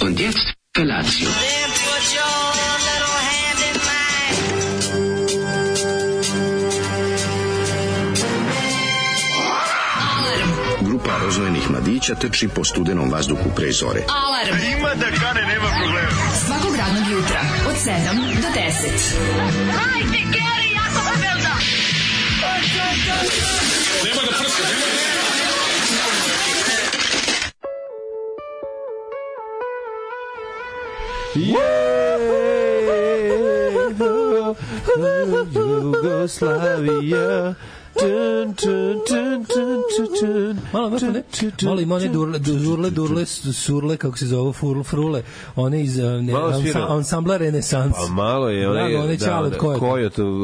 Und jetzt Felatio. Grupa rozvojenih mladića trči po studenom vazduhu pre zore. Alarm! Ima da kane, nema problema. Svakog radnog jutra, od 7 do 10. Hajde, Geri, jako se velda! Nema da prska, nema da... Jugoslavija. Malo ima one durle, surle, kako se zove, frule, one iz ansambla Renesans. Pa malo je one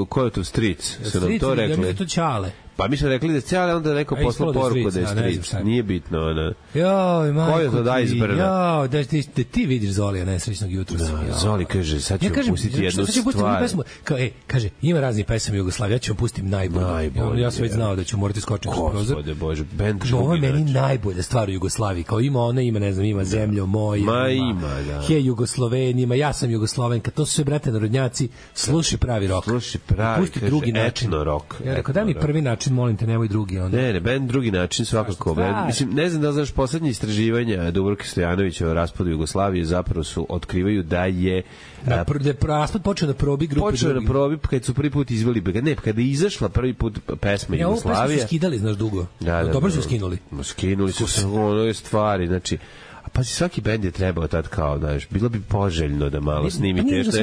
Kojotov Stric, su nam to rekli. Ja mi je to Ćale. Pa mi smo rekli da je Ćale, onda neko poslao poruku da je Stric. Nije bitno, ona. Joj, majko ti. Joj, da ti vidiš Zolija nesrećnog jutra. Zoli kaže, sad ću pustiti jednu stvar. Kaže, ima raznih pesama Jugoslavije, ja ću vam pustim najbolje. Ja sam već znao da ću morati skočiti u prozor. Gospode Bože, bend drugi. Ovo je meni najbolja stvar u Jugoslaviji. Kao ima ona, ima, ne znam, ima Zemljo moja. Ima, da. Hej Jugoslovenima, ja sam Jugoslovenka. To su sve, brate, narodnjaci. Sluši pravi rok. Sluši pravi, kaže, etno rok. Ja rekao, daj mi prvi način molim te, nemoj drugi. Onda. Ne, bend drugi način svakako. Mislim, ne znam da znaš, poslednje istraživanja Dubravke Stojanovića o raspadu Jugoslavije zapravo su otkrivaju da je raspad počeo na probi grupe. Počeo na probi kad su prvi put izveli, ne, kada je izašla prvi put pesma Jugoslavija. Ovu pesmu su skidali, znaš, dugo. Dobro su skinuli. Skinuli su se ono stvari, znači. A pa svaki bend je trebao tad kao, znaš, bilo bi poželjno da malo snimite nešto.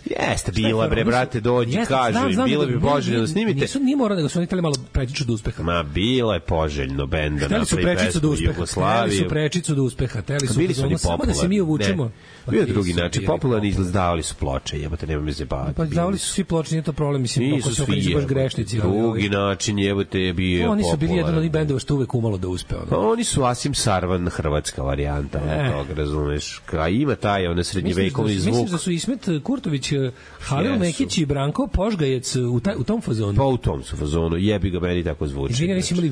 Jeste, bila bre, brate, dođi, kažu im, bilo bi poželjno da snimite. Nije morao, nego su oni hteli malo prečicu do uspeha. Ma, bilo je poželjno bend da napravi pesmu Jugoslaviju. Hteli su prečicu do uspeha, hteli su samo da se mi uvučemo. Bio je drugi način, popularni izdavali su ploče, jebote, nema me zebati. Pa izdavali su svi ploče, nije to problem, mislim, ako su baš grešnici. Drugi način, jebote, je bio popularni. Oni su bili jedan od onih bendova što uvek umalo da uspe. Oni su Asim Sarvan, hrvatska varijanta toga, razumeš, a ima taj srednjevekovni zvuk. Mislim da su Ismet Kurtović, Halil Mekić i Branko Požgajec u tom fazonu. Pa u tom su fazonu, jebi ga, meni tako zvuči. Izvini, nisi imali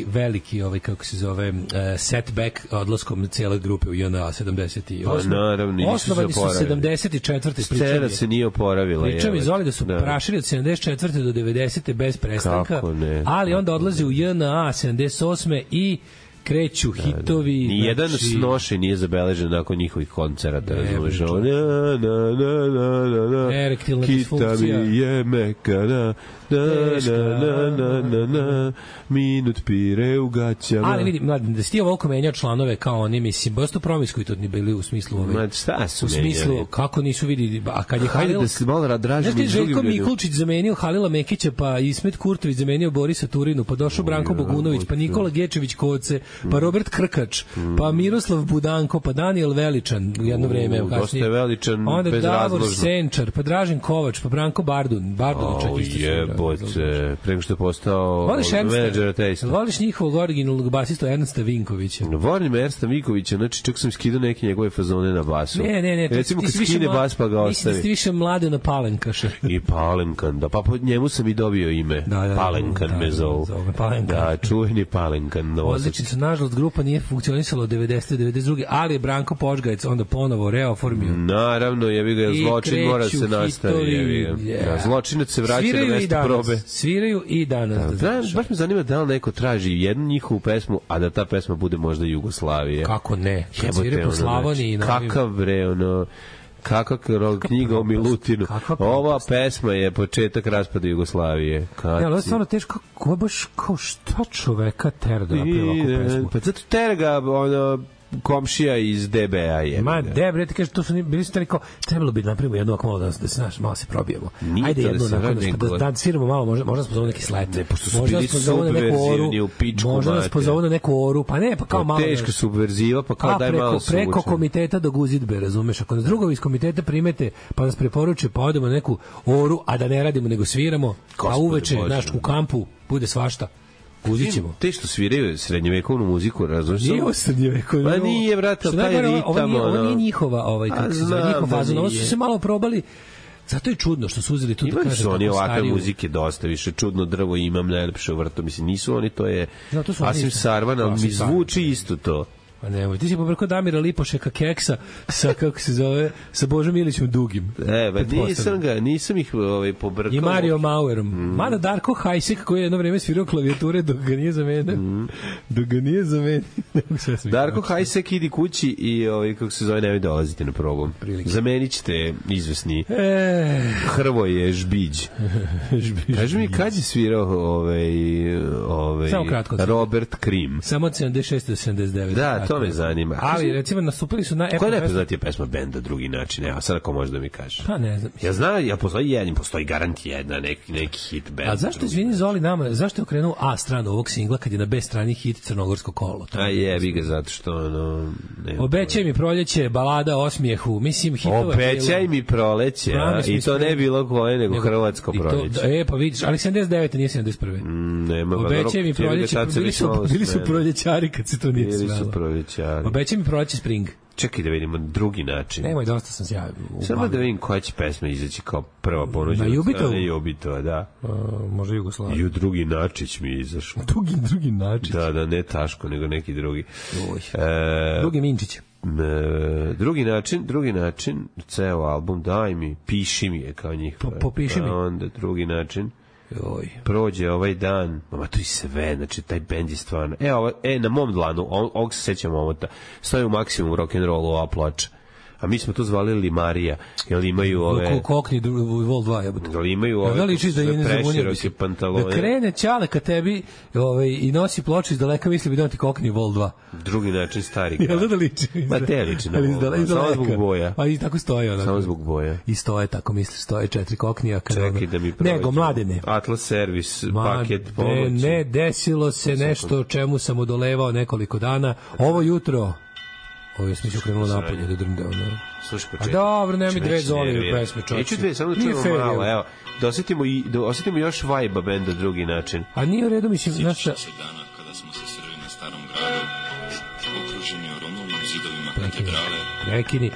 veliki kako se zove, setback odlaskom cele grupe u JNA 78. Pa naravno, osnovani su 74. Scena se nije oporavila. Pričam iz Zoli da su prašili od 74. do 90. bez prestanka, ali onda odlaze u JNA 78. i kreću hitovi. Nijedan snošaj nije zabeležen nakon njihovih koncerata. Erektilna disfunkcija. Kita mi je mekana, minut pire u gaćama. Ali vidi, mladim, da si ti ovoliko menjao članove kao oni, mislim, baš to promiskuitetni bili u smislu u smislu, kako nisu vidi, a kad je Halil... da se malo radražim. Znaš ti Željko Mikulčić zamenio Halila Mekića, pa Ismet Kurtović zamenio Borisa Turinu, pa došao Branko Bogunović, pa Nikola Gečević Koce, pa Robert Krkač, pa Miroslav Budanko, pa Daniel Veličan u jedno vreme, dosta je Veličan, onda bez Davor razložno. Senčar, pa Dražen Kovač, pa Branko Bardun čak isto su. Jebote, preko što je postao menadžer Tejsta. Voliš njihovog originalnog basistu Ernsta Vinkovića? Volim Ernsta Vinkovića, znači čak sam skidao neke njegove fazone na basu. Ne. Recimo kad skine bas pa ga ostavi. Mislim da ste više mlade na Palenkaša. I Palenkan, da, pa po njemu sam i dobio ime. Palenkan me zovu. Da, čuveni Palenkan. Odlični su, nažalost, grupa nije funkcionisala od 90. do 92. ali je Branko Požgajec onda ponovo reoformio. Naravno, jebi ga, zločin mora se nastaviti, jebi ga. Zločinac se vraća na mesto probe. Sviraju i danas. Baš me zanima da li neko traži jednu njihovu pesmu, a da ta pesma bude možda Jugoslavije. Kako ne? Kad sviraju po Slavoniji. Kakav bre, kakva knjiga o Milutinu. Ova pesma je početak raspada Jugoslavije. Ja, ali je stvarno teško, kako baš, kao šta čoveka tera da napravi ovakvu pesmu? Pa zato tera ga, komšija iz DBA je. Ma, bre, ti kažeš, to su bili su kao, trebalo bi napravimo jednu ovako malo da se naš, malo se probijemo. Ajde jednu onako, da sviramo malo, možda smo zovu neki slet. Ne, pošto su bili subverzivni u pičku mate. Možda nas pozovu na neku oru, pa ne, pa kao malo. Teška subverziva, pa kao daj malo suvučen. Preko komiteta do Guzidbe, razumeš? Ako nas drugovi iz komiteta primete, pa nas preporuče, pa odemo na neku oru, a da ne radimo, nego sviramo, a uveče, znaš, u kampu, bude svašta. Uzićemo. Te što sviraju srednjevekovnu muziku, razumiješ? Nije ovo srednjevekovnu. Pa nije, brate, taj ritam. Ovo nije njihova, kako se zove, njihov fazon. Ovo su se malo probali. Zato je čudno što su uzeli tu da kažem. Imali su oni ovakve muzike dosta više. Čudno drvo imam najlepše u vrtu. Mislim, nisu oni, to je Asim Sarvan, ali mi zvuči isto to. Pa nemoj, ti si pobrkao Damira Lipošeka Keksa sa, kako se zove, sa Božom Ilićem Dugim. Nisam ih pobrkao. I Mario Mauerom. Mada Darko Hajsek, koji je jedno vreme svirao klavijature dok ga nije zamenio. Darko Hajsek, idi kući i, kako se zove, nemoj dolaziti na probom. Zamenit ćete izvesni Hrvoje Žbiđ. Kaži mi, kad je svirao Robert Krim? Samo od 76 do 79. Da, to me zanima. Ali, recimo, nastupili su na... Koja je najpoznatija pesma benda drugi način? Evo, sad ako možeš da mi kažeš. Pa ne znam. Ja znam, postoji garant jedna, neki hit band. A zašto, izvini Zoli, nama, zašto je okrenuo A stranu ovog singla kad je na B strani hit Crnogorsko kolo? A jebi ga, zato što Obećaj mi proljeće, balada o osmijehu, mislim hitova... Obećaj mi proleće, i to ne bilo koje, nego hrvatsko proljeće. Pa vidiš, ali 79. nije 71. Nema. Obećaj mi proljeće, bili su proljećari kad se to nije svelo. Obećaj mi proleće Spring. Čekaj da vidimo drugi način. Nemoj, dosta sam sjavio. Samo da vidim koja će pesma izaći kao prva ponuđena. Na Jubitovu? Na Jubitova, da. Može Jugoslavija. I u drugi Načić mi izašao. Drugi Načić? Da, ne Taško, nego neki drugi. Drugi Minčić. Drugi način, ceo album, daj mi, piši mi je kao njih. Popiši mi. Onda drugi način. Prođe ovaj dan, ma to i sve, znači taj bend je stvarno. Na mom dlanu, ovog se sećam omota, stoji u maksimum rock'n'rollu ova ploča. A mi smo to zvali Limarija, jer imaju ove... Kokni Vol 2, jebote. Jer imaju ove preširoke pantalone. Da krene Ćale ka tebi i nosi ploču iz daleka, misli bi da ti Kokni Vol 2. Drugi način stari grad. Jel da liči? Ma te liči na Vol 2. Samo zbog boja. Pa i tako stoje. Samo zbog boja. I stoje, tako misli, stoje 4 Koknija. Čekaj da mi prođe. Nego, Mladene. Atlas Servis, paket pomoći. Ne, desilo se nešto čemu sam odolevao nekoliko dana. Ovo jutro... Ovo je smišljeno krenulo napolje da drndeo, ne? Slušaj, počekaj. A dobro, nema mi dve Zolive pesme, čoči. Neću dve, samo da čujemo malo, evo. Da osetimo još vibe benda drugi način. A nije u redu, mislim, znaš šta... Sjećam se dana kada smo se sreli na Starom gradu, okruženi oronovim zidovima katedrale. Prekini.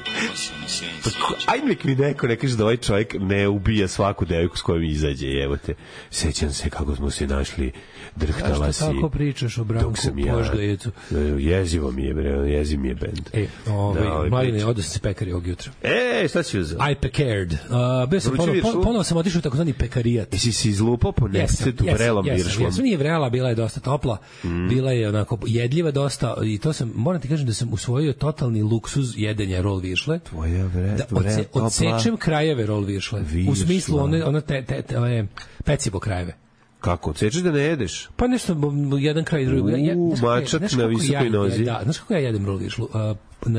Ajde nek mi neko ne kaže da ovaj čovjek ne ubija svaku devojku s kojom izađe, evo te. Sećam se kako smo se našli, drhtala si. Zašto tako pričaš o Branku Požgajecu? Jezivo mi je, jezi mi je bend. Mladine, odo sam se pekari ovog jutra. Šta si uzao? I pekared. Ponovo sam otišao u takozvani pekarijat. Jesi si izlupao po nefcetu vrelom viršlom? Jesam, nije vrela, bila je dosta topla, bila je onako jedljiva dosta i to sam, moram ti kažem da sam usvojio totalni luksuz jedenja rol viršle. Tvoja odsečem krajeve rol viršle. U smislu one pecivo krajeve. Kako? Odsečeš da ne jedeš? Pa nešto, jedan kraj i drugi. Mačak na visokoj nozi. Da, znaš kako ja jedem rol viršlu?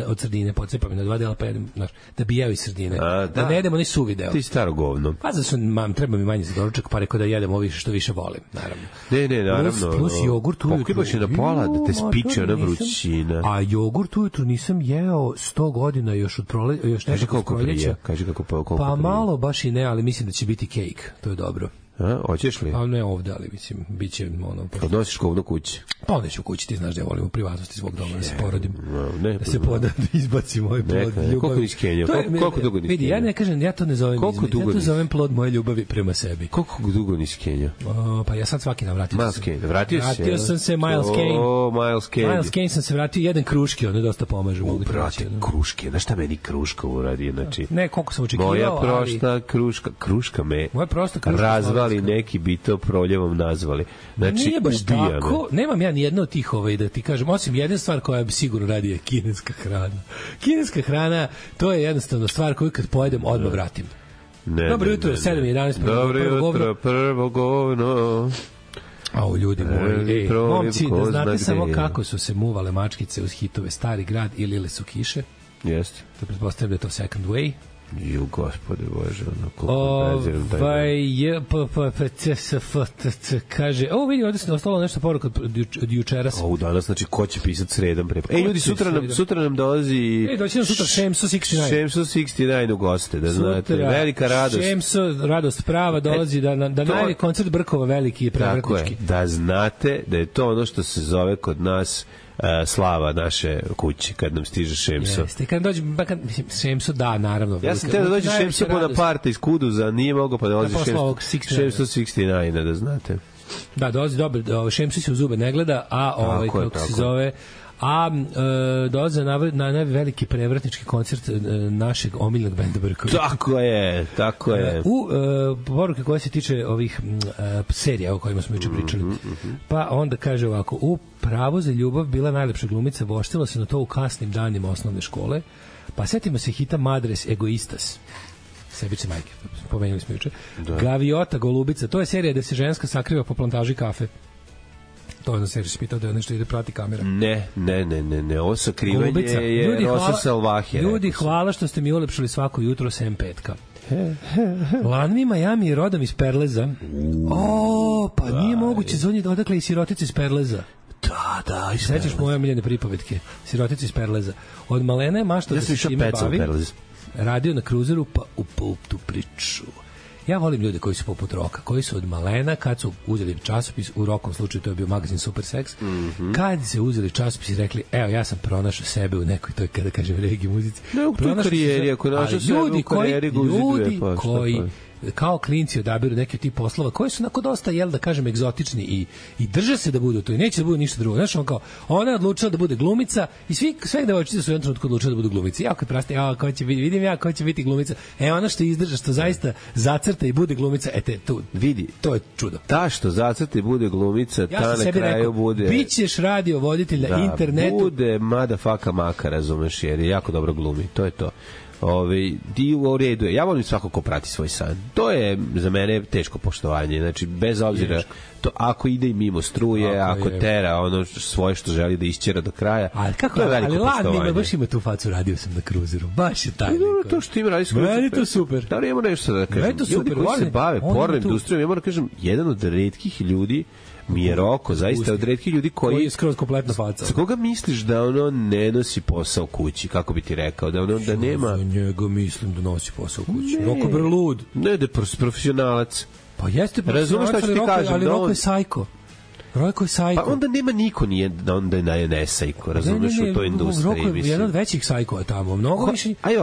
Od sredine, pocepam je na 2 dela, pa jedem, znaš, da bi jeo iz sredine. Da ne jedem onaj suvi deo. Ti staro govno. Pa zato treba mi manje za doručak, pa rekao da jedem ovo više što više volim, naravno. Ne, naravno. Plus jogurt ujutru. Pokibaš je na pola da te spiče ona vrućina. A jogurt ujutru nisam jeo 100 godina još od proleća. Kaži koliko prije. Pa malo baš i ne, ali mislim da će biti kejk. To je dobro. Hoćeš li? Pa ne ovde, ali mislim, bit će ono... Odnosiš govno kući? Pa neću u kući, ti znaš da ja volim u privatnosti svog doma, da se porodim. Da se da izbacim moj plod ljubavi. Koliko niskenio? Koliko dugo niskenio? Vidi, ja ne kažem, ja to ne zovem izme. Ja to zovem plod moje ljubavi prema sebi. Koliko dugo niskenio? Pa ja sad svaki dan vratio sam. Vratio sam se, Miles Kane. Miles Kane. Miles Kane sam se vratio, jedan kruški, on je dosta pomaže. Brate, kruške, znaš šta meni kruška uradi? Ne, koliko sam očekivao, moja prosta kruška me razvali neki to proljevom nazvali. Znači, nije baš tako. Nemam ja ni jedno od tih da ti kažem, osim jedna stvar koja bi sigurno radi je kineska hrana. Kineska hrana, to je jednostavno stvar koju kad pojedem odmah vratim. Dobro jutro, 7:11. Dobro jutro, prvo govno. Au, ljudi moji, momci, da znate samo kako su se muvale mačkice uz hitove Stari grad i Lile su kiše. Jeste. To pretpostavljam da je to Second Way. Ju, gospode Bože, ono, koliko preziram taj kaže, vidi, ovdje se ostalo nešto poruka od jučeras. Danas, znači, ko će pisati sredom pre... ljudi, sutra nam dolazi... doći nam sutra Šemso 69. Šemso 69 u goste, da znate, velika radost. Šemso, radost prava, dolazi da najavi koncert Brkova veliki i prevratnički. Tako je, da znate da je to ono što se zove kod nas slava naše kuće kad nam stiže Šemso. Jeste, kad dođe Šemso, da, naravno. Ja sam te da dođe Šemso Bonaparte iz Kuduza, nije mogao pa dolazi Šemso 69, da znate. Da, dolazi dobro, Šemso se u zube ne gleda, a kako se zove... dolaze na veliki prevratnički koncert našeg omiljenog benda Brkovi. Tako je. U poruke koje se tiče ovih serija o kojima smo juče pričali. Pa onda kaže ovako, u Pravo za ljubav bila najlepša glumica, voštila se na to u kasnim danima osnovne škole, pa setimo se hita Madres Egoistas. Sebice majke, pomenuli smo juče. Gaviota Golubica, to je serija da se ženska sakriva po plantaži kafe. To je na seriju se pitao da nešto ide prati kamera. Ne, ovo sakrivanje je Rosa Salvaje. Ljudi, hvala što ste mi ulepšali svako jutro sem petka. Lanvi Miami je rodom iz Perleza. Pa nije moguće, zvonji odakle i sirotica iz Perleza. Da, sećaš moje omiljene pripovetke, sirotica iz Perleza. Od malena je mašta da se time bavi. Radio na kruzeru, pa upao tu priču. Ja volim ljude koji su poput Roka, koji su od malena, kad su uzeli časopis, u Rokom slučaju to je bio magazin Super Sex, kad se uzeli časopis i rekli, evo, ja sam pronašao sebe u nekoj, to je kada kažem reggae muzici. Ne, u toj karijeri, ako našao sebe u karijeri ga uziduje, ljudi koji kao klinci odabiru neke od tih poslova koji su onako dosta, jel da kažem, egzotični i drže se da budu to i neće da budu ništa drugo. Znaš, on kao, ona je odlučila da bude glumica i sve devojčice su u jednom trenutku odlučile da budu glumice. Ja kad praste, ko će biti, vidim ja ko će biti glumica. Ona što izdrža, što zaista zacrta i bude glumica, tu vidi, to je čudo. Ta što zacrta i bude glumica, ta na kraju rekao, bude... Bićeš radio voditelj na internetu. Bude motherfucker maka, razumeš, jer je jako dobro glumi. To je to. U redu je. Ja volim svako ko prati svoj san. To je za mene teško poštovanje. Znači, bez obzira, to ako ide i mimo struje, ako tera ono svoje što želi da isćera do kraja, to je veliko poštovanje. Ali baš ima tu facu, radio sam na kruzeru. Baš je taj. To što ima radi s kruzerom. Meni to super. Da li imamo nešto da kažem? Ljudi koji se bave porno industrijom, ja moram da kažem, jedan od retkih ljudi mi je Roko, zaista od retkih ljudi koji je skroz kompletna faca. Za koga misliš da ono ne nosi posao kući, kako bi ti rekao, da ono da nema... Za njega mislim da nosi posao kući. Roko bre lud. Ne, da je profesionalac. Pa jeste profesionalac, razumeš šta ću ti kažem, ali Roko je sajko. Roko je sajko. Pa onda nema niko nije da onda je ne sajko, razumeš, u toj industriji. Roko je jedan od većih sajkova tamo, mnogo više. Ajde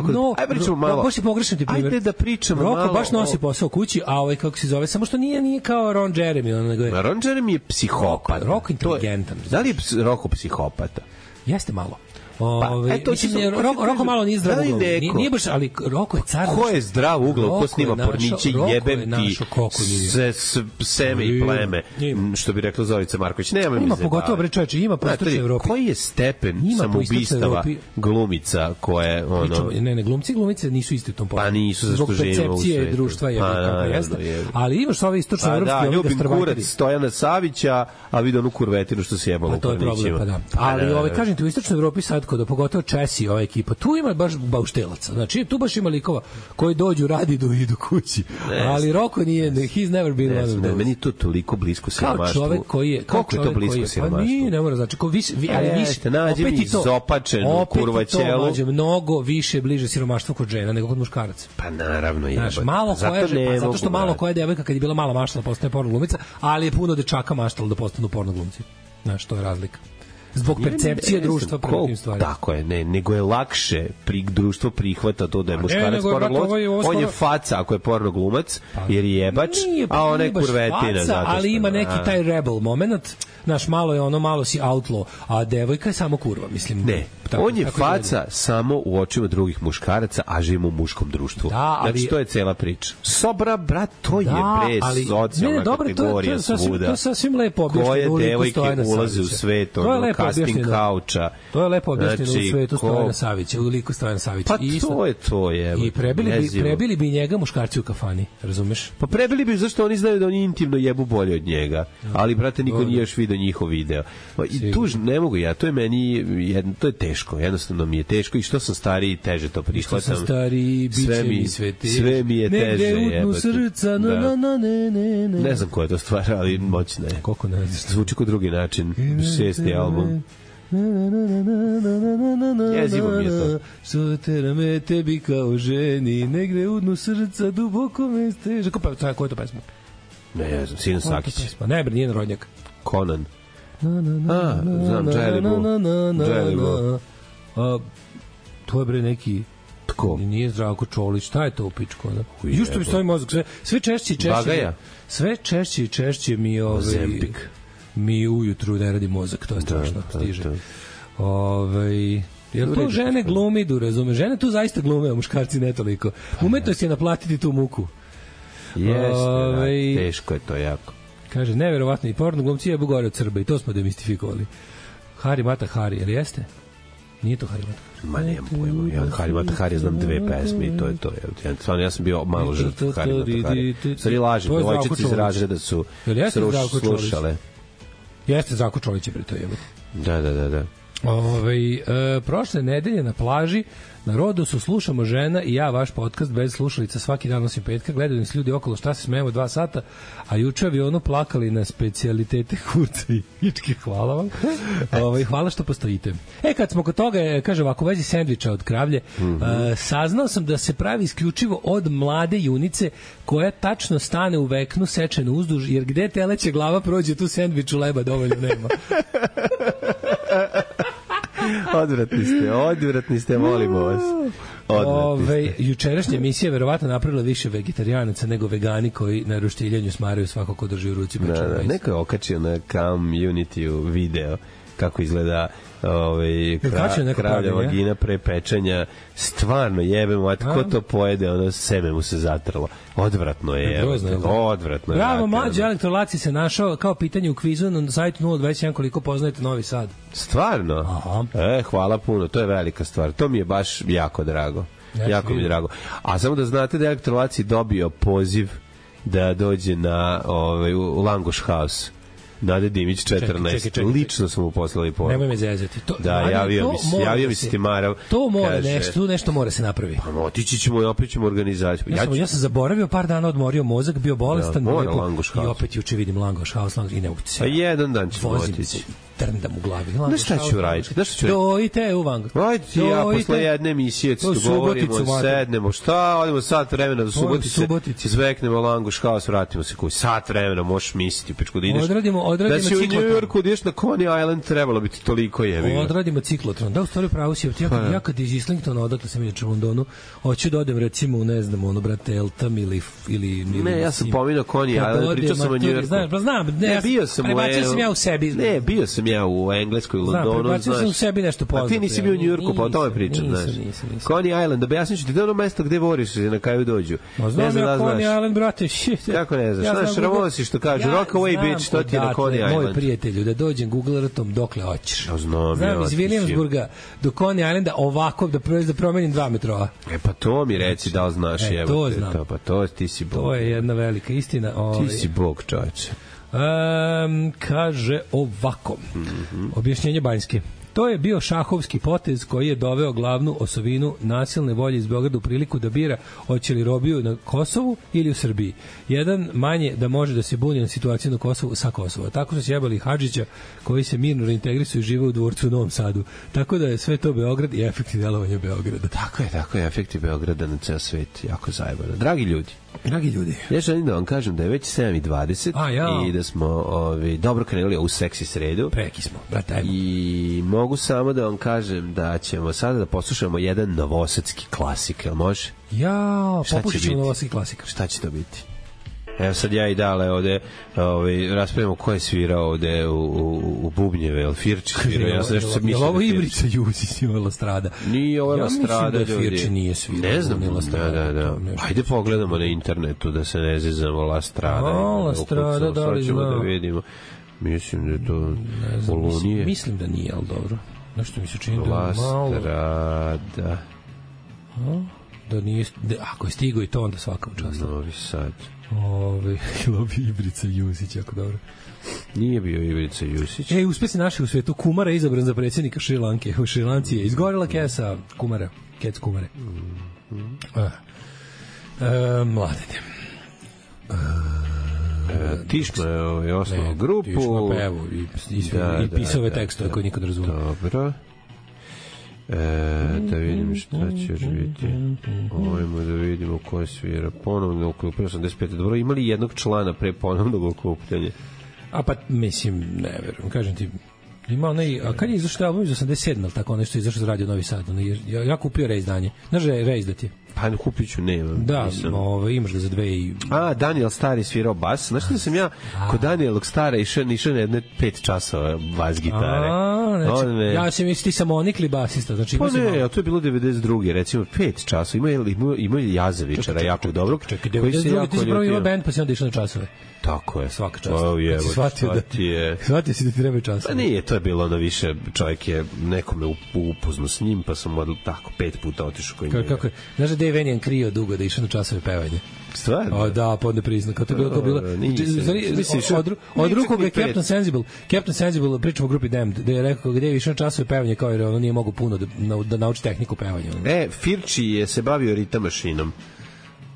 pričamo malo. Baš je pogrešan ti primjer. Ajde da pričamo malo. Roko baš nosi posao kući, a kako se zove, samo što nije kao Ron Jeremy, nego je. Ron Jeremy je psihopat. Roko inteligentan. Da li je Roko psihopata? Mislim Roko malo nije zdrav uglav. Nije baš, ali Roko je car. Ko je zdrav uglav, ko snima porniće, jebem ti seme i pleme, što bi rekla Zorica Marković. Nema mi se. Ima pogotovo, bre čoveče, ima po istočnoj Evropi. Koji je stepen samoubistava glumica koje ono... Ne, glumice nisu isti u tom pogledu. Pa nisu za što živimo u svetu. Zbog percepcije društva je kako jeste. Ali imaš ove istočnoevropske... Ljubim kurac Stojana Savića, a vidi onu kurvetinu što se jebalo u pornićima. Ali kažem ti, u istočnoj Evropi sad kod pogotovo Česi, ova ekipa, tu ima baš bauštelaca. Znači, tu baš ima likova koji dođu, radi do idu kući. Ali Roko nije, he's never been one of those. Meni to toliko blisko siromaštvu. Kao čovek koji je... Koliko je to blisko siromaštvu? Pa nije, ne mora, znači, ali više... Nađe mi izopačenu kurvaćelu. Opet to mnogo više bliže siromaštvu kod žena nego kod muškaraca. Pa naravno je. Znaš, zato što malo koja devojka kad je bila mala maštala postane porno glumica, ali je puno dečaka maštalo da postanu porno glumci. Znaš, to je razlika. Zbog percepcije društva prema tim stvarima. Tako je, nego je lakše društvo prihvata to da je muškarac porno glumac. On je faca ako je porno glumac, jer je jebač, a ona je kurvetina. Ali ima neki taj rebel moment, znaš, malo si outlaw, a devojka je samo kurva, mislim. Ne, on je faca samo u očima drugih muškaraca, a živimo u muškom društvu. Znači, to je cela priča. Sobra, brat, to je socijalna kategorija svuda. To je sasvim lepo objašnjeno. Koje devojke ulaze u svet, casting kauča. To je lepo objašnjeno u svetu Stojana Savića, u liku Stojana Savića. Pa to je. I prebili bi njega muškarci u kafani, razumeš? Pa prebili bi, zašto oni znaju da oni intimno jebu bolje od njega. Ali, brate, niko nije još vidio njihov video. I tu ne mogu ja, to je meni, to je teško, jednostavno mi je teško i što sam stariji, teže to prihvatam. Što sam stariji, bit će mi sve teže. Sve mi je teže. Negde udnu srca, ne znam koja je to stvar, ali moćna je. Koliko ne znaš? Zvuči ko drugi način. 6. album. Jezivo mi je to. Što tera me tebi kao ženi, negde udnu srca, duboko me steže. Ko je to pesma? Ne znam, Sinan Sakić. Ne bre, nije Narodnjak. Conan. Znam, Dželibu. To je bre neki... Tko? Nije Zdravko Čolić, šta je to u pičku? Jušto mi stoji mozak, sve češće i češće. Bagaja? Sve češće i češće mi Zempik. Mi ujutru ne radi mozak, to je strašno, stiže. Jer to žene glumidu, razume? Žene tu zaista glume, a muškarci ne toliko. Umetnost je naplatiti tu muku. Jeste, teško je to jako. Kaže, neverovatno, i porno glumci jebu gore od Srba i to smo demistifikovali. Hari Mata Hari, jer jeste? Nije to Hari Mata Hari. Ma nemam pojma, ja Hari Mata Hari znam 2 pesme i to je to. Ja sam bio malo žrtv Hari Mata Hari. Stvari lažem, devojčice iz razreda su slušale. Jeste Zdravko Čolić je pri to jebo. Da. Prošle nedelje na plaži na Rodosu slušamo žena i ja vaš podcast bez slušalica svaki dan osim petka, gledaju nas ljudi okolo šta se smejemo 2 sata, a juče avionu plakali na specijalitete kurca i ičke, hvala vam. Hvala što postojite. Kad smo kod toga, kaže ovako, u vezi sendviča od kravlje, saznao sam da se pravi isključivo od mlade junice koja tačno stane u veknu sečenu uzduž, jer gde teleće glava prođe tu sendviču leba dovoljno nema. Odvratni ste, molimo vas. Jučerašnja emisija je verovatno napravila više vegetarijanaca nego vegani koji na roštiljanju smaraju svako ko drži u ruci pečeno. Neko je okačio na Community video kako izgleda kravlja vagina pre pečenja. Stvarno jebemo, ko to pojede, ono seme mu se zatrlo. Odvratno je. Odvratno je. Bravo, mlađe elektrolaci se našao kao pitanje u kvizu na sajtu 021 koliko poznajete Novi Sad. Stvarno? Aha. Hvala puno, to je velika stvar. To mi je baš jako drago. Jako mi je drago. A samo da znate da elektrolaci dobio poziv da dođe u Langoš House. Nade Dimić 14. Čekaj. Lično smo mu poslali poruku. Nemoj me zezati. Javio mi se Timarav. To mora nešto mora se napravi. Pa otići ćemo i opet ćemo organizaciju. Ja sam zaboravio par dana, odmorio mozak, bio bolestan. I opet juče vidim Langoš House i ne mogu se. Pa jedan dan ćemo otići. Trndam u glavi. Znaš šta ću raditi? Dojte u Langoš. Ajde ti ja posle jedne emisije dogovorimo, sednemo, šta, odemo sat vremena do Subotice, zveknemo Langoš House, vratimo se koji sat vremena, možeš misliti, pičku da ideš. Odradimo da si ciklotron. U Njujorku, da ideš na Coney Island, trebalo biti toliko jebi. Odradimo ciklotron. Da, u stvari pravo si, ja kad iz Islingtona, odakle sam inače u Londonu, hoću da odem recimo u, ne znam, brate, Eltham ili ne, ja sam pominao Coney Island, pričao sam o Njujorku. Znam, bio sam ja u sebi. Ne, bio sam ja u Engleskoj, u Londonu, znaš. Prebacio sam u sebi nešto poznato. A ti nisi bio u Njujorku, pa o tome pričam, znaš. Coney Island, da objasnim ću ti, da je ono mesto gde voriš na kraju dođu. Znam ja Coney Island, brate, shit. Kako ne znaš, znaš, Ramonsi što kaže, Rockaway Beach, to ti je na Coney Island. Moj prijatelju, da dođem Google Earthom dokle hoćeš. Znam, iz Williamsburga do Coney Islanda ovako da promenim 2 metrova. Pa to mi reci da li znaš, to znam. Pa to ti si Bog. To je jedna velika istina. Ti si Bog, čoveče. Kaže ovako. Objašnjenje Banjske. To je bio šahovski potez koji je doveo glavnu osovinu nasilne volje iz Beograda u priliku da bira hoće li robiju na Kosovu ili u Srbiji. Jedan manje da može da se buni na situaciju na Kosovu sa Kosova. Tako su sjebali Hadžića koji se mirno reintegrisuje i žive u dvorcu u Novom Sadu. Tako da je sve to Beograd i efekti delovanja Beograda. Tako je efekti Beograda na ceo svet. Jako zajebano. Dragi ljudi, ja želim da vam kažem da je već 7:20 i da smo dobro krenuli ovu seksi sredu. Preki smo, brate. I mogu samo da vam kažem da ćemo sada da poslušamo jedan novosadski klasik, jel može? Popušit ćemo novosadski klasik. Šta će to biti? Evo sad ja i Dale ovde raspravimo ko je svirao ovde u bubnjeve, jel Firči svirao? Ja sam nešto sad mislio. Jel ovo Ibrica Juzić ili Lastrada? Nije ovo Lastrada, ljudi. Ja mislim da Firči nije svirao. Ne znam, da. Ajde pogledamo na internetu da se ne zezamo Lastrada. Lastrada, da li zna? Da vidimo. Mislim da je to Polunije. Mislim da nije, ali dobro. Nešto mi se čini da Lastrada. Da nije, ako je stigo i to, onda svaka učast. Novi Sad. Lobi Ibrica Jusić, jako dobro. Nije bio Ibrica Jusić. Uspesi naši u svetu. Kumara je izabran za predsjednika Šrilanke. U Šrilanci je izgorila kesa Kumara. Kec Kumare. Mladene. Tišma je osnovno grupu. Tišma pevu i pisao ove tekstove koje niko ne razumije. Dobro. Da vidim šta će još biti. Ovimo da vidimo ko je svira. Ponovno okupljanje 85. Dobro, imali jednog člana pre ponovnog okupljanja? Pa mislim, ne verujem. Kažem ti, ima onaj, a kad je izašao album iz 87, ali tako nešto izašao za Radio Novi Sad, ja kupio reizdanje. Znaš da je reizdat je? Pa kupit ću, nemam. Da, imaš ga za 2 Daniel Stari svirao bas. Znaš da sam ja kod Danielog Stara išao na jedne 5 časova bas gitare. Ja sam misli samo onikli basista. Znači, pa ne, to je bilo 92. Recimo 5 časova. Ima Jazevičara jako dobrog. Čekaj, 92. ti si prvo imao band pa si onda išao na časove. Tako je. Svaka čast. Shvatio si da ti treba časove. Pa nije, to je bilo ono više, čovjek je nekome upoznao s njim, pa sam tako 5 puta otišao kod njega. Kako je? Znaš da Dave Vanian krio dugo da išao na časove pevanja? Stvarno? Da, pa onda priznam. Kao to je bilo... Od ruku ga je Captain Sensible, pričamo o grupi Damned, da je rekao gde je išao na časove pevanja, kao jer ono nije mogu puno da nauči tehniku pevanja. Firči je se bavio ritam mašinom.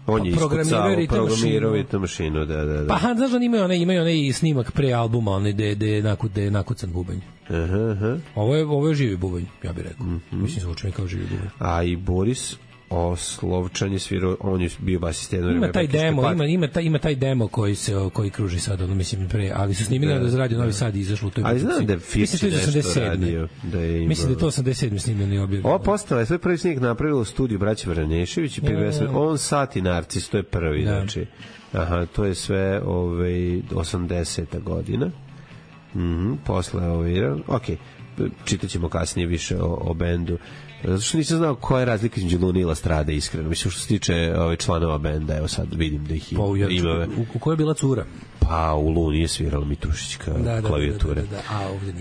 On je programirao ritam mašinu, da. Pa, znaš da imaju onaj snimak pre albuma, gde je nakucan bubanj. Ovo je živi bubanj, ja bih rekao. Mislim, zvuči mi kao živi bubanj. A i Boris Oslovčan je svirao, on je bio basist jedno vreme. Ima taj demo, ima taj demo koji kruži sad, ono mislim pre, ali su snimili da za radio Novi Sad izašlo u toj. Ali znam da Firci nešto radio, da je imao. Mislim da je to 87. snimljeni objavljeno. Ovo postala je svoj prvi snik napravilo u studiju braće Vranešević i on Sat i Narcis, to je prvi, znači. Aha, to je sve 80. godina. Posle okej, čitaćemo kasnije više o bendu. Zato što nisam znao koja je razlika između Lune i Lastrade, iskreno. Mislim, što se tiče članova benda, evo sad vidim da ih ima. U kojoj je bila cura? Pa u Luni je svirala Mitušićka klavijature. A ovdje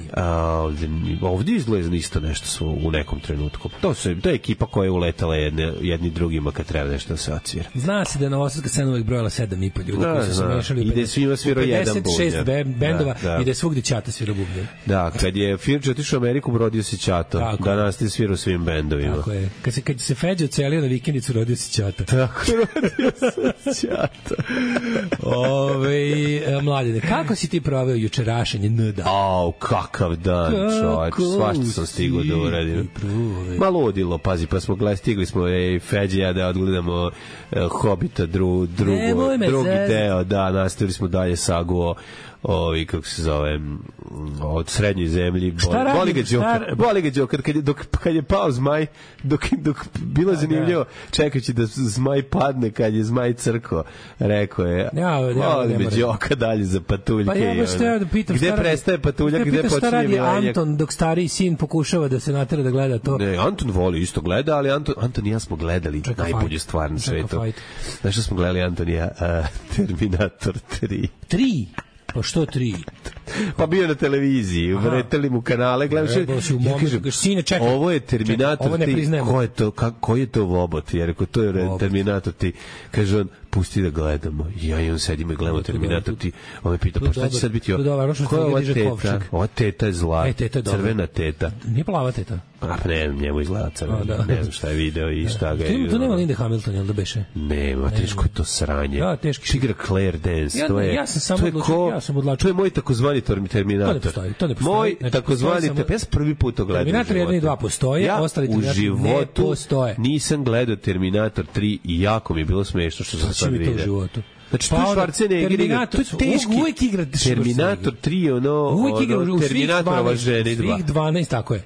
nije. Ovdje izgleda isto nešto u nekom trenutku. To je ekipa koja je uletala jedni drugima kad treba nešto da se odsvira. Zna se da je Novosadska scena uvijek brojala 7,5 ljudi koji su se mešali. I da je svima svirao jedan bubnjar. 56 bendova i da je svugdje Ćata svirao bubnjar. Da, kad je Firč otišao u Ameriku, rodio se Ćato. Danas ti svirao svim bendovima. Tako je. Kad se Feđa ocelio na vikendicu, rodio se Ćata. Tako, rodio se Ćata. Mladine, kako si ti proveo jučerašenje NDA? Kakav dan, čovječ, svašta sam stigao da uradim. Ludilo, pazi, pa smo stigli smo Feđe ja da odgledamo Hobita drugi deo, da, nastavili smo dalje sagu kako se zove, od srednjoj zemlji. Boli ga Đoker, kad je pao zmaj, dok bilo zanimljivo, čekajući da zmaj padne, kad je zmaj crko, rekao je, boli me Đoka dalje za patuljke. Pa ja baš treba da pitam, gde prestaje patuljak, gde počinje šta radi milenjak. Anton, dok stariji sin pokušava da se natera da gleda to? Ne, Anton voli isto gleda, ali Anton i ja smo gledali najbolju stvar na svetu. Znaš što smo gledali, Anton i ja? Terminator 3. 3? Pa što 3? Pa bio na televiziji, vreteli mu kanale, gledam ja kažem, ovo je Terminator, koji je to vobot, jer ako to je Terminator ti, kaže on, pusti da gledamo. Ja i on sedimo i gledamo Terminator ti, on me pita, pa šta će sad biti ovo? Koja je ova teta? Ova teta je zla, crvena teta. Nije plava teta? Pa ne, njemu izgleda crvena, ne znam šta je video i šta ga je. To nema Linda Hamilton, jel da beše? Nema, teško je to sranje. Da, teško. Igra Claire Dance, to je... Ja sam samo odlačio. To je moj takozvani Terminator. To ne postoji. Moj takozvani, ja sam prvi put to gledao. Terminator 1 i 2 postoje, ostali Terminator ne postoje. Nisam gledao Terminator 3 i jako mi je bilo smešno što sam sad vidio. Znači, tu Schwarzenegger igra, to je teški. Terminator 3 je ono Terminatorova žena i 2. Svih 12, tako je.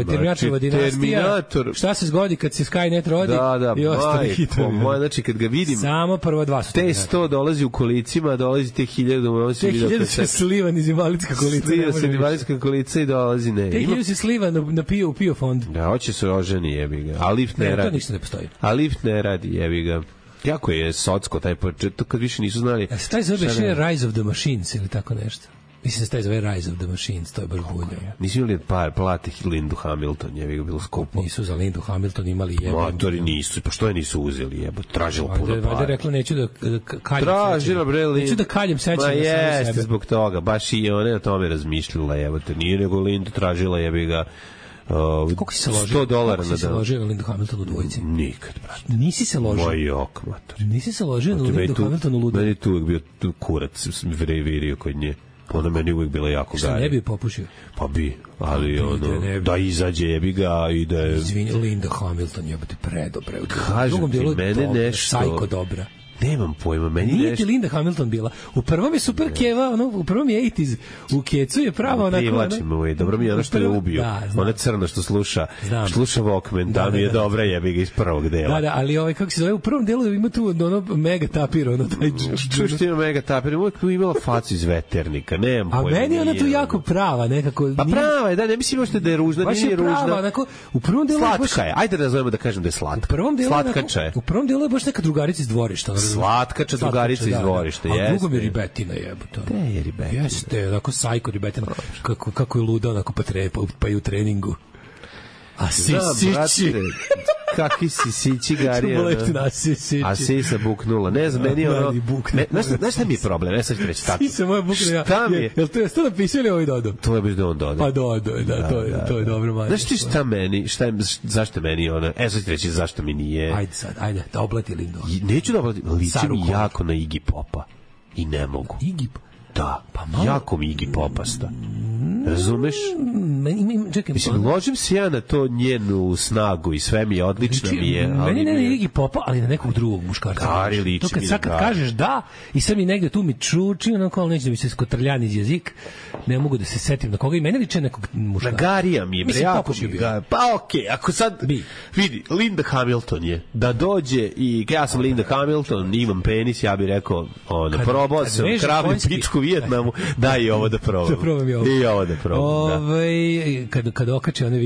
Terminatorova dinastija, šta se zgodi kad se Skynet rodi i ostali hitovi. Znači, kad ga vidim, samo prvo 2 su. Te 100 dolazi u kolicima, dolazi te 1000, te 1000 se sliva niz invalidska kolica. Sliva se invalidska kolica i dolazi, ne. Te 1000 se sliva na PIO fond. Da, hoće se oženi, jebi ga. A lift ne radi. To ništa ne postoji. A lift ne radi, jebi ga. Jako je socko taj početak, kad više nisu znali. Taj zove Rise of the Machines ili tako nešto. Mislim da se taj zove Rise of the Machines, to je baš bulja. Nisu imali plate Lindu Hamilton, je bilo skupo. Nisu za Lindu Hamilton imali jebe. Motori nisu, pa što je nisu uzeli, jebo, tražilo puno para. Valjda rekla, neću da kaljem tražila, bre, Lindu. Neću da kaljem sećam. Ma jeste, zbog toga, baš i one o tome razmišljala, jebo, te nije nego Lindu tražila, jebi ga, koliko si se ložio? $100 na dan. Koliko si se ložio na Lindu Hamilton u dvojici? Nikad, brate. Nisi se ložio? Moj jok, mater. Nisi se ložio na Lindu Hamilton u ludu? Meni je tu uvijek bio kurac, sam virio kod nje. Ona meni uvijek bila jako gari. Šta, ne bi popušio? Pa bi, ali da izađe, jebi ga i da je... Izvini, Linda Hamilton, jebate, predobre. Kažem ti, mene nešto... Sajko dobra. Nemam pojma, meni nije ti Linda Hamilton bila. U prvom je super keva, u prvom je 80s. U kecu je prava onako... Privlačimo, dobro mi je ono što je ubio. Ona crna što sluša Walkman, da mi je dobra, jebi ga iz prvog dela. Da, ali kako se zove, u prvom delu ima tu ono mega tapir, ono taj... Što ima mega tapir, uvijek imala facu iz Veternika, nemam pojma. A meni je ona tu jako prava, nekako... Pa prava je, da, ne mislim možete da je ružna, nije ružna. Baš je prava, onako, u prvom delu... Slatka je, ajde da zovemo da kažem da je slatka. Slatkača je. U prvom delu je baš neka drugarica iz dvorišta. Slatkača drugarica iz dvorišta, jeste. A drugo mi je ribetina, jebote. Te je ribetina. Jeste, onako sajko ribetina. Kako je luda, onako pa i u treningu. A sisići. Kakvi sisići, Gari. A sisa buknula. Ne znam, meni je ono... Znaš šta mi je problem? Ne sad ću reći tako. Sisa moja buknula. Šta mi je? Jel to je to napisao ili ovaj dodao? To je da on dodao. Pa dodao, da, to je dobro manje. Znaš ti šta meni, zašto meni ono... sad ću reći zašto mi nije... Ajde, da oblati Lindo. Neću da oblati, liči mi jako na Iggy Popa. I ne mogu. Iggy Da, jako mi Iggy Popasta. Razumeš? čekaj. Mislim, ložim se ja na to njenu snagu i sve mi je odlično mi je. Meni ne Iggy Popa, ali na nekog drugog muškarca. Gari liči mi. To kad kažeš da, i sad mi negde tu mi čuči, onako, ali neće da mi se skotrljani iz jezik, ne mogu da se setim na koga i mene liče nekog muškarca. Na Garija mi je, bre, jako mi ga. Pa okej, ako sad, vidi, Linda Hamilton je, da dođe i ja sam Linda Hamilton, imam penis, ja bih rekao, probao sam kravlju pičku u Vijetnamu, daj i ovo da probam. I ovo da probam, da. Kad okače one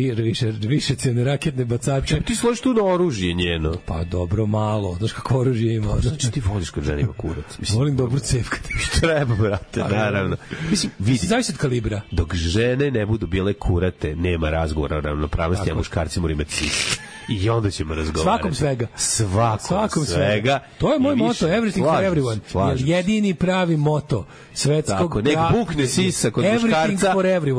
više cene raketne bacače. Ti složiš tu na oružje njeno. Pa dobro, malo. Znaš kako oružje ima. Znači ti voliš kad žena ima kurac. Volim dobro cevkati. Treba, brate, naravno. Mislim, vidi. Zavisi od kalibra. Dok žene ne budu bile kurate, nema razgovora o ravnopravnosti, a muškarci moraju imati cis. I onda ćemo razgovarati. Svakom svega. To je moj moto, everything for everyone. Jedini pravi moto svetskog. Tako, nek bukne sisa kod muškarca,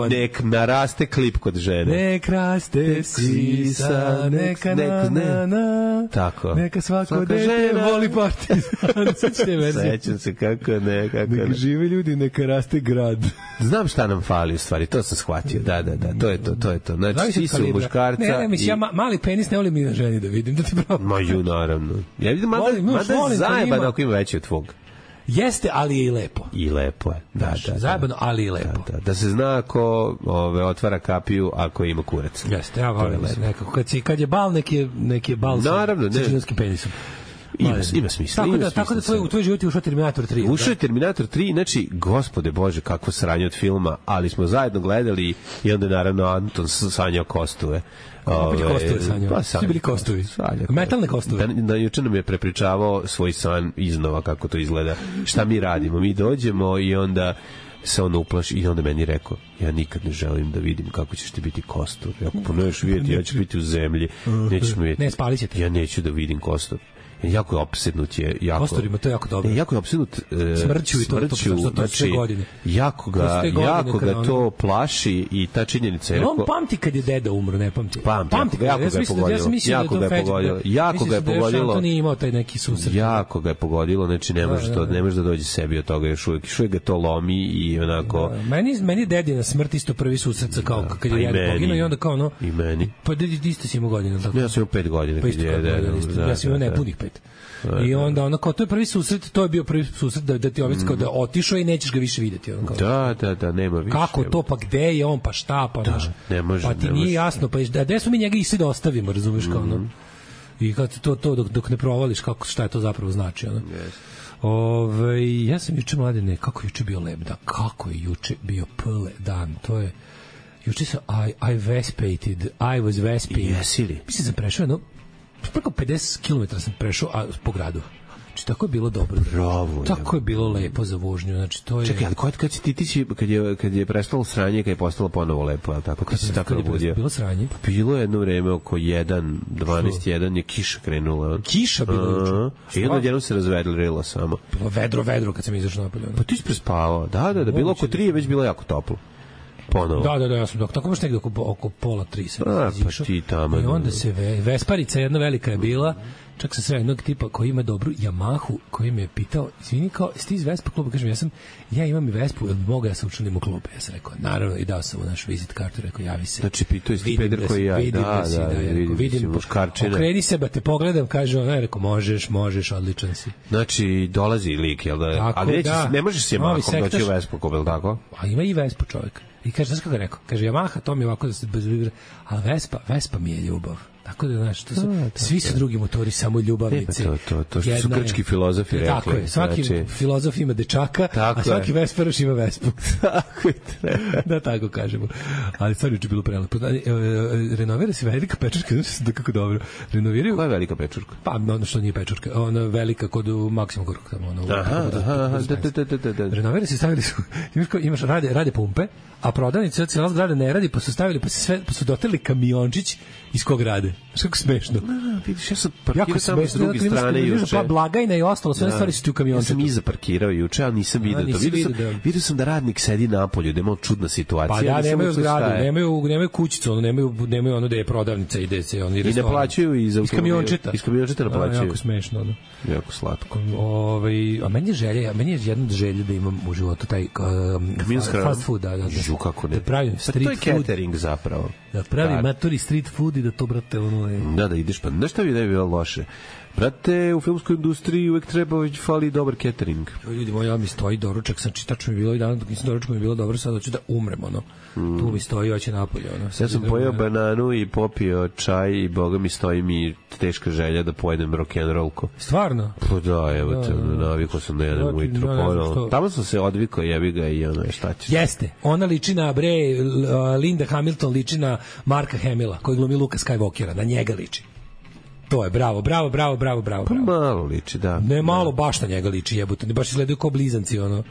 nek naraste klip kod žene. Nek raste sisa, neka na. Tako. Neka svako dete voli partizan. Sećam se kako ne. Nek žive ljudi, neka raste grad. Znam šta nam fali u stvari, to sam shvatio. Da, to je to. Znači, sisa u muškarca. Ne, mislim, ja mali penis ne volim ni na ženi da vidim, da ti pravo. Ma ju, naravno. Ja vidim, mada je zajeban ako ima veći od tvog. Jeste, ali je i lepo. I lepo je. Da. Zajebano, ali i lepo. Da se zna ako otvara kapiju ako ima kurac. Jeste, ja volim nekako. Kad je bal, neki je bal sa čečinskim penisom. Ima smisla. Tako da u tvoj život je ušao Terminator 3. Ušao je Terminator 3, znači, gospode Bože, kakvo sranje od filma, ali smo zajedno gledali i onda naravno Anton sanjao kostove. Opet kostove sanjao. Svi bili kostovi. Metalne kostove. Juče nam je prepričavao svoj san iznova kako to izgleda. Šta mi radimo? Mi dođemo i onda se on uplaši i onda meni rekao, ja nikad ne želim da vidim kako ćeš ti biti kostur. Ako ponoveš vidjeti, ja ću biti u zemlji. Nećeš me vidjeti. Ne, spalit će te. Ja neću da vidim kostur. Jako je opsednut je. Kosturima, to je jako dobro. Jako je opsednut smrću i to sve godine. Jako ga to plaši i ta činjenica je rekao... On pamti kad je deda umro, ne pamti. Pamti ga, jako ga je pogodilo. Jako ga je pogodilo. To nije imao taj neki susret. Jako ga je pogodilo, znači ne može da dođe sebi od toga još uvijek ga to lomi i onako... Meni dedina smrt isto prvi susret kao kad je deda poginuo i onda kao ono... I meni. Pa isto si imao godina. Ja sam imao 5 godina kad je deda. Ja sam imao nepunih 5. I onda ono kao to je prvi susret, to je bio prvi susret da ti ovdje kao da otišao i nećeš ga više vidjeti. Da, nema više. Kako to, pa gde je on, pa šta, pa znaš. Pa ti nije jasno, pa gde smo mi njega i svi da ostavimo, razumiješ kao ono. I kad to dok ne provališ šta je to zapravo znači. Ono. Ja sam juče mladine, kako je juče bio lep dan, kako je juče bio pele dan, to je, juče sam I vespated, I was vesping. Jesi li? Mislim sam prešao jedno preko 50 km sam prešao po gradu. Znači, tako je bilo dobro. Bravo. Tako je bilo lepo za vožnju. Znači, to je... Čekaj, ali kad si ti kad je prestalo sranje, kad je postalo ponovo lepo, ali tako? Kad si tako nabudio? Bilo sranje? Pa bilo je jedno vreme oko 12:01 je kiša krenula. Kiša bilo juče? I jedno se razvedrilo samo. Bilo vedro kad sam izašao napolje. Pa ti si prespavao. Da, bilo oko 3 je već bilo jako toplo. Ponovo. Da, ja sam tako baš negdje oko pola 3 sam pa ti tamo. I onda se Vesparica jedna velika je bila, čak sam sve jednog tipa koji ima dobru Yamahu, koji me je pitao, izvini, kao, jeste iz Vespa kluba? Kažem, ja imam i Vespu, jel mogu ja se učunim u klub? Ja sam rekao, naravno, i dao sam u naš vizit kartu, rekao, javi se. Znači, pitao isti peder koji ja. Vidim, okreni se, ba te pogledam, kaže ona, rekao, možeš, odličan si. Znači, dolazi lik, jel da? Ali ne možeš s Yamahom doći u Vespu klub, jel tako? A ima i Vespu čovjek. I kaže, znaš kako je rekao? Kaže, Yamaha, to mi je ovako da se bez vibra, ali Vespa mi je ljubav. Tako da, znaš, svi su drugi motori samo ljubavnici. To što su grčki filozofi rekli. Tako je, svaki filozof ima dečaka, a svaki Vesparaš ima Vespu. Tako je. Da, tako kažemo. Ali stvarno je bilo prelepo. Renovira se velika pečurka, znaš da kako dobro. Renoviraju... Koja je velika pečurka? Pa, ono što nije pečurka, ona velika kod Maksimum Gorkog tamo. Renovira se, stavili su, imaš, rade pumpe, a prodavnice cijela zgrada ne radi, pa su stavili, pa su doterli kamiončić iz kog rade. ide. Kako smešno. Vidiš, ja sam parkirao tamo s druge strane juče. Pa blagajna i ostalo, sve stvari su ti u kamiončetu. Ja sam iza parkirao juče, ali nisam vidio to. Vidio sam da radnik sedi napolju, da je malo čudna situacija. Pa da, nemaju zgradu, nemaju kućicu, nemaju ono da je prodavnica, ide se oni restoran. I ne plaćaju iz kamiončeta. Iz kamiončeta ne plaćaju. Jako smešno, ono. Jako slatko. A meni je želja, jedna od želja da imam u životu taj fast food, da. Žu, kako ne. Da pravim street food. To je catering zapravo. Da pravim matori street food i da to, brate, ono je... Da ideš, pa nešto bi ne bilo loše. Brate, u filmskoj industriji uvek fali dobar catering. Ljudi moji, ja mi stoji doručak, znači tačno mi je bilo i dan, dok nisam doručak mi je bilo dobro, sad hoću da umrem, ono. Tu mi stoji, hoće napolje, ono. Ja sam pojeo bananu i popio čaj i boga mi stoji mi teška želja da pojedem rock'n'rollko. Stvarno? Pa da, evo te, navikao sam da jedem ujutro pojedem. Tamo sam se odvikao, jebi ga i ono, šta ćeš? Jeste, ona liči na, Linda Hamilton liči na Marka Hamilla, koji glumi Luka Skywalkera, na njega liči. To je, bravo. Pa malo liči, da. Ne, malo baš na njega liči, jebote. Baš izgledaju kao blizanci, ono.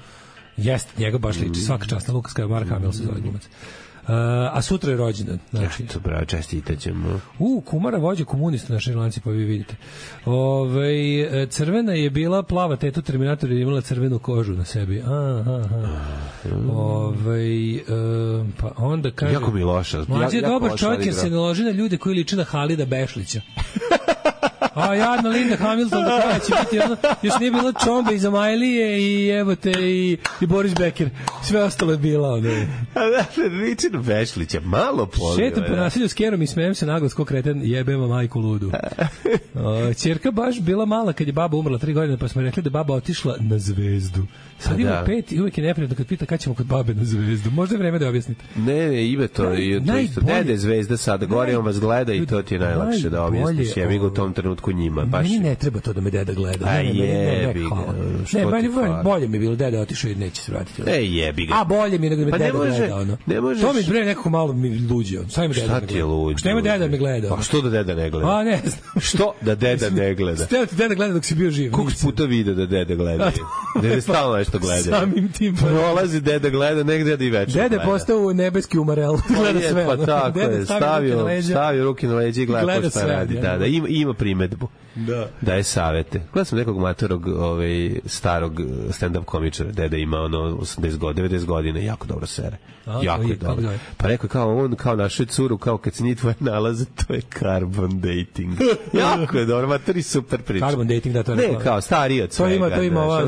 Jeste, njega baš liči. Svaka čast na Lukas Mark Hamill se zove glumac. A sutra je rođendan. Znači. Eto, bravo, čestitaćemo. Kumara vođa komunista na Šrilanci, pa vi vidite. Crvena je bila plava tetu Terminator je imala crvenu kožu na sebi. Pa onda kaže... Jako mi loša. Mlađe je dobar čovjek jer se ne loži na ljude koji liče na Halida Bešlića. A jadna Linda Hamilton do kraja će biti ono, još nije bila Čombe iz Amajlije i evo te i Boris Becker, sve ostalo je bila ono. A da, liči na Bešlića, malo poli. Šetam po nasilju s kerom i smijem se naglas ko kreten, jebema majku ludu. Ćerka baš bila mala kad je baba umrla 3 godine, pa smo rekli da baba otišla na zvezdu. Sad ima 5 i uvijek je neprijatno kad pita kad ćemo kod babe na zvezdu. Možda je vreme da objasnite. Ne, ime to isto. Dede zvezda sada, gore on vas gleda i to ti je najlakše da objasniš. Ja bih u tom trenutku njima. Meni ne treba to da me deda gleda. A jebi ga. Ne, bolje mi je bilo deda otišao i neće se vratiti. Jebi ga. A bolje mi je nego da me deda gleda. Ono. To mi bre nekako malo mi luđe. Šta ti je luđe? Šta ima deda me gleda? A što da deda ne gleda? A ne znam. Što da deda ne gleda? Steo ti deda gleda dok si bio živ. Koliko puta video da deda gleda? Deda stalno nešto gleda. Samim tim. Prolazi deda gleda, negde da i večer gleda. Deda postao nebeski umarel. Gleda sve. Pa tako je, stavio ruke na leđa i gleda šta radi. Da, ima primetbu. Da je savete. Gledao sam nekog matorog starog stand-up komičara, deda ima ono 80 godina, 90 godina, jako dobro sere. Jako je dobro. Pa rekao kao on, kao našoj curu, kao kad se nije tvoje nalaze, to je carbon dating. Jako je dobro, matori super priča. Carbon dating, da to je rekao. Ne, kao stariji od svega. To ima ova,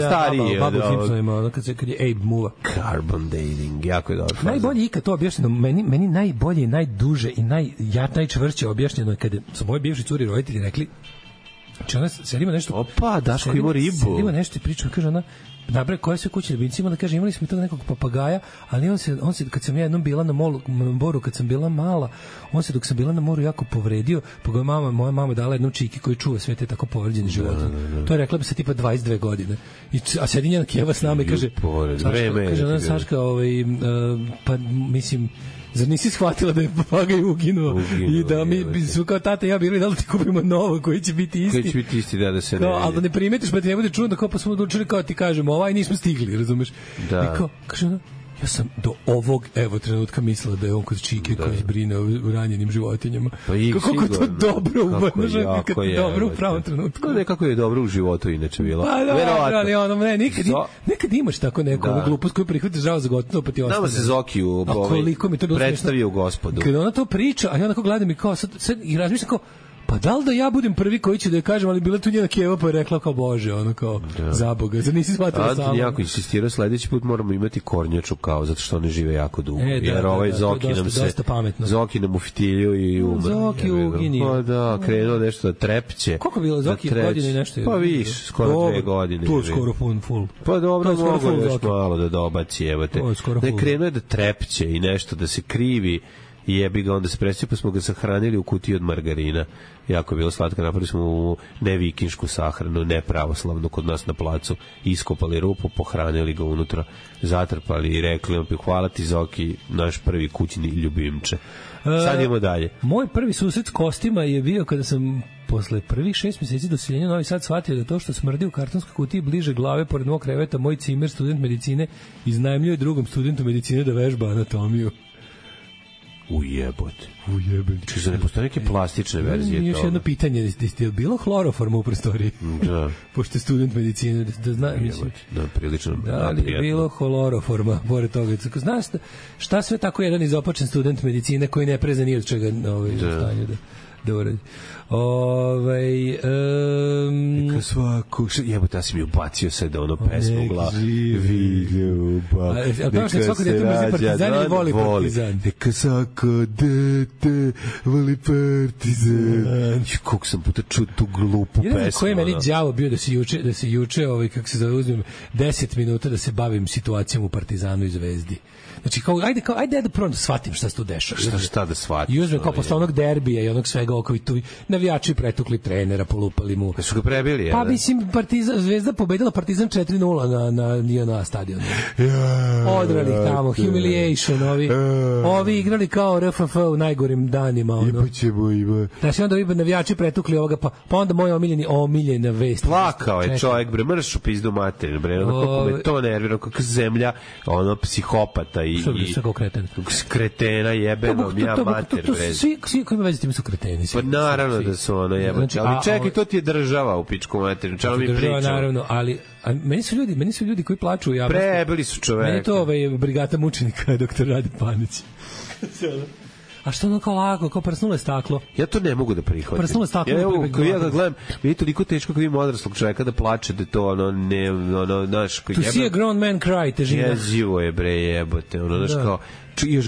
Babu Simpson ima, kad je Abe Muva. Carbon dating, jako je dobro. Najbolje ikad to objašnjeno, meni najbolje, najduže i najčvršće objašnjeno kada su moji bivši curi roditelji rekli. Znači ona selima nešto... Opa, Daško ima ribu. Selima nešto i priča, kaže ona, nabre, koje sve kuće ljubimci, onda kaže, imali smo tog nekog papagaja, ali on se, kad sam ja jednom bila na moru, kad sam bila mala, on se dok sam bila na moru jako povredio, pa ga moja mama dala jednom čiki koji čuva sve te tako povređene životinje. To je rekla bi se tipa 22 godine. A sedi njena keva s nama i kaže, kaže ona, Saška, pa mislim, zar nisi shvatila da je papagaj uginuo i da mi su kao tata i ja bili da li ti kupimo novo koji će biti isti. Koji će biti isti, da se ne... Ali da ne primetiš, pa ti ne bude čudno, kao pa smo odlučili kao ti kažemo, nismo stigli, razumeš? Da. I kao, kaže ona, ja sam do ovog trenutka mislila da je on kod čike koji brine o ranjenim životinjama. Pa kako to dobro uvaža, kako je dobro u pravom trenutku. Nekako je dobro u životu inače bilo. Pa dobro, ali ono, nekad imaš tako neku glupost koju prihvatiš žao za gotovo, pa ti ostane. Nama se Zokiju predstavio gospodu. Kada ona to priča, a ja onako gledam i kao, sad i razmišljam kao, pa da li da ja budem prvi koji će da je kažem, ali bila tu njena keva pa je rekla kao bože, ono kao za Boga, zar nisi shvatila samo? Anton jako insistirao, sledeći put moramo imati kornjaču kao, zato što oni žive jako dugo. Jer ovaj Zoki nam u fitilju i umr. Zoki uginio. Pa da, krenuo nešto da trepće. Koliko je bilo Zoki godine i nešto? Pa viš, skoro 2 godine. To je skoro full. Pa dobro, mogu još malo da dobaci, evo te. Ne, krenuo je da trepće i nešto da se krivi. I jebi ga, onda se presio, pa smo ga sahranili u kutiji od margarina. Jako je bilo slatko, napravili smo u nevikinšku sahranu, nepravoslavnu kod nas na placu, iskopali rupu, pohranili ga unutra, zatrpali i rekli, hvala ti Zoki, naš prvi kućni ljubimče. Sad idemo dalje. Moj prvi susret s kostima je bio kada sam posle prvih 6 meseci doseljenja Novi Sad shvatio da to što smrdi u kartonskoj kutiji bliže glave pored mog kreveta, moj cimer, student medicine, iznajmljuje drugom studentu medicine da vežba anatomiju. Ujebote. Čisto ne postoje neke plastične verzije toga. Još jedno pitanje, je bilo hloroforma u prostoriji? Da. Pošto je student medicine, da zna, mislim. Da, prilično. Da li je bilo hloroforma, pored toga? Znaš šta sve tako jedan izopačen student medicine koji ne preza ni od čega u stanju da uradi? Svako jebote, ja sam mi ubacio sad ono pesmu u glavu. Neka svako dete mrzi Partizan ili voli Partizan? Neka svako dete voli Partizan. Koliko sam puta čuo tu glupu pesmu. Jedan koji je meni đavo bio da se juče kako se zove, uzmem 10 minuta da se bavim situacijom u Partizanu i Zvezdi. Znači, ajde da prvo shvatim šta se tu dešava. Šta da shvatim? I uzmem kao posle onog derbija i onog svega okovi tu navijači pretukli trenera, polupali mu. Su ga prebili, pa mislim, Zvezda pobedila Partizan 4-0 na JNA stadionu. Odrali ih tamo, humiliation, ovi igrali kao RFF u najgorim danima. Znači, onda bi navijači pretukli ovoga, pa onda moj omiljena vest. Plakao je čovjek, bre, mrš u pizdu materinu, bre, kako me to nervira, kako zemlja, psihopata i kretena jebenom, ja mater, bre. Svi koji ima veze s tim su kreteni. Pa naravno da su jebati, ali čekaj, to ti je država u pičku materinu, čemu mi pričamo? Naravno, ali meni su ljudi koji plaču u javnosti. Prebili su čoveka. Meni to brigata mučenika, doktor Rade Panić. A što ono kao lako, kao prsnulo je staklo. Ja to ne mogu da prihvatim. Prsnulo je staklo. Ja ga gledam, vidi toliko teško kad ima odraslog čoveka da plače, da to znaš, to see a grown man cry, težina. Jezivo je, bre, jebote, znaš kao, još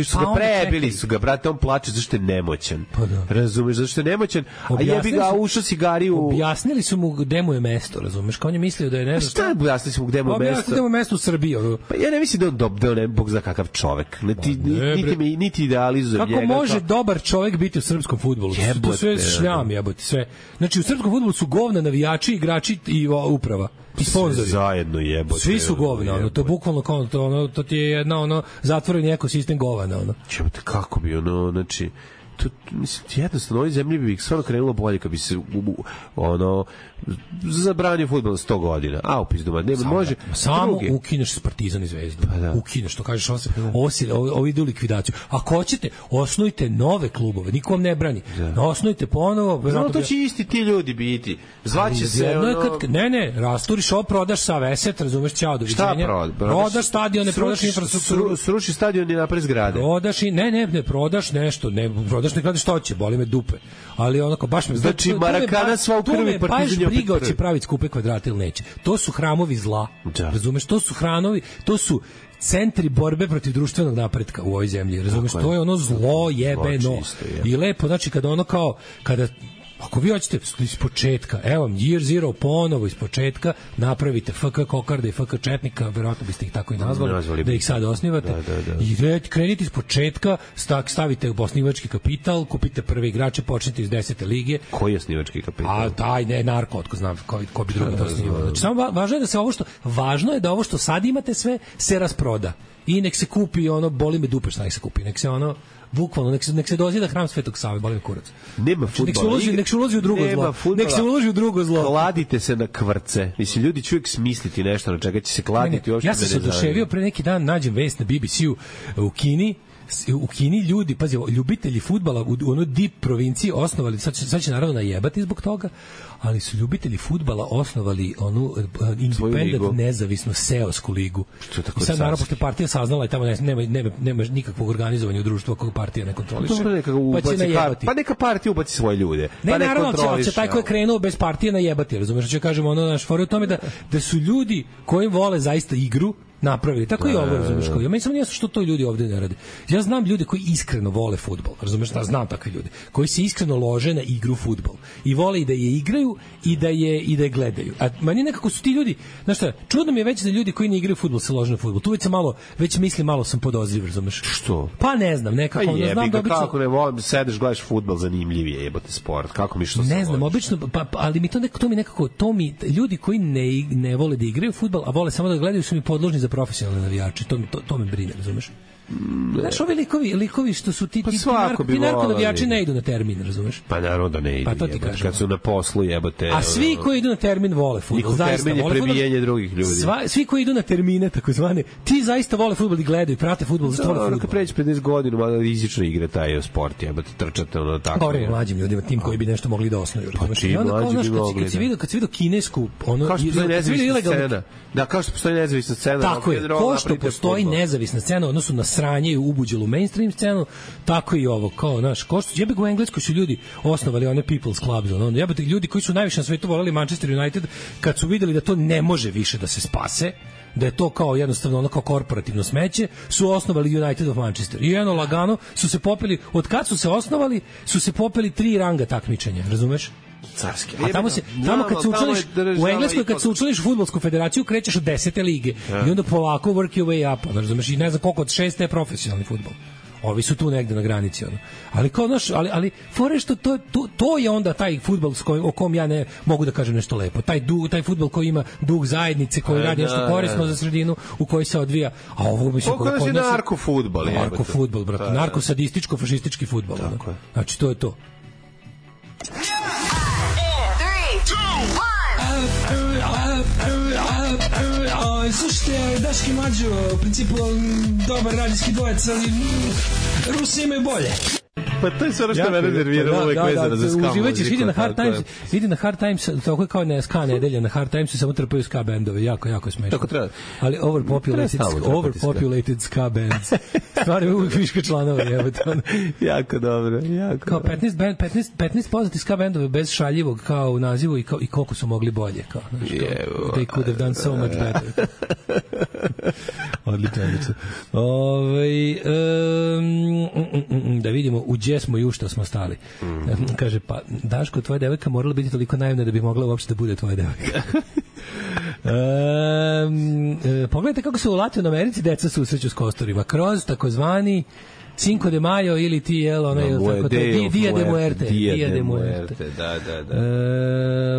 su ga prebili, su ga, brate, on plače zašto je nemoćan. Razumeš, zašto je nemoćan, a jebi ga ušao cigariju. Objasnili su mu gde mu je mesto, razumeš, kao on je mislio da je ne znam. Šta objasnili su mu gde mu je mesto? Objasnili gde mu je mesto u Srbiji. Pa ja ne mislim da on ne bog za kakav čovek, niti idealizujem njega. Kako može dobar čovek biti u srpskom fudbalu? To sve šljam, jebote, sve. Znači, u srpskom fudbalu su govna navijači, igrači i uprava. I sponzori. Zajedno jebote. Svi su govna, to je bukvalno kao to ti je jedna zatvoreni ekosistem govana, Jebote, kako bi znači mislim, jednostavno, ovoj zemlji bi stvarno krenulo bolje kad bi se zabranio fudbal 100 godina. A, upizdoma, ne može. Samo ukineš Partizan i Zvezdu. Ukineš, to kažeš, ovi idu u likvidaciju. Ako hoćete, osnujte nove klubove, niko vam ne brani. Osnujte ponovo. Znamo, to će isti ti ljudi biti. Zvaće se Ne, rasturiš ovo, prodaš sa Veset, razumeš, ćao, doviđenja. Šta prodaš stadione, prodaš infrastrukturu. Sruši stadion i napravi zgrade. Prodaš i, ne, prodaš nešto, prodaš ne kladiš što će, boli me dupe. Ali onako, baš me... Znači, Marakana sva u krvi Partizan je opet briga će praviti skupe kvadrate ili neće. To su hramovi zla. Razumeš, to su centri borbe protiv društvenog napretka u ovoj zemlji. Razumeš, to je ono zlo jebeno. I lepo, znači, kada ako vi hoćete iz početka, evo vam Year Zero ponovo iz početka, napravite FK Kokarda i FK Četnika, verovatno biste ih tako i nazvali, da ih sad osnivate. I krenite iz početka, stavite u osnivački kapital, kupite prve igrače, počnite iz 10. lige. Koji je osnivački kapital? A taj ne, narko, otko znam ko bi drugi to osnivao. Znači, samo važno je da ovo što sad imate sve se rasproda. I nek se kupi boli me dupe šta nek se kupi, nek se bukvalno, nek se dozida hram Svetog Save, boli me kurac. Nema fudbala. Nek se uloži u drugo zlo. Nek se uloži u drugo zlo. Kladite se na kvrce. Mislim, ljudi će uvijek smisliti nešto na čega će se kladiti. Ja sam se oduševio pre neki dan, nađem vest na BBC-u u Kini ljudi, pazi, ljubitelji fudbala u onoj deep provinciji osnovali, sad će naravno najebati zbog toga, ali su ljubitelji fudbala osnovali onu independent nezavisnu seosku ligu. I sad naravno, pošto je partija saznala i tamo nema nikakvog organizovanja u društvu ako partija ne kontroliše. Pa će najebati. Pa neka partija ubaci svoje ljude. Ne, naravno, će taj ko je krenuo bez partije najebati, razumiješ, što kažemo, naš fora u tome da su ljudi koji vole zaista igru napravili. Tako i ovo, razumiješ, kao. Ja meni samo nije što to ljudi ovde ne rade. Ja znam ljude koji iskreno vole fudbal, razumiješ, znam takve ljude, koji se iskreno lože na igru fudbal i vole i da je igraju i da je gledaju. A meni nekako su ti ljudi, znaš šta, čudno mi je već da ljudi koji ne igraju fudbal se lože na fudbal. Tu već mislim malo sam podozriv, razumiješ. Što? Pa ne znam, nekako, znam da obično... Kako ne volim, sedeš, gledaš fudbal, zanimljivije jebote sport. Kako mi što ne znam, obično, ali mi ljudi koji ne vole da igraju fudbal, a vole samo da gledaju, su mi podložni za profesionalne navijače. To me brine, razumeš? Znaš, ovi likovi što su ti narkonavijači ne idu na termin, razumeš? Pa naravno da ne idu. Pa to ti kažem. Kad su na poslu, jebote. A svi koji idu na termin vole fudbal. Termin je prebijanje drugih ljudi. Svi koji idu na termine, takozvane, ti zaista vole fudbal i gledaju, prate fudbal, zato vole fudbal. Kad pređe 50 godina, malo rizično igra taj sport, jebote, trčate ono tako. Govori mlađim ljudima, tim koji bi nešto mogli da osnuju. Pa čim mlađi bi mogli. Kad si vidio kinesku, ono, kao što postoji nezavisna scena. Da, kao što postoji nezavisna scena. Tako je, ko što postoji nezavisna scena, odnosno na sranje i ubuđelu mainstream scenu, tako i ovo, kao, znaš, ko što, jebe ga u Engleskoj su ljudi osnovali one people's clubs, ono, jebate, ljudi koji su najviše na svetu voleli Manchester United, kad su videli da to ne može više da se spase, da je to kao jednostavno ono kao korporativno smeće, su osnovali United of Manchester. I jedno lagano su se popeli, od kad su se osnovali, su se popeli 3 ranga takmičenja, razumeš? Carski. A tamo kad se učlaniš u Engleskoj, kad se učlaniš u fudbalsku federaciju, krećeš od 10. lige i onda polako work your way up, razumeš, i ne znam koliko od 6. je profesionalni fudbal. Ovi su tu negde na granici, ono. Ali kao naš, ali fore što to je onda taj fudbal o kom ja ne mogu da kažem nešto lepo. Taj fudbal koji ima duh zajednice, koji radi nešto korisno za sredinu u kojoj se odvija. A ovo bi se kod nas narko-fudbal, je. Narko-fudbal, brate. Narko-sadističko-fašistički fudbal. Znači, to je to. Slušajte, Daški Mađo, u principu dobar radijski dvojec, ali Rusi imaju bolje. Pa to je sve ono što me rezerviralo uvek vezano za ska muziku. Uživaćeš, ide na Hard Times, tako je kao na ska nedelja, na Hard Timesu samo trpaju ska bendove, jako je smešno. Tako treba. Ali overpopulated ska bands. Stvarno uvijek viška članova, jebote. Jako dobro. Kao 15 poznati ska bendove bez šaljivog kao u nazivu i koliko su mogli bolje. Kao, they could have done so much better. Odlično. Da vidimo u gdje smo i u što smo stali. Kaže, pa Daško, tvoja devojka morala biti toliko naivna da bi mogla uopšte da bude tvoja devojka. Pogledajte kako se u Latinoj Americi deca susreću s kosturima. Kroz takozvani Cinco de Mayo ili ti jel onaj tako Dia de Muerte. Da.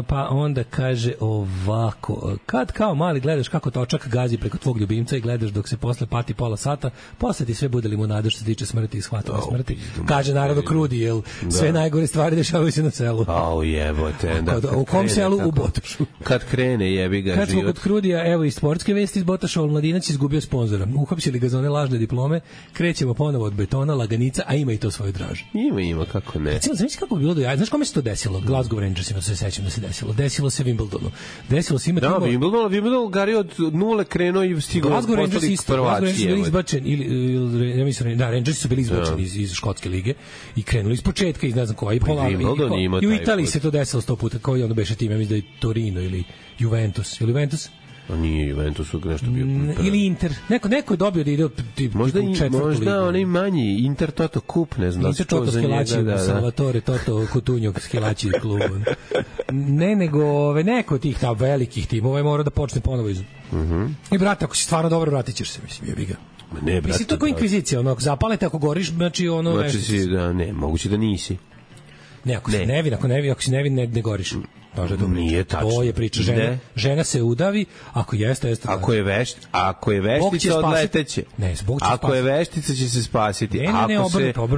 Pa onda kaže ovako, kad kao mali gledaš kako točak gazi preko tvog ljubimca i gledaš dok se posle pati pola sata, posle ti sve bude limunada što se tiče smrti i shvatanja smrti. Kaže naravno Krudi, jel sve najgore stvari dešavaju se na selu. Au jebote. U kom selu? U Botošu. Kad krene jebi ga život. Kad smo kod Krudija, evo i sportske vesti iz Botoša, Mladinac izgubio sponzora. Uhapsili ga za one lažne diplome, krećemo ponovo od betona, laganica, a ima i to svoju dražu. Ima, kako ne. Znaš kako bi bilo do jaja? Znaš kome se to desilo? Glasgow Rangersima se sećam da se desilo. Desilo se Wimbledonu. Desilo se ima tamo... Wimbledon Gari od nule krenuo i stigao Glasgow Rangers isto. Glasgow Rangers su bili izbačeni, ja mislim, Rangers su bili izbačeni iz škotske lige i krenuli iz početka, iz ne znam koja, i u Italiji se to desilo 100 puta, kao i ono beše tim, ja mislim da je Torino ili Juventus. Ili Juventus? A nije Juventus nešto bio. Ili Inter. Neko je dobio da ide možda onaj manji Inter Toto Kup, ne znam. Inter Toto Skilači, Salvatore Toto Coutinho Skilači klub. Ne, nego neko od tih ta velikih timova je mora da počne ponovo iz. I brate, ako si stvarno dobro, vratit ćeš se, mislim, jebi ga. Ne, brate. Mislim, to kao inkvizicija, ono, ako zapalete, ako goriš, znači ono... Znači si, da, ne, moguće da nisi. Ne, ako si nevin, ako si nevin, ne goriš. Nije tačno. To je priča. Žena se udavi, ako jeste. Ako je veštica, odleteće. Ne, Bog će ako je veštica, će se spasiti.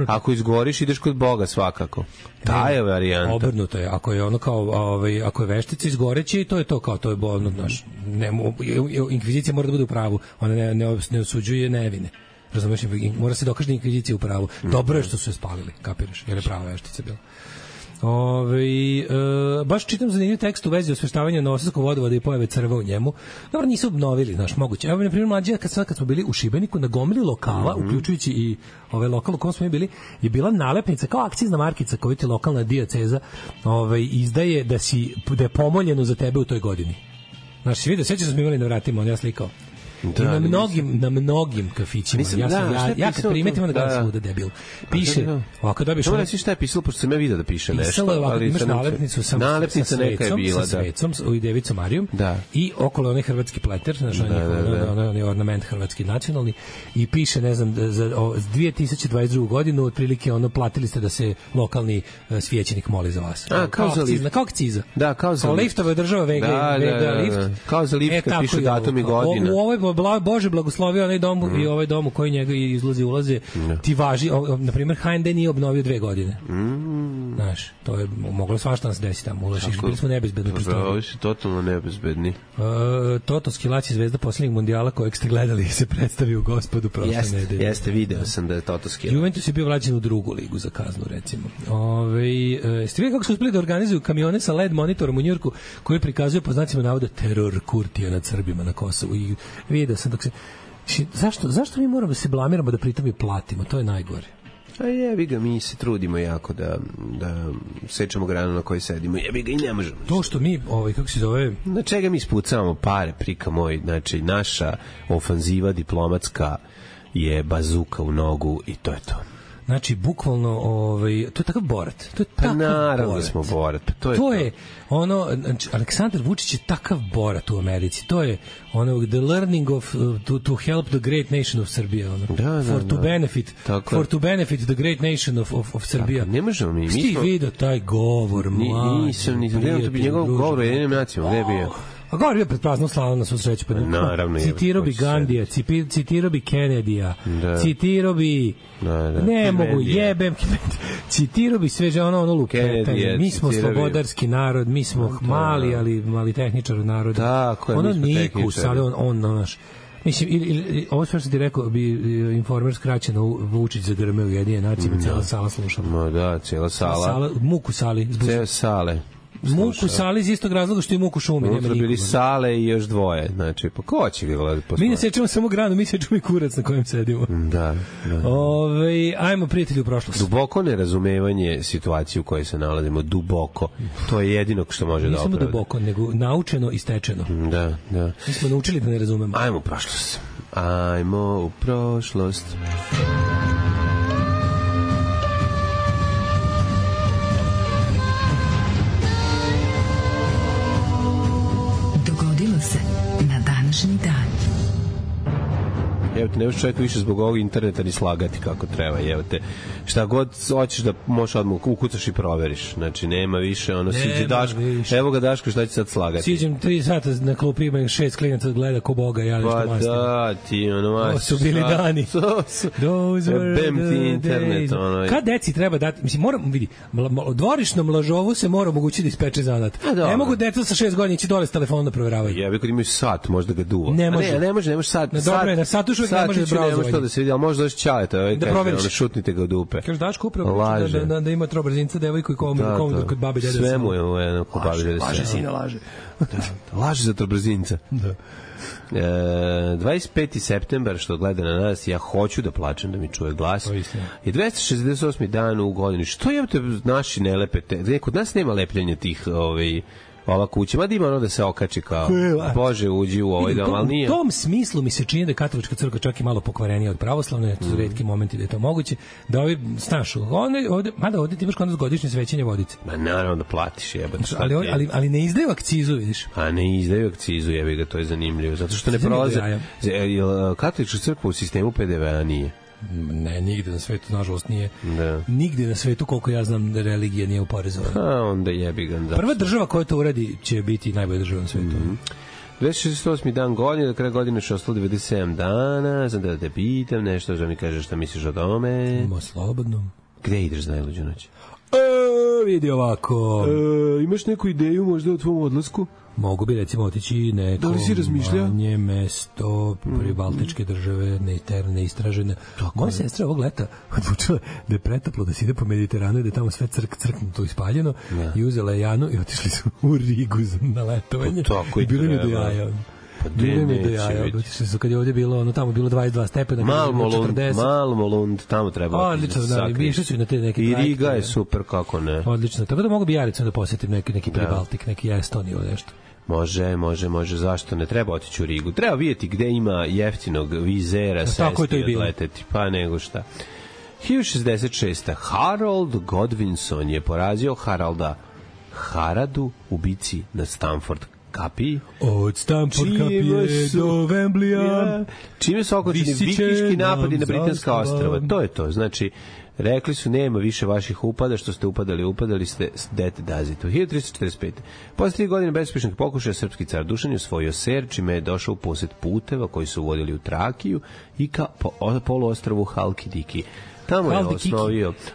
Ako izgoriš, ideš kod Boga svakako. Ta je varijanta. Obrnuto je. Ako je ono kao, ako je veštica, izgoreće i to je to kao, to je bolno, znaš. Inkvizicija mora da bude u pravu. Ona ne osuđuje nevine. Razumeš, mora se dokaže da inkvizicija u pravu. Dobro je što su je spalili, kapiraš, jer je prava veštica bila. Baš čitam zanimljiv tekst u vezi osveštavanja Novosadskog vodovoda i pojave crva u njemu. Dobro, nisu obnovili, znaš, moguće. Evo, na primjer, mlađe, kad smo bili u Šibeniku, na gomili lokala, uključujući i ove lokal u kom smo bili, je bila nalepnica, kao akcizna markica koju ti lokalna dioceza izdaje da je pomoljeno za tebe u toj godini. Znaš, si vidio, sećaš da smo imali na vratima, on ja slikao. Da, na mnogim kafićima. Ja kad primetim da gledam svuda debil. Piše, ovako dobiš... Dobro, reći šta je pisalo, pošto sam ja vidio da piše nešto. Pisalo je ovako, imaš nalepnicu sa svecom i Devicom Marijom i okolo onaj hrvatski pleter, znaš, onaj ornament hrvatski nacionalni i piše, ne znam, za 2022. godinu otprilike platili ste da se lokalni svećenik moli za vas. Kao za lift. Kao akciza. Da, kao za lift. Liftova država Vega lift. Kao za lift kad pišu datum i godina. U ovoj Bože blagoslovio onaj dom i ovaj dom u koji njega ulaze, ti važi, na primjer, HND nije obnovio 2 godine. Znaš, to je moglo svašta nas desiti tamo, ulaziš, bili smo nebezbedni prostoriji. Ovi su totalno nebezbedni. Toto Skilaci, zvezda poslednjeg mondijala kojeg ste gledali, se predstavi u Gospodu prošle nedelje. Jeste, video sam da je Toto Skilaci. Juventus je bio vraćen u drugu ligu za kaznu, recimo. Ste vidjeli kako su uspeli da organizuju kamione sa LED monitorom u Njujorku koji prikazuje po znacima navoda teror Kurtija nad Srbima na Kosovu. I video sam dok se... Zašto mi moramo da se blamiramo da pritom i platimo? To je najgore. A jebi ga, mi se trudimo jako da sečemo granu na kojoj sedimo. Jebi ga i ne možemo. To što mi, kako se zove... Na čega mi spucavamo pare, prika moj? Znači, naša ofanziva diplomatska je bazuka u nogu i to je to. Znači, bukvalno, to je takav Borat. To je takav naravno Borat. Smo Borat. To je ono, znači, Aleksandar Vučić je takav Borat u Americi. To je ono, the learning of, to help the great nation of Serbia. Ono. For to benefit the great nation of Serbia. Ne možemo mi. Sti vidio taj govor, mlađe. Nisam njegov govor u jedinim nacijama. Gde je bio? A govor je pred praznom slavom na svu sreću. Naravno. Citirao bi Gandija, citirao bi Kennedyja, citirao bi... Ne mogu, jebem. Citirao bi sve ono luketanje. Mi smo slobodarski narod, mi smo mali tehničar narod. Tako je, ono Nikus, ali on naš... Mislim, ovo sve što ti rekao bi Informer skraćeno Vučić za grme u jedine nacije, cijela sala slušala. Ma da, cijela sala. Muku sali. Cijela sale. Muku sali iz istog razloga što je muku šumi. Unutra bili sale i još dvoje. Znači, pa ko će ga gledati posle? Mi ne sečemo samo granu, mi sečemo i kurac na kojem sedimo. Da. Ajmo, prijatelji, u prošlost. Duboko nerazumevanje situacije u kojoj se nalazimo. Duboko. To je jedino što može da opravda. Nismo duboko, nego naučeno i stečeno. Da. Mi smo naučili da ne razumemo. Ajmo u prošlost. Na današnji dan. Evo te, ne možeš čovjek više zbog ovog interneta ni slagati kako treba, evo te. Šta god hoćeš da možeš odmah ukucaš i proveriš. Znači, nema više, siđe Daško. Evo ga Daško, šta će sad slagati? Siđem 3 sata na klupi, ima 6 klinaca gleda ko Boga, ja nešto mastim. Pa da, ti to su bili dani. Those were the internet, days. Kad deci treba dati, mislim, moram, vidi, dvorišnom lažovu se mora omogućiti da ispeče zanat. Ne mogu deca sa 6 godina ići dole s telefonom da proveravaju. Ja bih kad imaju sat, možda ga duva. Ne može sat. Na satu šuvek ne može da brauzovanje. Ne može to da se vidi, ali možda doći Ćaleta, da šutnite ga u dupe. Kažeš Daško upravo da ima trobrzinca devojku i kod babi dede. Sve mu je kod babi dede. Laže sina, laže. Laže za trobrzinca. Da. 25. septembar, što gleda na nas, ja hoću da plačem da mi čuje glas, je 268. dan u godini. Što je te naši ne lepete? Kod nas nema lepljenja tih ova kuća, mada ima da se okači kao Bože uđi u ovaj dom, ali nije. U tom smislu mi se čini da je katolička crkva čak i malo pokvarenija od pravoslavne, to su retki momenti da je to moguće, da ovi, znaš, ovde ti imaš kod nas godišnje svećenje vodice. Ma naravno da platiš, jebate. Ali ne izdaju akcizu, vidiš? A ne izdaju akcizu, jebi ga, to je zanimljivo, zato što ne prolaze. Katolička crkva u sistemu PDV-a nije. Ne, nigde na svetu, nažalost, nije. Nigde na svetu, koliko ja znam, religija nije uporezovana. A onda jebi ga. Prva država koja to uradi će biti najbolja država na svetu. 268. dan godine, do kraja godine što ostalo 97 dana, znam da te pitam nešto, da mi kažeš šta misliš o tome. Ima slobodno. Gde ideš za najluđu noć? Vidi ovako. Imaš neku ideju možda o tvom odlasku? Mogu bi recimo otići neko manje mesto pribaltičke države, neistražene. Moja sestra ovog leta odlučila da je pretoplo, da se ide po Mediteranu i da je tamo sve crknuto i spaljeno i uzela je Janu i otišli su u Rigu na letovanje. I bilo mi do jaja. Bilo mi do jaja. Otišli su kad je ovdje bilo, tamo bilo 22 stepena. Malmolund, tamo treba. Odlično, da, išli su i na te neke trajke. I Riga je super, kako ne. Odlično, tako da mogu bi ja recimo da posjetim neki Pribaltik, neki Estoniju ili nešto. Može, zašto ne treba otići u Rigu? Treba vidjeti gde ima jeftinog vizera, sesti i odleteti, pa nego šta. 1066. Harold Godwinson je porazio Haradu u bici na Stamford kapiji. Od Stamford kapije do Wembleya. Čime su okončeni vikinški napadi na Britanska ostrava. To je to, znači Rekli su, nema više vaših upada, što ste upadali ste that does it. 1345. Posle 3 godine bezuspešnih pokušaja, srpski car Dušan je osvojio Ser, čime je došao u posed puteva koji su uvodili u Trakiju i ka poluostrvu Halkidiki.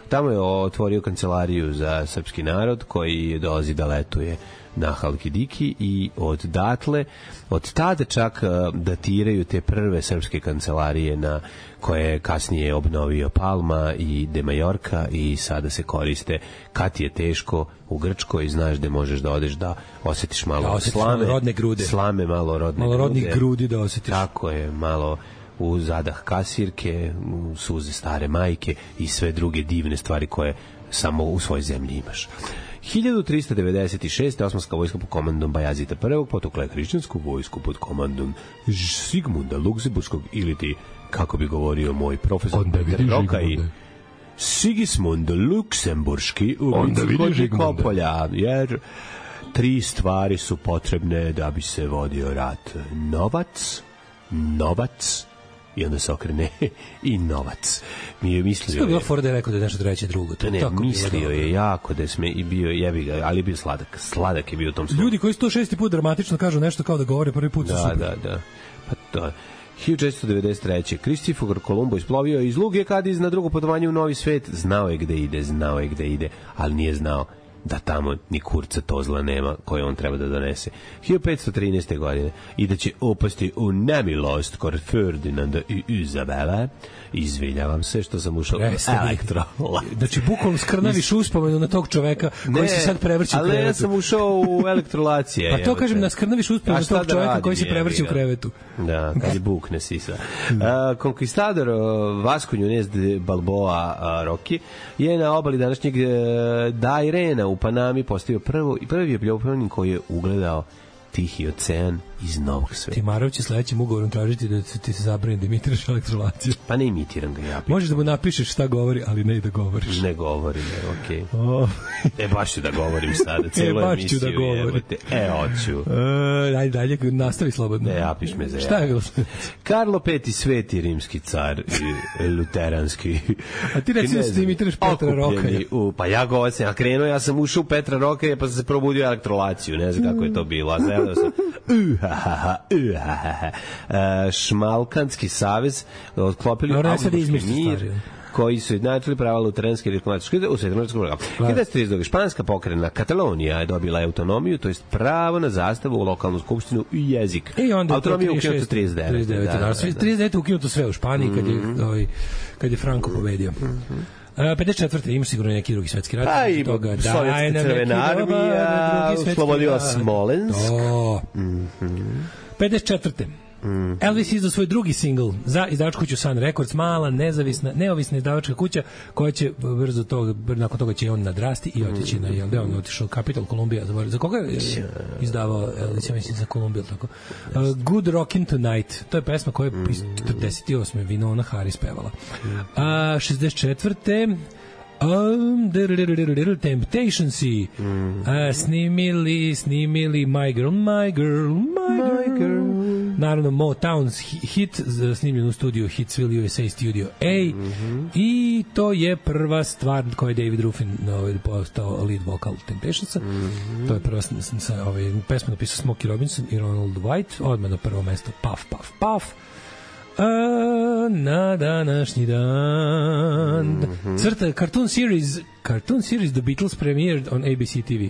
Tamo je otvorio kancelariju za srpski narod koji dolazi da letuje na Halkidiki i od tada čak datiraju te prve srpske kancelarije na koje je kasnije obnovio Palma i De Majorka i sada se koriste kad ti je teško u Grčkoj, znaš da možeš da odeš da osetiš malo slame, rodne grude. Slame, malo rodnih grudi da osetiš. Tako je, malo u zadah kasirke, u suze stare majke i sve druge divne stvari koje samo u svojoj zemlji imaš. 1396. Osmanska vojska pod komandom Bajazita I potukla je hrišćansku vojsku pod komandom Sigmunda Luksemburškog, ili ti, kako bi govorio moj profesor Petar Rokaj, Sigismund Luksemburški u Vinci Kopolja, jer 3 stvari su potrebne da bi se vodio rat. Novac, i onda se okrene i novac. Mi je mislio... Što je bilo fora da je rekao da je nešto treće drugo? Mislio je jako da je i bio jebi ga, ali je bio sladak. Sladak je bio u tom slovu. Ljudi koji 106. put dramatično kažu nešto kao da govore prvi put su super. Da. Pa to 1493. Kristofor Kolumbo isplovio iz Luge Kadiz na drugo putovanje u Novi svet. Znao je gde ide, ali nije znao da tamo ni kurca tozla nema koje on treba da donese. 1513. godine i da će upasti u nemilost kod Ferdinanda i Izabele. Izvinjavam se što sam ušao u elektro. Znači, bukvalno skrnaviš uspomenu na tog čoveka koji se sad prevrći u krevetu. Ali ja sam ušao u elektrolacije. Pa to kažem, da skrnaviš uspomenu na tog čoveka koji se prevrći u krevetu. Da, kad je bukne sisa. Konkistador Vasco Nunez de Balboa Rocky je na obali današnjeg Dairena u Panami postavio prvi opljopanin koji je ugledao Tihi ocean iz Novog sveta. Timarov će sledećim ugovorom tražiti da ti se zabrani da imitiraš elektrolaciju. Pa ne imitiram ga ja. Možeš da mu napišeš šta govori, ali ne i da govoriš. Ne govorim, okej. Baš ću da govorim sada, celu emisiju. Baš ću da govorim. Hoću. Ajde dalje, nastavi slobodno. Ne, apiš me za ja. Šta je bilo? Karlo V, sveti rimski car i luteranski. A ti reci da se imitiraš Petra Rokaja. Pa ja govorim, ja sam ušao u Petra Rokaja pa sam se probudio elektrolaciju, ne znam kako je to bilo. Šmalkanski savez odklopili Augsburški mir koji su jednačili prava luteranske reformatorske u 17. veku. 1932. Španska pokrena Katalonija je dobila autonomiju, to jest pravo na zastavu u lokalnu skupštinu i jezik. Autonomija ukinuto 39. 39. ukinuto sve u Španiji kad je Franco pobedio. 54. imaš sigurno neki drugi svetski rat. Pa i Sovjetska crvena armija oslobodila Smolensk. 54. Elvis izdao svoj drugi singl za izdavačku kuću Sun Records, mala, neovisna izdavačka kuća koja će nakon toga će on nadrasti i otići na gde on otišao Capital Columbia, za koga je izdavao Elvis, ja mislim za Columbia, tako. Good Rockin' Tonight, to je pesma koja je 48. Winona Harris pevala. 64. Temptation Sea snimili My Girl. Naravno Motown's hit snimljen u studiju Hitsville USA Studio A i to je prva stvar koja je David Ruffin postao lead vokal Temptationsa. To je prva pesma napisao Smokey Robinson i Ronald White, odmah na prvo mesto Puff Puff Puff. Na današnji dan cartoon series The Beatles premiered on ABC TV.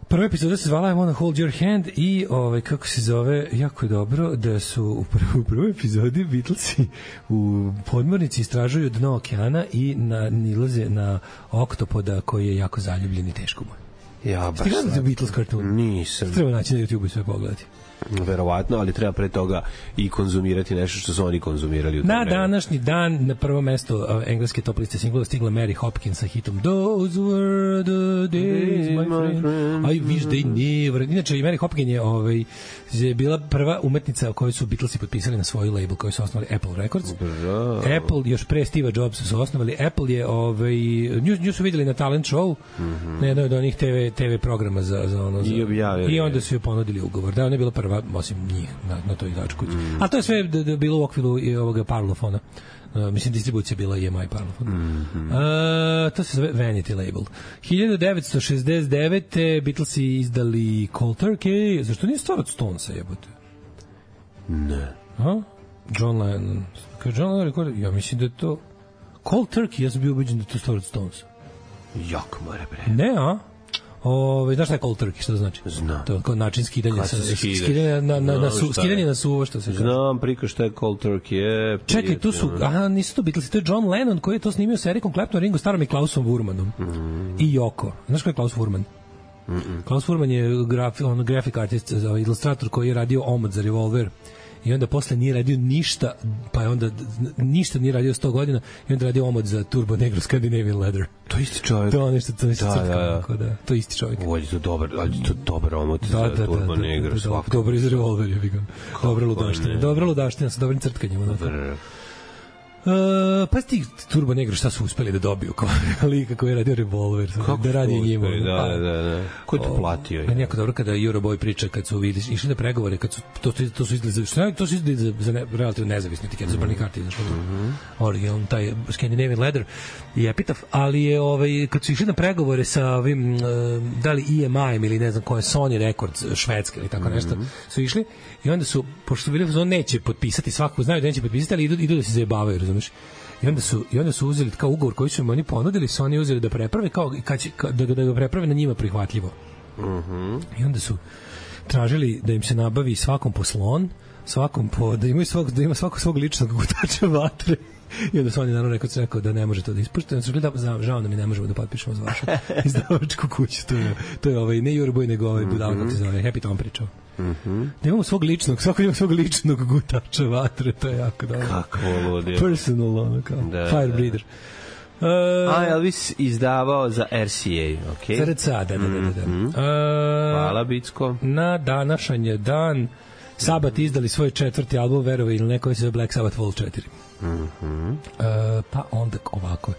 Prva epizoda se zvala I Wanna Hold Your Hand i kako se zove, jako je dobro da su u prvoj epizodi Beatlesi u podmornici istražuju dno okeana i nilaze na oktopoda koji je jako zaljubljen i teško mu. Ja, baš. Ti gledate Beatles kartun? Nisam. Treba naći na YouTube i sve pogledati. Verovatno, ali treba pre toga i konzumirati nešto što su oni konzumirali u na današnji dan na prvo mesto engleske top liste singlova stigla Mary Hopkins sa hitom Those were the days, my friend. I wish they never. Inače, Mary Hopkins je bila prva umetnica koju su Beatlesi potpisali na svoju label koju su osnovali Apple Records. Apple, još pre Steve Jobsa su osnovali. Apple je, nju su vidjeli na talent show, na jednoj od onih TV programa za ono. I onda su joj ponudili ugovor. Da, ona je bila prva prva, osim njih, na toj izdačku. A to je sve bilo u okviru ovoga Parlofona. Mislim, distribucija bila EMI Parlophone. To se zove Vanity Label. 1969. Beatlesi izdali Cold Turkey. Zašto nije stvar od Stonesa, jebote? Ne. John Lennon. Kad John Lennon rekord, ja mislim da je to Cold Turkey, ja sam bio ubeđen da je to stvar od Stonesa. Jak more, bre. Ne, a? Znaš šta je Cold Turkey, što to znači? Znam. To je kao način skidanja skidanje na suvo, što se kaže. Znam, priko šta je Cold Turkey. Čekaj, tu su, nisu to Beatlesi, to je John Lennon koji je to snimio sa Ericom Claptonom, Ringo Starrom i Klausom Wurmanom. I Yoko. Znaš ko je Klaus Wurman? Klaus Wurman je graphic artist, ilustrator koji je radio omot za Revolver. I onda posle nije radio ništa, pa je onda ništa nije radio 100 godina i onda radio omot za Turbo Negro Scandinavian Leather. To je isti čovjek. To je nešto to je isti čovjek. Ovo je to dobar omot za Turbo Negro. Dobar iz Revolver, je bi ga. Dobra ludaština sa dobrim crtkanjem. Pa ti Turbo Negro šta su uspeli da dobiju kao lika koji je radio Revolver, da radi njima. Da. Ko je to platio? Meni jako dobro kada Euroboy priča kad su išli na pregovore, kad su to su izdali za relativno nezavisni etiket za Burning Heart, znači original taj Scandinavian Leather i Epitaph, ali je kad su išli na pregovore sa ovim da li EMI ili ne znam ko je Sony Records švedska ili tako nešto, su išli i onda su, pošto su bili on neće potpisati, svakako znaju da neće potpisati, ali idu da se zajebavaju, razumeš? I onda su uzeli kao ugovor koji su im oni ponudili, su oni uzeli da preprave kao da ga preprave na njima prihvatljivo. I onda su tražili da im se nabavi svakom po slon, da ima svako svog ličnog gutača vatre. I onda su oni naravno rekao da ne može to da ispušte. Onda su rekli da žao nam mi ne možemo da potpišemo za vašu izdavačku kuću. To je ne Euroboy, nego budala, kako se zove, Happy Tom pričao. Da imamo svako ima svog ličnog gutača vatre, to je jako dobro. Kako ludio. Personal, ono kao, fire breather. Elvis izdavao za RCA, ok? Za RCA, da. Hvala, Bicko. Na današnji dan Sabat izdali svoj 4. album, verovi ili neko, se zove Black Sabbath Vol 4. Pa onda ovako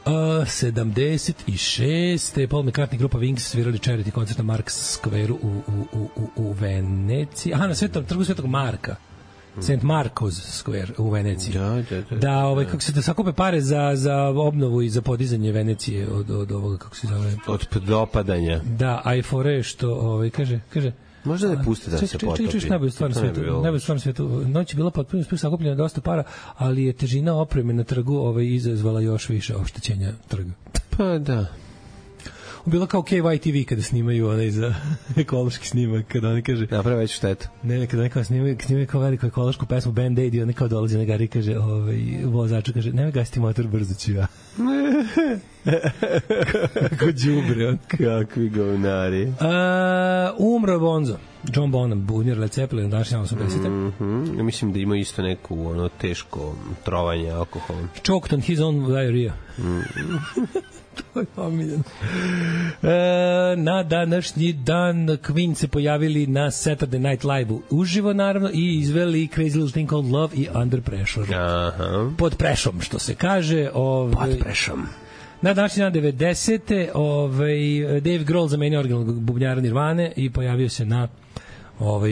76. Paul McCartney grupa Wings svirali charity koncert na Marks Square u Veneciji. Na trgu Svetog Marka. St. Marco's Square u Veneciji. Da, kako se da sakupe pare za obnovu i za podizanje Venecije od ovoga, kako se zove? Od dopadanja. Da, a i fore što kaže možda ne pusti da se potopi. Češ najbolju stvar na svijetu. Noć je bila potpuno sakupljena dosta para, ali je težina opreme na trgu izazvala još više oštećenja trga. Pa da. Bilo kao KYTV kada snimaju onaj za ekološki snimak, kada oni kaže naprave veću štetu. Ne, kada oni kao snimaju kao veliku ekološku pesmu Band-Aid i oni kao dolazi na gari i kaže vozaču kaže, nemoj gasiti motor, brzo ću ja. Kako đubre on. Kakvi govnari. Umro Bonzo. John Bonham, bubnjar Led Zeppelin, današnja 80. Ja mislim da ima isto neku teško trovanje alkoholom. Choked on his own diarrhea. To je omiljen. Na današnji dan Queen se pojavili na Saturday Night Live uživo, naravno, i izveli Crazy Little Thing Called Love i Under Pressure. Pod prešom, što se kaže. Pod prešom. Na današnji dan 90. Dave Grohl zamenio originalnog bubnjara Nirvane i pojavio se na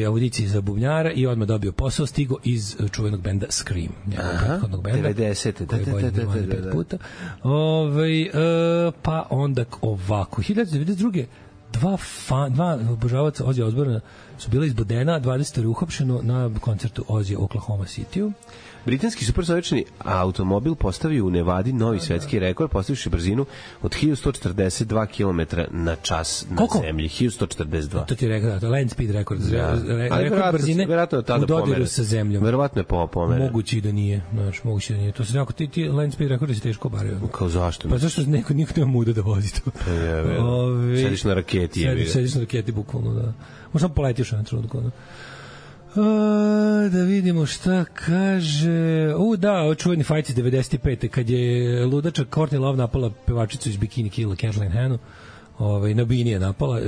audiciji za bubnjara i odmah dobio posao, stigo iz čuvenog benda Scream, njegovog prethodnog benda 90. koji je bolje Nirvane 5 puta. Pa onda ovako 1992. Dva obožavaca Ozzy Osbourna su bila izbodena, 20 uhapšeno na koncertu Ozzy Oklahoma City-u. Britanski supersonični automobil postavio u Nevadi novi svetski rekord, postavivši brzinu od 1142 km na čas na zemlji. 1142. To ti je rekord, land speed rekord. Rekord brzine u dodiru sa zemljom. Verovatno je pomeren. Moguće da nije. To se nekako, ti land speed rekordi se teško obaraju. Kao zašto? Pa zašto niko nema muda da vozi to. Sediš na raketi. Sediš na raketi, bukvalno, da. Možda poletiš na trenutku, da. Da vidimo šta kaže. Čuveni fajt iz 95. kad je ludača Courtney Love napala pevačicu iz Bikini Killa, Kathleen Hannu. Na bini je napala,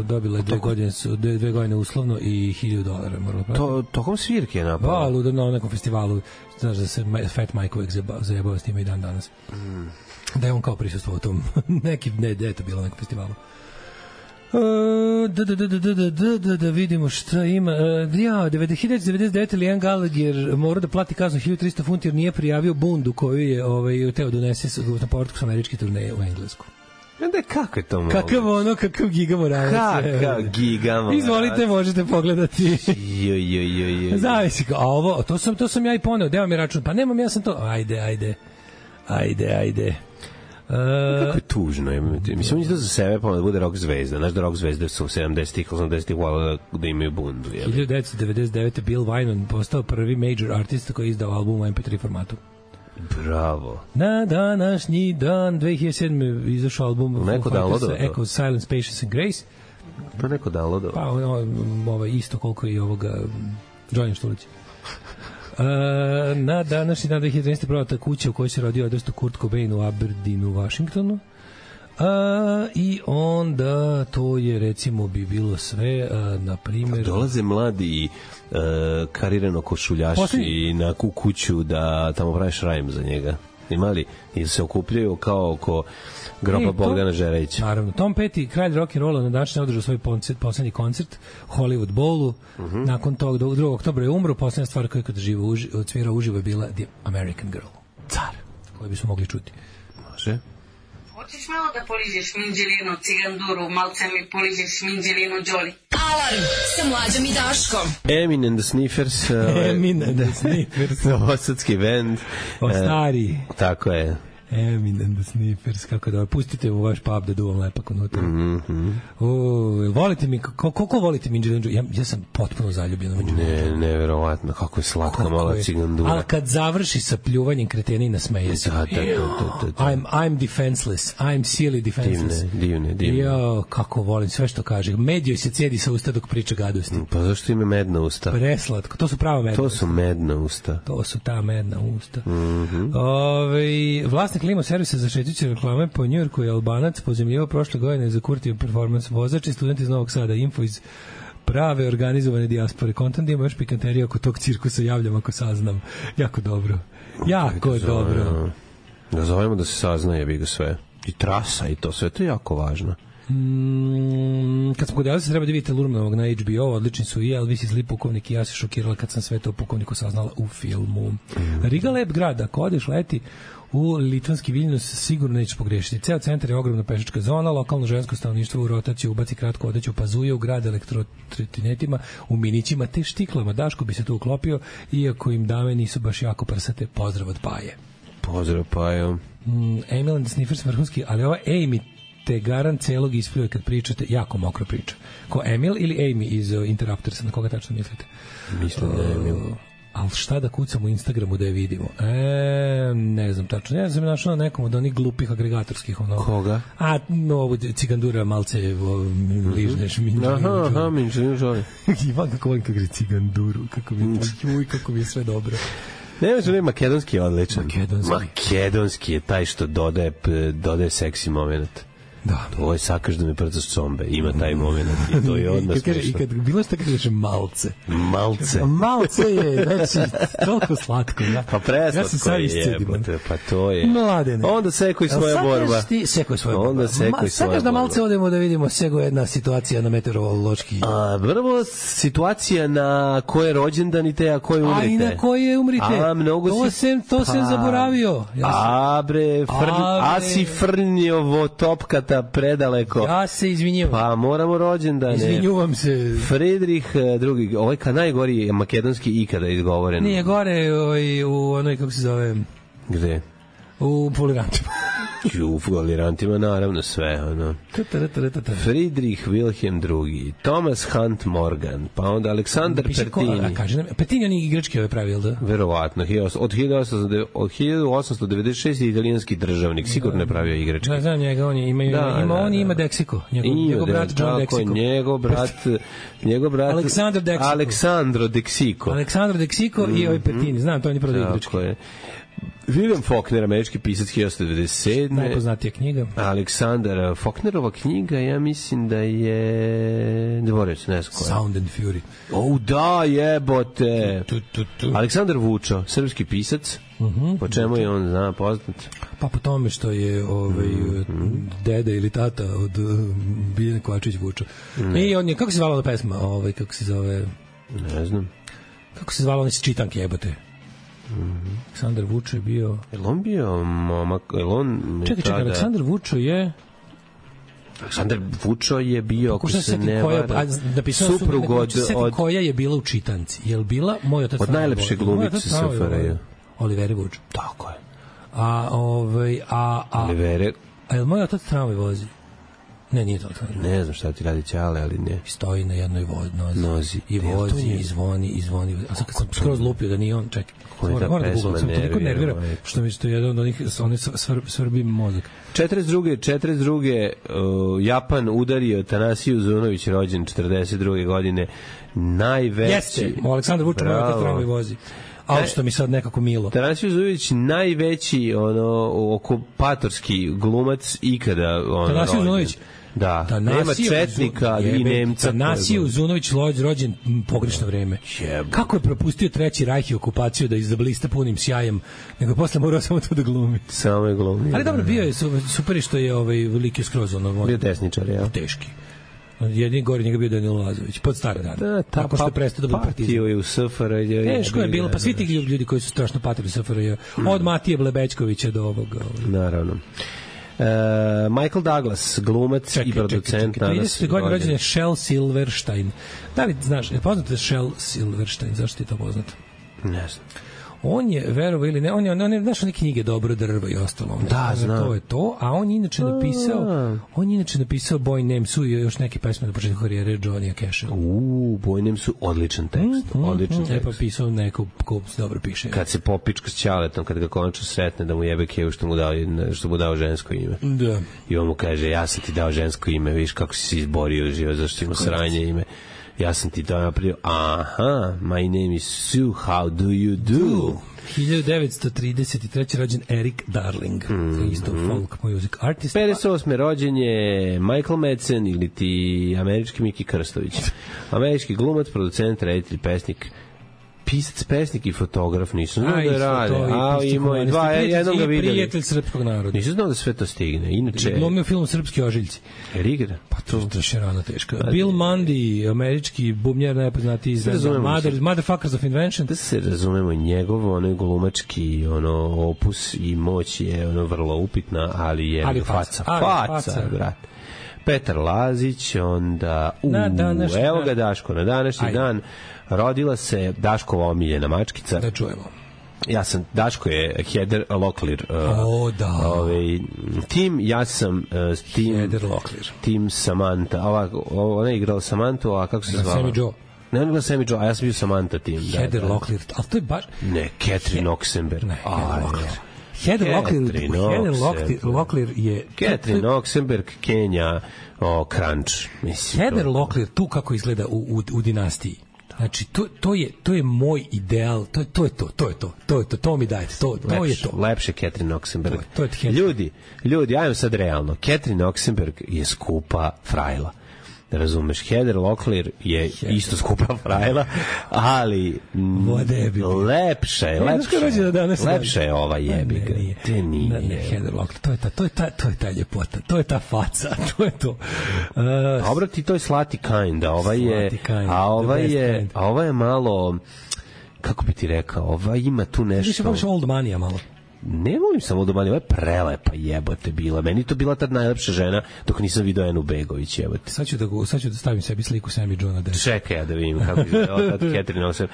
dobila je 2 godine uslovno i $1,000 morala platiti. Tokom svirke je napala? Luda na nekom festivalu. Znaš da se Fat Mike uvijek zajebava s njima i dan danas. Da je on kao prisustvo u tom da je to bilo na nekom festivalu. Da vidimo šta ima. 1999. Liam Gallagher mora da plati kaznu 1300 funti jer nije prijavio bundu koju je teo donese na povratku s američke turneje u Englesku. Da, kako je to moguće? Kakav giga moralac. Kakav giga moralac. Izvolite, možete pogledati. Zavisi. A ovo, to sam ja i poneo. Deo mi račun. Pa nemam, ja sam to. Ajde. Kako je tužno. Mislim, on je to za sebe pa da bude rock zvezda. Znaš da rock zvezde su u 70-ih, 80-ih volao da imaju bundu. 1999. Bill Wyman postao prvi major artist koji je izdao album u MP3 formatu. Bravo. Na današnji dan 2007. izašao album neko downloadao Echo, Silence, Patience and Grace. To neko downloadao. Pa isto koliko i ovoga Johnny Štulić. Na današnji dan 2013. prodata kuća u kojoj se rodio odrasto Kurt Cobain u Aberdeenu, Washingtonu. I onda to je recimo bi bilo sve, na primjer dolaze mladi karirano košuljaši na kuću da tamo pravi šrajm za njega. Imali ili se okupljaju kao oko groba Bogdana Žerevića. Naravno, Tom Petty, kralj rock'n'rolla, na današnji održao svoj poslednji koncert Hollywood Bowlu. Nakon tog 2. oktobra je umro. Poslednja stvar koju kad odsvirao uživo je bila The American Girl, car, koju bismo mogli čuti. Može. Hoćeš malo da poližeš minđelinu, ciganduru, malce mi poližeš minđelinu, Đoli. Alarm sa Mlađom i Daškom. Emin and the Sniffers. Emin and the Sniffers. Novosadski band. Stari. Tako je. Emin and the Sniffers, kako da pustite u vaš pub da duvam lepak unutra. Volite mi, koliko volite Minđelinu? Ja sam potpuno zaljubljen u Minđelinu. Neverovatno, kako je slatka mala cigandura. Ali kad završi sa pljuvanjem kretena i nasmeje se. I'm defenseless, I'm silly defenseless. Divne. Jo, kako volim sve što kaže. Med joj se cedi sa usta dok priča gadosti. Pa zašto ima medna usta? Preslatko, to su prava medna usta. To su medna usta. To su ta medna usta. Vlasnik limo servisa za šećuće reklame po Njujorku je Albanac, pozemljivao prošle godine za Kurtijev performans, vozač i student iz Novog Sada, info iz prave organizovane dijaspore. Kontant ima još pikanterija oko tog cirkusa, javljam ako saznam. Jako dobro. Dobro. Da zovemo da se saznaje, bi ga sve. I trasa i to sve, to je jako važno. Kad smo kod se treba da vidite Lurmanovog na HBO, odlični su i Elvis i Zli pukovnik i ja se šokirala kad sam sve to pukovniku saznala u filmu. Riga lep grad, ako odeš leti u litvanski Viljnus sigurno nećeš pogrešiti. Ceo centar je ogromna pešačka zona, lokalno žensko stanovništvo u rotaciju ubaci kratko odeću, pazuje u grad elektrotrotinetima, u minićima te štiklama. Daško bi se tu uklopio, iako im dame nisu baš jako prsate. Pozdrav od Paje. Pozdrav Pajo. Emil and the Sniffers vrhunski, ali ova Amy te garant celog ispljuje kad pričate, jako mokro priča. Ko Emil ili Amy iz Interruptersa, na koga tačno mislite? Mislim da je Emil. Ali šta da kucam u Instagramu da je vidimo? Ne znam tačno. Ja sam našao na nekom od onih glupih agregatorskih. Koga? Ovo cigandura malce ližneš. Minđelinu Đoli. Ivan, kako volim kako je ciganduru. Kako mi je sve dobro. Ne, makedonski je odličan. Makedonski je taj što dodaje seksi moment. Da. Ovo je sakaš da mi prcaš combe. Ima taj moment i to je odmah smiješno. I kad bilo što kažeš malce. Malce je, znači, toliko slatko. Ja. Pa preslatko je jebote. Pa to je. Mladene. Onda sekoj svoja borba. Sekoj svoja borba. Onda sekoj svoja borba. Sakaš da malce odemo da vidimo sego jedna situacija na meteorološki. Prvo situacija na koje rođendan i te, a koje umrite. A i na koje umrite. To sam zaboravio. Si frnjovo topkata predaleko. Ja se izvinjujem. Pa moramo rođendane. Izvinjujem se. Friedrich II. Ovaj najgori makedonski ikada izgovoren. Nije gore u onoj, kako se zove... Gde? U Folirantima. U Folirantima, naravno, sve. Friedrich Wilhelm II. Thomas Hunt Morgan. Pa onda Aleksandar Pertini. Pertini on je igrački ove pravi, da? Verovatno. Od 1896. italijanski državnik. Sigurno je pravio igrački. Da, znam njega. On ima Deksiko. Njegov brat John Deksiko. Njegov brat Aleksandro Deksiko. Aleksandro Deksiko i ovaj Pertini. Znam, to on je pravio igrački. William Faulkner, američki pisac 1897. Najpoznatija knjiga. Aleksandar Faulknerova knjiga, ja mislim da je... Dvorec, ne znam koja. Sound and Fury. Da, jebote. Aleksandar Vučo, srpski pisac. Po čemu je on zna poznat? Pa po tome što je deda ili tata od Biljana Kovačević Vučo. I on je, kako se zvala ona pesma? Kako se zove? Ne znam. Kako se zvala ona iz čitanke, jebote? Aleksandar Vučo je bio... Je on bio momak? Čekaj, Aleksandar Vučo je... Aleksandar Vučo je bio, ako se ne vara, suprug od... Koja je bila u čitanci? Je li bila Moj otac... Od najlepše glumice SFRJ. Oliveri Vučo. Tako je. Oliveri... A je li Moj otac tramvaj vozi? Ne, nije to. Ne znam šta ti radi Ćale, ali ne. Stoji na jednoj nozi. I vozi, i zvoni. A sad kad sam skroz lupio da nije on, čekaj. Moram da googlam, sam toliko nervira, što mi je jedan od onih, oni svrbi mozak. 42. Japan udario Tanasiju Zunović, rođen 42. godine, najveći... Jeste, Aleksandar Vučić, Moj otac tramvaj vozi. Ali što mi sad nekako milo. Tanasiju Zunović, najveći okupatorski glumac ikada Tanasiju Zunović. Da, nema četnika i Nemca. Tanasiju Zunović rođen pogrešno vreme. Kako je propustio Treći rajh i okupaciju da izblista punim sjajem, nego posle morao samo to da glumi. Samo je glumi. Ali dobro, bio je super što je veliki skroz bio desničar, ja. Teški. Jedini gori njega bio Danilo Lazović, pod stare dane. Tako što je prestao da bude partizan. Patio je u SFRJ. Teško je bilo, pa svi ti ljudi koji su strašno patili SFRJ. Od Matije Blebećkovića do ovoga. Naravno. Michael Douglas, glumac i producent. 30. godine rođen je Shel Silverstein. Da li znaš, je poznate Shel Silverstein? Zašto ti je to poznato? Ne znam. On je, verovo ili ne, on je znaš one knjige Dobro drvo i ostalo. Da, znam. To je to, a on je inače napisao Boy Named Sue i još neke pesme na početku karijere Johnny Casha. Boy Named Sue, odličan tekst. Odličan tekst. Pa pisao neko ko se dobro piše. Kad se popička s Ćaletom, kad ga konačno sretne da mu jebe kevu što mu dao žensko ime. Da. I on mu kaže, ja sam ti dao žensko ime, vidiš kako si se izborio živo, zašto ima sranje ime. Ja sam ti to napravio. Aha, my name is Sue, how do you do? 1933. rođen Eric Darling, isto folk music artist. 58. rođen je Michael Madsen ili ti američki Miki Krstović. Američki glumac, producent, reditelj, pesnik, pisac, pesnik i fotograf. Nisam znao da rade. Imao je dva, jednom ga videli. Prijatelj srpskog naroda. Nisam znao da sve to stigne. Inače... Glumio film Srpski ožiljci. Rigra? Pa to je rano teško. Bill Mundy, američki bubnjar, najpoznatiji iz Motherfuckers of Invention. Da se razumemo, njegov onaj glumački opus i moć je vrlo upitna, ali je faca, brat. Petar Lazić, onda evo ga Daško, na današnji dan rodila se Daškova omiljena mačkica. Da čujemo. Daško je Heather Locklear. Tim, ja sam Heather Locklear. Tim Samantha. Ona je igrala Samantha, a kako se zvala? Sammy Joe. Ne, on je Sammy Joe, a ja sam bio Samantha Tim. Heather Locklear, ali to je baš... Ne, Catherine Oxenberg. Ne, Heather Locklear je... Catherine Oxenberg, Kenja, Crunch. Heather Locklear, tu kako izgleda u dinastiji. Znači, to je moj ideal, to mi dajete, to je to. Lepše Catherine Oxenberg. Ljudi, ajmo sad realno. Catherine Oxenberg je skupa frajla. Razumeš, Heather Locklear je isto skupa frajla, ali lepša je ova jebiga. Te nije. Ne, Heather Locklear, to je ta ljepota, to je ta faca, to je to. Dobro ti, to je slati kind, a ova je malo, kako bi ti rekao, ova ima tu nešto. Više voliš old manija malo. Ne volim samo Domani, ovo je prelepa jebote bila. Meni to bila tad najlepša žena dok nisam vidio Enu Begović, jebote. Sad ću da stavim sebi sliku Sammy Johna Deška. Čekaj ja da vidim kako izgleda tad Catherine Oxenberg.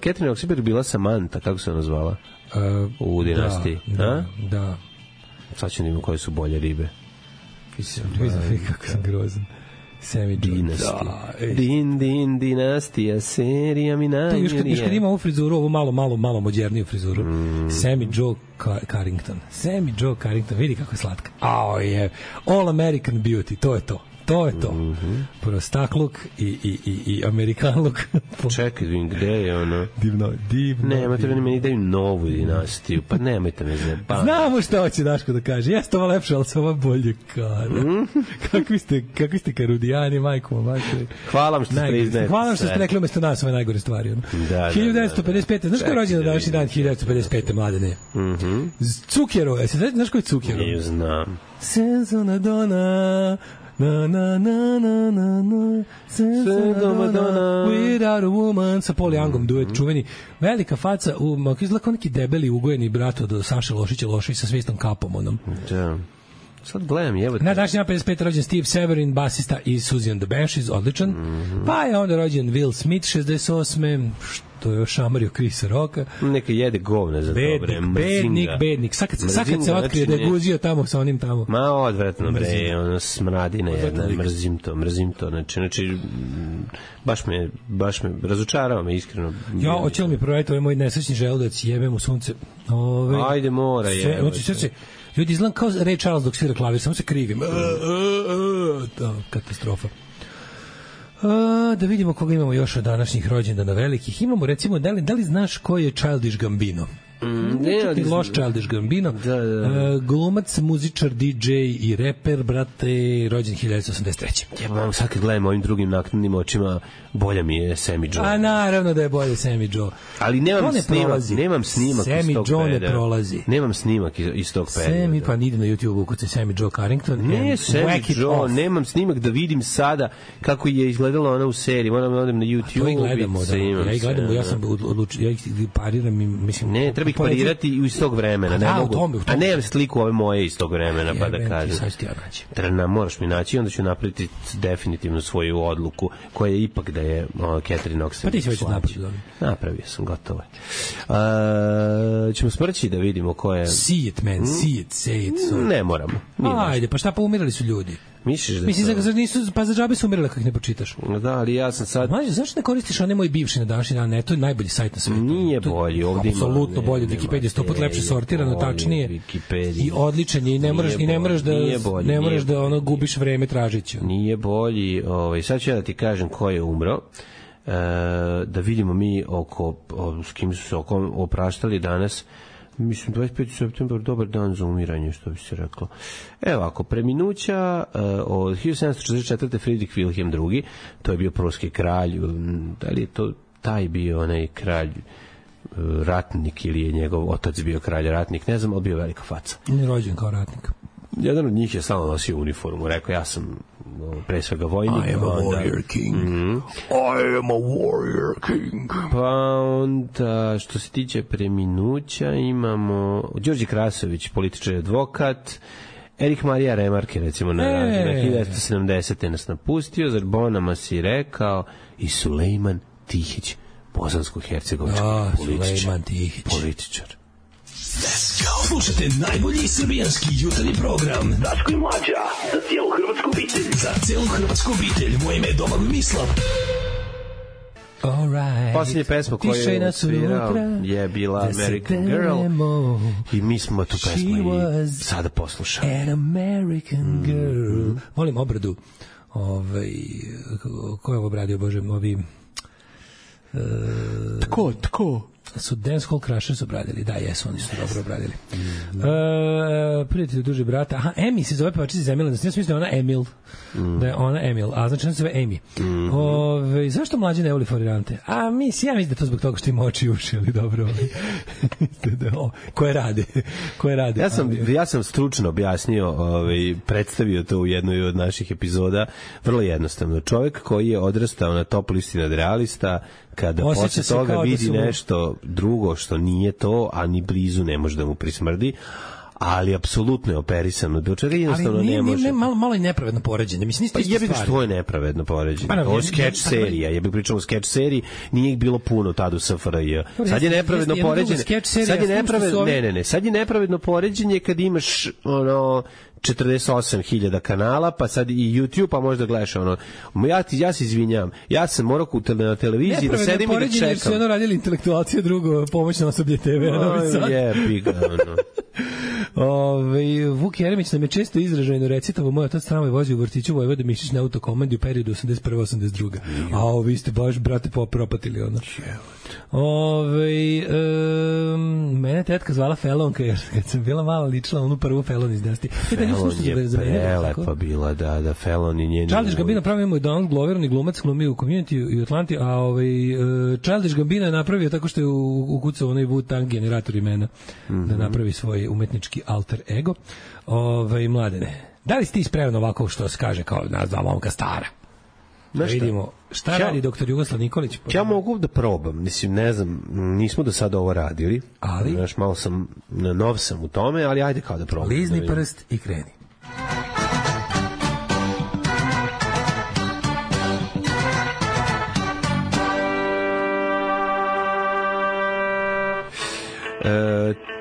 Catherine Oxenberg bila Samantha, kako se ona zvala? U dinastiji. Da. Sad ću da vidim koje su bolje ribe. Vidim kako sam grozan. Sammy Dinastija, serija mi namjerija. Još kad ima ovu frizuru, ovu malo moderniju frizuru. Sammy Joe Carrington. Vidi kako je slatka. All American Beauty, to je to. To je to. Prostakluk i Amerikanluk. Čekaj, gde je ono? Divno. Nemojte da meni daju novu dinastiju, pa nemojte me zajebati. Znamo šta hoće Daško da kaže. Jeste ovo lepše, ali se ovo bolje kada. Kakvi ste karudijani, majko, majko. Hvala vam što ste priznajete. Hvala vam što ste rekli umesto nas ove najgore stvari. Da, 1955. Znaš ko je rođen na današnji dan 1955. mladene? Cukjero. Znaš ko je Cukjero? Ne znam. Senzona dona... Na na na na na na Madonna Without a Woman sa Paul Youngom duet čuveni, velika faca izgleda kao neki debeli ugojeni brat od Saše Lošić sa svistom kapom onom. Da. Sad gledam, jebote. Na današnji dan 55. rođen Steve Severin, basista iz Susie and the Banshees, odličan. Pa je onda rođen Will Smith 68. To je još šamario Chrisa Rocka. Neka jede govne za dobre. Bednik. Sad kad se otkrije da je guzio tamo sa onim tamo. Ma odvratno, bre, ono smradina jedna, mrzim to. Znači, baš me, razočarava me iskreno. Ja, hoće li mi provajeti ovaj moj nesrećni želudac, jebem u sunce. Ajde, mora, Znači, ljudi izgledam kao Ray Charles dok svira klavir, samo se krivim. Katastrofa. Da vidimo koga imamo još od današnjih rođendana velikih. Imamo recimo, da li znaš ko je Childish Gambino? Ti loš Childish Gambino. Glumac, muzičar, DJ i reper, brate, rođen 1983. Ja vam sad kad gledam ovim drugim naknadnim očima, bolja mi je Sammy Joe. A naravno da je bolje Sammy Joe. Ali nemam snimak Sammy iz tog Joe perioda. Ne prolazi. Nemam snimak iz tog perioda. Sammy, pa ide na YouTube ukucaj Sammy Joe Carrington. Ne, Sammy Joe, nemam snimak da vidim sada kako je izgledala ona u seriji. Moram da odem na YouTube. To i gledamo, ja ih gledamo, ja sam odlučio, ja ih pariram i mislim... Ne, treba ih parirati iz tog vremena. A nemam sliku ove moje iz tog vremena, pa da kažem. Moraš mi naći i onda ću napraviti definitivno svoju odluku, koja je ipak da je Catherine Oxford. Pa ti si već napravio. Napravio sam, gotovo. Ćemo sprći da vidimo ko je... See it, man, see it, say it. Ne moramo. Ajde, pa šta, pa umirali su ljudi. Mislim pa za džabe su umirali kako ne pročitaš. Da, ali ja sam sad... Mađo, zašto ne koristiš onaj moj bivši na današnji dan? Ne, to je najbolji sajt na svetu. Nije bolji, ovdje ima... Apsolutno bolji, Wikipedia, 100 put lepše sortirano, tačnije. I odličan je, i ne moraš da ono gubiš vreme tražići. Nije bolji, sad ću ja da ti kažem ko je umro, da vidimo mi s kim su se opraštali danas. Mislim, 25. septembar, dobar dan za umiranje, što bi se reklo. Evo, ako preminuća od 1744. Friedrich Wilhelm II, to je bio pruski kralj, da li je to taj bio onaj kralj ratnik ili je njegov otac bio kralj ratnik, ne znam, ali bio velika faca. Ne rođen kao ratnik. Jedan od njih je stalno nosio uniformu, rekao ja sam pre svega vojnik. I am a warrior king. I am a warrior king. Pa onda, što se tiče preminuća, imamo Đorđe Krasović, političar i advokat, Erik Marija Remarque, recimo, na 1970. nas napustio, Zarbona si rekao, i Sulejman Tihić, bosansko-hercegovički političar. Let's go! Slušajte najbolji srbijanski jutarnji program Daško i Mlađa, za cijelu hrvatsku obitelj. Za cijelu hrvatsku obitelj, moje ime je Domagoj Mislav. Posljednja pesma koju je svirao je bila American Girl i mi smo tu pesmu i sada poslušali. An American Girl. Volim obradu. Ko je ovo obradio, Bože, Tko? Su Dance Hall Crushers obradili, da, jesu, oni su dobro obradili. Prijatelj duže brata, aha, Emi se zove pevačica iz Emila, ja sam mislio da je ona Emil, da je ona Emil, a znači ona se zove Emi. Zašto mlađe ne voli florirante? Ja mislim da to zbog toga što ima oči i uši, ali dobro. Koje rade? Ja sam stručno objasnio, predstavio to u jednoj od naših epizoda, vrlo jednostavno. Čovjek koji je odrastao na top listi nadrealista, kada posle toga vidi nešto drugo što nije to, a ni blizu ne može da mu prismrdi, ali apsolutno je operisano. Do čega jednostavno ne može. Ali malo je nepravedno poređenje. Mislim, pa jebi ga što je nepravedno poređenje. Ovo je skeč serija. Ja bih pričao o skeč seriji, nije ih bilo puno tada u SFRJ. Sad je nepravedno poređenje. Sad je nepravedno poređenje kad imaš 48.000 kanala, pa sad i YouTube, pa možda gledaš ja se izvinjam, ja sam morao na televiziji da sedim i da čekam. Jer su radili intelektualci, drugo pomoćno osoblje TV. Jebi ga, Vuk Jeremić nam je često izražajno recitavo, moj otac tramvaj vozio u vrtiću Vojvode Mišić na autokomandi u periodu 81-82. A vi ste baš, brate, propatili ono. Mene tetka zvala Felonka, jer kad sam bila mala ličila onu prvu Felon iz Dasti. Felon je prelepa bila, da, Felon i njeni... Childish Gambino pravio mu je Donald Glover, on je glumac, glumio u Community i Atlanti, a Childish Gambino je napravio tako što je ukucao onaj Wu-Tang generator imena da napravi svoj umetnički alter ego. Mladene, da li si ti spreman ovako što se kaže kao nazva momka stara? Da vidimo šta radi doktor Jugoslav Nikolić. Ja mogu da probam, mislim, ne znam, nismo do sada ovo radili, ali malo sam, nov sam u tome, ali ajde kao da probam. Lizni prst i kreni.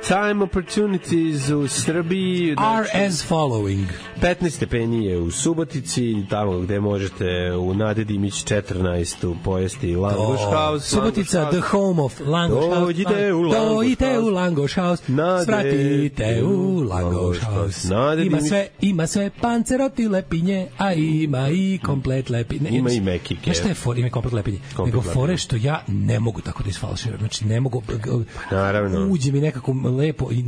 Time opportunities u Srbiji are as following. 15 stepeni je u Subotici, tamo gde možete u Nade Dimić 14 pojesti Langoš House. Subotica, the home of Langoš House. Dođite u Langoš House. Svratite u Langoš House. Ima sve panceroti lepinje, a ima i komplet lepinje. Ima i mekike. Znaš šta je for? Ima i komplet lepinje. Nego fore što ja ne mogu tako da isfalširam. Znači ne mogu... Naravno. Uđe mi nekako lepo i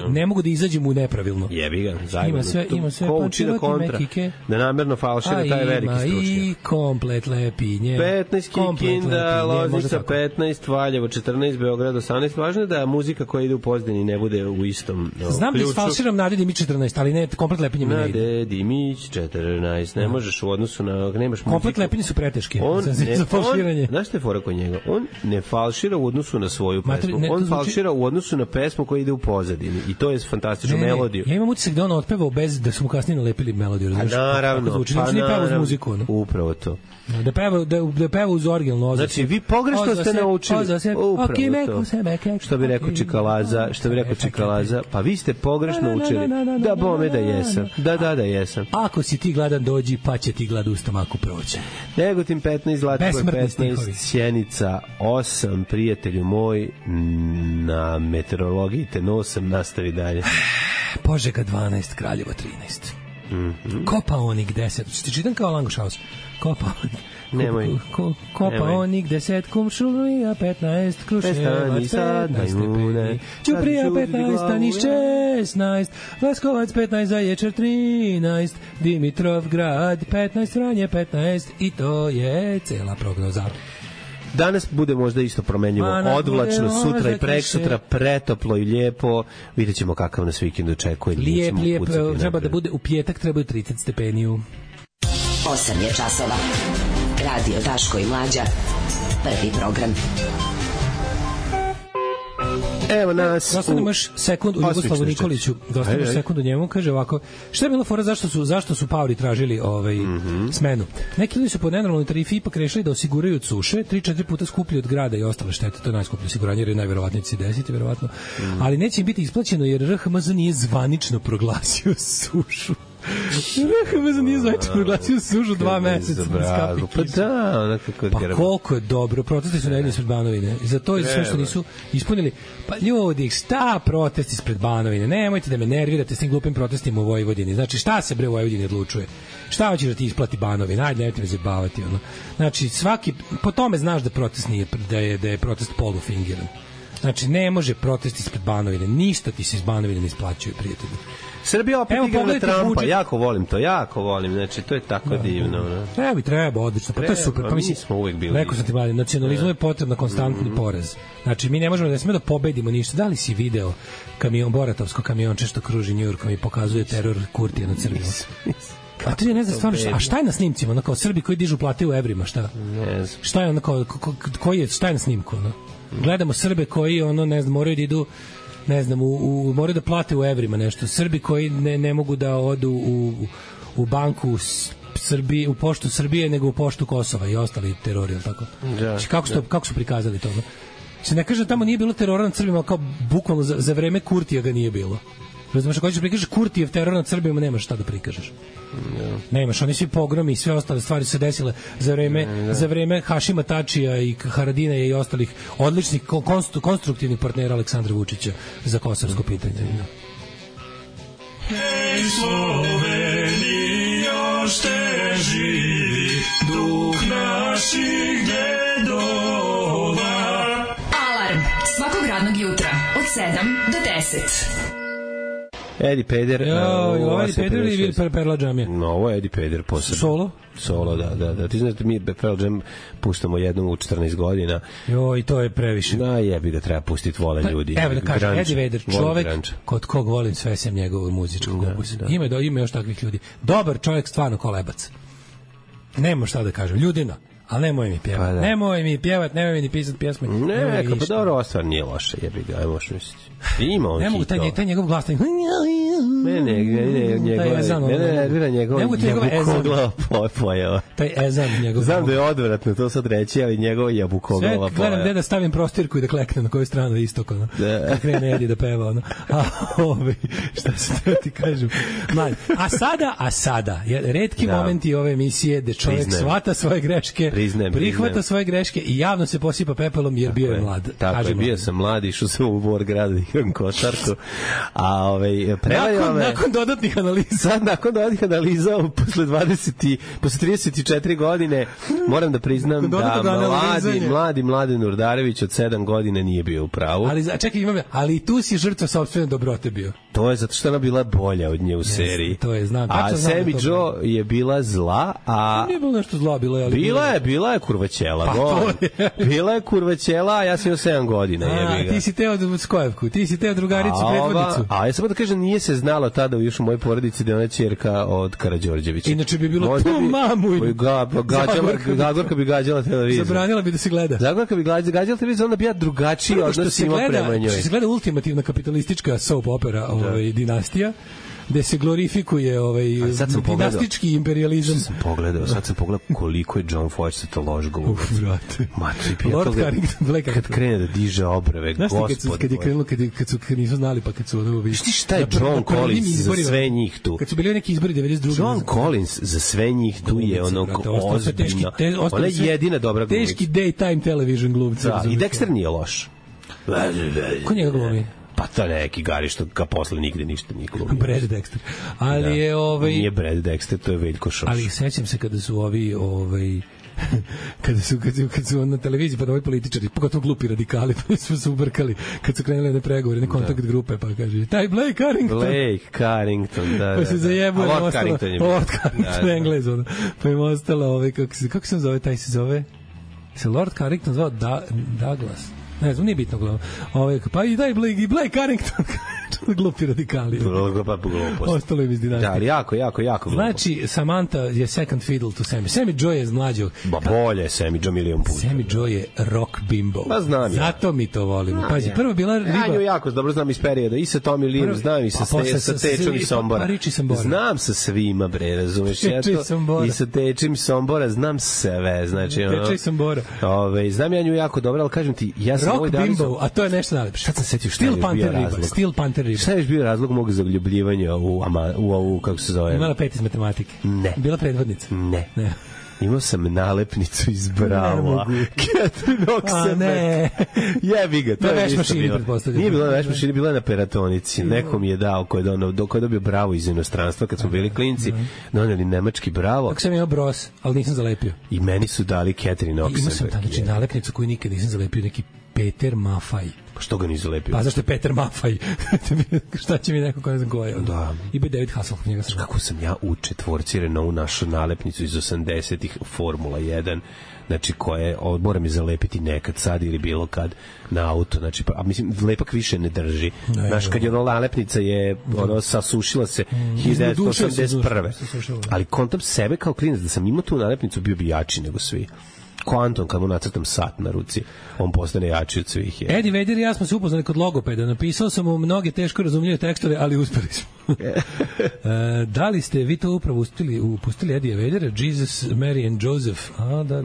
ne mogu da izađem u nepravilno. Jebi ga, zajedno. Ima sve ko uči da kontra, da namerno falšira, taj veliki stručnjak. I komplet lepinje. 15 Kikinda, Loznica 15, Valjevo 14, Beograd 18. Važno je da muzika koja ide u Pozdini ne bude u istom ključu. Znam da isfalširam Nade Dimić 14, ali ne, komplet lepinje mi ne ide. Nade Dimić 14, ne možeš u odnosu na... Nemaš muziku. Komplet lepinje su preteške za falširanje. Znaš što je fora kod njega? On ne falšira u odnosu na svoju pesmu. On falšira u odnosu na pesmu koja ide u pozadini. I to je fantastična melodija. Ja imam utisak da on otpevao bez da su mu kasnije nalepili melodiju. Naravno. Upravo to. Da peva uz originalno ozase. Znači, vi pogrešno ste naučili. Upravo to. Što bi rekao Čikalaza, pa vi ste pogrešno učili. Da bome da jesam. Da jesam. Ako si ti gladan, dođi, pa će ti glad u stomaku proći. Negotin 15, Zlatibor 15, Sjenica 8, prijatelju moj, na meteorologiji te nosam, nastavi dalje. Požega 12, Kraljevo 13. Kopaonik 10. Ti čitam kao Langoš House. Kopaonik. Nemoj. Kopaonik 10, Kumšulija 15, Kruševac 15 stepeni, Ćuprija 15, Staniš 16, Leskovac 15, Zaječar 13, Dimitrovgrad 15, Vranje 15 i to je cela prognoza. Danas bude možda isto promenljivo, odvlačno, sutra i preksutra, pretoplo i lijepo. Vidjet ćemo kakav nas vikend očekuje. Lijep, treba da bude u petak, treba 30 stepeni. 8 je časova. Radio Daško i Mlađa. Prvi program. Evo nas. Dostanemo još sekund u Jugoslavu Nikoliću. Dostanemo sekund u njemu. Kaže ovako, šta je bilo fora, zašto su paori tražili smenu? Neki ljudi su po nenormalnoj tarifi ipak rešili da osiguraju od suše 3-4 puta skuplji od grada i ostale štete. To je najskuplje osiguranje jer je najverovatnije će se desiti, verovatno. Ali neće im biti isplaćeno jer RHMZ nije zvanično proglasio sušu. RHMZ nije zvanično proglasio sušu 2 meseca. Pa da, pa koliko je dobro. Protesti su nedeljni ispred Banovine. I za to je sve što nisu ispunili. Pa ljudi, šta protesti ispred Banovine? Nemojte da me nervirate s tim glupim protestima u Vojvodini. Znači, šta se bre u Vojvodini odlučuje? Šta hoćeš da ti isplati Banovina? Ajde, nemojte me zabavati. Znači, po tome znaš da protest nije, da je protest polufingiran. Znači, ne može protest ispred Banovine. Ništa ti se iz Banovine ne isplaćuje, prijatelji. Srbija opet igra na Trumpa, jako volim to, znači to je tako divno. Treba, odlično, pa to je super. Pa mi smo uvek bili. Rekao sam ti, mladen, nacionalizmu je potrebno konstantni poraz. Znači, mi ne možemo da smemo da pobedimo ništa. Da li si video Boratovsko kamionče što kruži Njujorkom i pokazuje teror Kurtija nad Srbijom? A to je, ne znam, stvarno, a šta je na snimcima? Ono kao Srbi koji dižu plate u evrima, šta? Ne znam. Šta je ono kao, šta je na snimku? Gledamo Srbe koji, ne znam, moraju da idu, ne znam, moraju da plate u evrima nešto. Srbi koji ne mogu da odu u banku Srbije, u poštu Srbije, nego u poštu Kosova i ostali terori, ili tako? Znači, kako su prikazali to? Se ne kaže da tamo nije bilo terora nad Srbima, kao bukvalno za vreme Kurtija ga nije bilo. Razumeš, ako ćeš prikažeš Kurtijev teror nad Srbima, nemaš šta da prikažeš. Nemaš, oni svi pogromi i sve ostale stvari su desile za vreme Hašima Tačija i Haradina i ostalih odličnih konstruktivnih partnera Aleksandra Vučića za kosovsko pitanje. Sloveni još te živi duh naših dedova. Alarm svakog radnog jutra od 7 do 10. Eddie Peder. Ovo je Eddie Peder ili Perla Džamija? No, ovo je Eddie Peder posebno. Solo, da. Ti znaš da mi Pearl Jam puštamo jednom u 14 godina. Joj, to je previše. Da, jebi ga, treba pustiti, vole ljudi. Evo da kažem, Eddie Vedder, čovek kod kog volim sve sem njegovog muzičkog okusa. Ima još takvih ljudi. Dobar čovjek, stvarno kolebac. Nemo šta da kažem, ljudina. Ali nemoj mi pjevati. Pa da. Nemoj mi pjevati, nemoj mi ni pisati pjesme. Ne, pa dobro, ova stvar nije loša, jebi ga, ajmo što misliti. Ima on ne mogu, taj njegov glas, taj... Ne, njegov jabukoglava pojava. Taj ezan njegov. Znam da je odvratno to sad reći, ali njegov jabukoglava pojava. Sve gledam gde da stavim prostirku i da kleknem na koju stranu istok, ono. Kad krene Edi da peva, ono. Šta se treba ti kažem? A sada, retki momenti ove emisije gde čovjek shvata svoje greške, prihvata svoje greške i javno se posipa pepelom jer bio je mlad. Tako je, bio sam mlad, išao sam u Borgrad da igram košarku. A nakon dodatnih analiza. Sad nakon dodatnih analiza posle 34 godine moram da priznam da mladi Mladen Urdarević od 7 godina nije bio u pravu. Ali i tu si žrtva sopstvene dobrote bio. To je zato što ona bila bolja od nje u seriji. To je, znam. A Sammy Joe je bila zla, a... Nije bilo nešto zla, bila je kurvaćela. Bila je kurvaćela, a ja sam imao 7 godina. Ti si teo Skojevku, ti si teo drugaricu predvodnicu. A ja sam da kažem, nije se znalo tada još u mojoj porodici da je ona ćerka od Karađorđevića. Inače bi bilo tu mamu. Zagorka bi gađala televizor. Zabranila bi da se gleda. Zagorka bi gađala televizor, onda bi ja drugačiji odnos imao prema njoj. Što se gleda ultimativna kapitalistička soap opera Dinastija, gde se glorifikuje dinastički imperializam. Sad sam pogledao koliko je John Fogerty to loš glumac. Brate. Lord Carrington, kad krene da diže obrve, gospod. Kad je krenulo, kad nisu znali, pa kad su ono... Šta je John Collins za sve njih tu? Kad su bili neki izbori 92. John Collins za sve njih tu je ono ozbiljno. Ona je jedina dobra glumica. Teški daytime television glumca. I Dexter nije loš. Ko njega glumi? Pa to neki Gari što ga posle nigde ništa nije glumio. Brad Dexter. Ali je Nije Brad Dexter, to je Veljko Šoš. Ali sećam se kada su kad su na televiziji pa ovi političari, pogotovo glupi radikali, pa su se ubrkali kad su krenuli na pregovore, na kontakt grupe, pa kaže, taj Blake Carrington, da. Pa se zajebuje, Lord Carrington je Lord Carrington, Englez, pa im ostalo, kako se zove, taj se zove? Se Lord Carrington zvao Douglas. Ne znam, nije bitno. Pa i daj Blake Carrington. Glupi radikali. Ostalo je iz Dinastije. Da, ali jako glupo. Znači, Samantha je second fiddle to Sammy. Sammy Joe je mlađo. Bolje je Sammy Joe milion puta. Sammy Joe je rock bimbo. Pa znam ja. Zato mi to volimo. Pazi, prvo bila riba... Ja nju jako dobro znam iz perioda. I sa Tommy Leeom, znam i sa Tečom i Sombora. Znam sa svima, bre, razumeš? I sa Tečem i Sombora znam sve. Znači, Teče i Sombora. Znam ja nju jako dobro, ali kažem ti, ja sam rock bimbo, a to je nešto najlepše. Šta sam setio, šta je bio razlog? Steel Panther riba. Šta je bio razlog mog zaljubljivanja u ovu, kako se zove? Imala 5 iz matematike. Ne. Bila predvodnica. Ne. Imao sam nalepnicu iz Brava. Catherine Oxenbeck. Ne. Jebi ga, to je ništa bilo. Nije bilo na veš mašini, bilo je na peratonici. Neko mi je dao, ko je dobio Bravo iz inostranstva, kad smo bili klinci, doneli nemački Bravo. Kako sam imao Bros, ali nisam zalepio. I meni su dali Catherine Oxenbeck. Imao sam znači nalepnicu koju nikad nisam zalepio, neki Peter Maffay. Pa što ga nisu lepio? Pa zašto je Peter Maffay? Šta će mi neko ko ne znam ko je? Da. I bi David Hasselhoff, njega sam. Kako sam ja u četvorci Renault našao nalepnicu iz 80-ih Formula 1, znači koje moram je zalepiti nekad sad ili bilo kad na auto, znači a mislim lepak više ne drži. Znaš, kad je ono nalepnica je ono sasušila se 1981. Ali kontam sebe kao klinac da sam imao tu nalepnicu, bio bi jači nego svi. Ko Anton, kad mu nacrtam sat na ruci, on postane jači od svih. Eddie Vedder i ja smo se upoznali kod logopeda. Napisao sam mu mnoge teško razumljive tekstove, ali uspeli smo. Da li ste vi to upravo pustili Eddie Veddera? Jesus, Mary and Joseph. Da.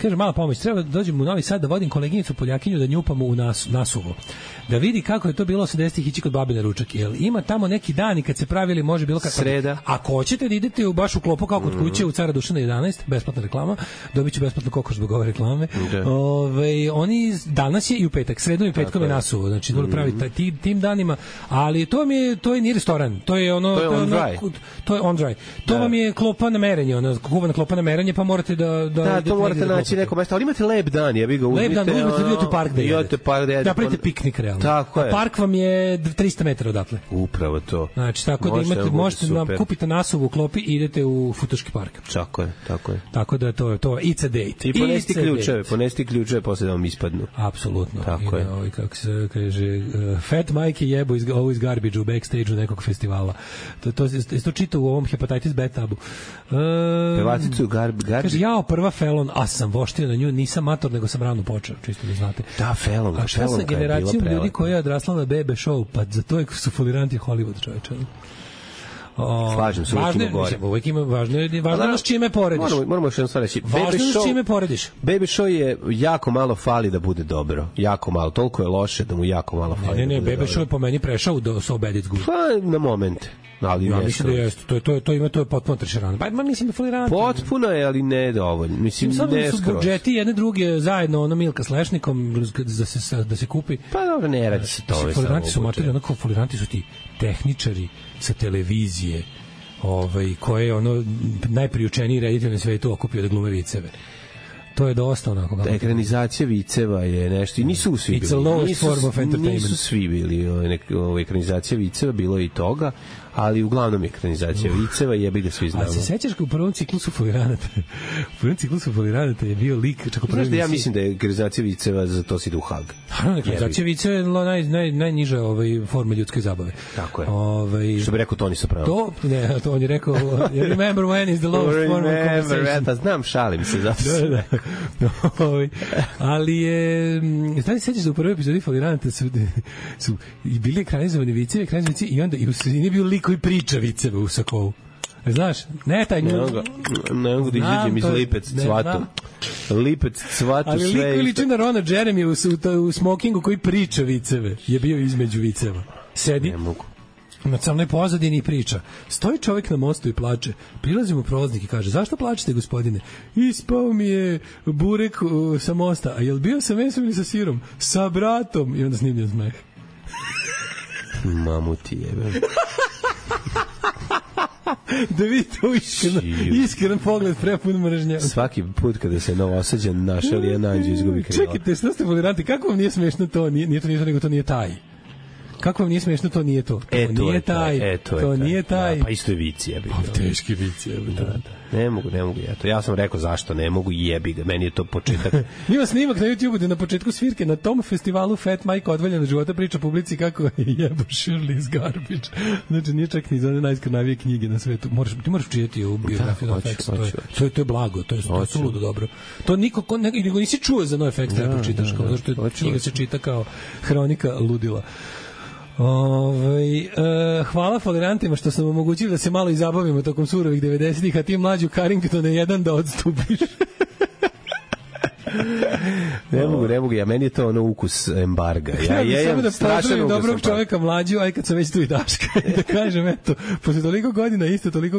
kaže mala pomoć, treba da dođem u Novi Sad da vodim koleginicu Poljakinju da njupamo u nasuvo. Da vidi kako je to bilo 80-ih ići kod babe na ručak. Jel ima tamo neki dan i kad se pravili može bilo kako. Sreda. Ako hoćete da idete baš u klopu kao kod kuće u Cara Dušana 11, besplatna reklama, dobiće besplatno kokoš zbog ove reklame. Oni danas je i u petak, sredom i petkom je nasuvo. Znači dobro pravi tim danima, ali to je ni restoran, to je ono to je on dry. To vam je klopa na merenje, ona kuvana klopa na merenje, pa morate da to morate naći neko mesto, ali imate lep dan, ja bih ga uzmite. Lep dan, uzmite u park da jedete. Da pravite piknik realno. Tako je. A park vam je 300 metara odatle. Upravo to. Znači, tako da možete kupite nasuvu u klopi i idete u Futoški park. Tako je. Tako da to it's a date. I ponesti ključeve, posle da vam ispadnu. Apsolutno. Tako je. Kako se kaže, Fat Mike jebu ovo iz garbage u backstage-u nekog festivala. To čita u ovom Hepatitis B tabu. Pevacicu garbage. Kaže, jao, prva Felon, a sam voštio na nju, nisam mator, nego sam rano počeo, čisto da znate. Da, Felon. A šta sa generacijom ljudi koja je odrasla na bebe show, pa za to su foliranti Hollywood, čoveče. Slažem se, uvijek ima važno je s čime porediš. Moramo još jedno stvar reći. Važno je s čime porediš. Baby show je jako malo fali da bude dobro. Jako malo. Toliko je loše da mu jako malo fali. Ne, Baby show je po meni prešao do So Bad It's Good. Pa, na momente. Ali ja mislim da jeste. To je potpuno trešerano. Pa mislim da folirano. Potpuno je, ali ne dovoljno. Mislim ne skroz. Su budžeti jedne druge zajedno, ono Milka s Lešnikom da se kupi. Pa dobro, ne radi se to. Foliranti su matori, onako foliranti su ti tehničari sa televizije, koje je ono najpriučeniji reditelj na svetu okupio da glume viceve. To je dosta onako. Ekranizacija viceva je nešto i nisu svi bili. It's a lowest form of entertainment. Nisu svi bili ekranizacija viceva, bilo je i toga, ali uglavnom ekranizacija viceva jebi ga svi znamo. A se sećaš u prvom ciklusu Foliranata je bio lik, čak u prvom. Ja mislim da je ekranizacija viceva, za to si ide u Hag. Naravno, ekranizacija viceva je najniža forma ljudske zabave. Tako je. Što bi rekao Toni Soprano. To on je rekao, remember when is the lowest form of conversation. Pa znam, šalim se zato. Ali je, znači sećaš da u prvoj epizodi Foliranata su i bili ekranizovani vicevi i onda i u sredini bio lik koji priča viceve u sakovu. Znaš, ne taj ne mogu da izađem iz Lipec cvatu. Lipec cvatu sve. Ali lik koji liči na Rona Jeremy u smokingu koji priča viceve je bio između viceva. Sedi. Ne mogu. Na crnoj pozadini priča. Stoji čovjek na mostu i plače. Prilazi mu prolaznik i kaže: "Zašto plačete, gospodine?" "Ispao mi je burek sa mosta." "A jel bio sa mesom ili sa sirom?" "Sa bratom." I onda snimljen smeh. Mamu ti jebe. Da vidite iskren pogled prepun mržnje. Svaki put kada se novosađan našao jedan anđeo izgubi krila. Čekajte, što ste foliranti? Kako vam nije smešno to? Nije to nego to nije taj. Kako vam nije smešno, to nije to. To nije taj. To nije taj. Pa isto je vici, jebi ga. Teški vici, jebi ga. Ne mogu ja sam rekao zašto ne mogu, jebi ga. Meni je to početak. Ima snimak na YouTubeu gde na početku svirke na tom festivalu Fat Mike odvaljeno života priča publici kako je jebo Shirley iz Garbage. Znači nije čak ni za one najskrnavije knjige na svetu. Ti moraš čitati ovu biografiju NoFX. To je blago, to je suludo dobro. To niko nego nisi čuo za NoFX da pročitaš, kao zašto knjiga se čita kao hronika ludila. Hvala folirantima što sam omogućili da se malo i zabavimo tokom surovih 90-ih, a ti mlađu Carringtone jedan da odstupiš. Ne mogu, ja meni je to ono ukus embarga. Ja samo da pozdravim dobrog čoveka mlađu, aj kad sam već tu i Daška, da kažem, eto, posle toliko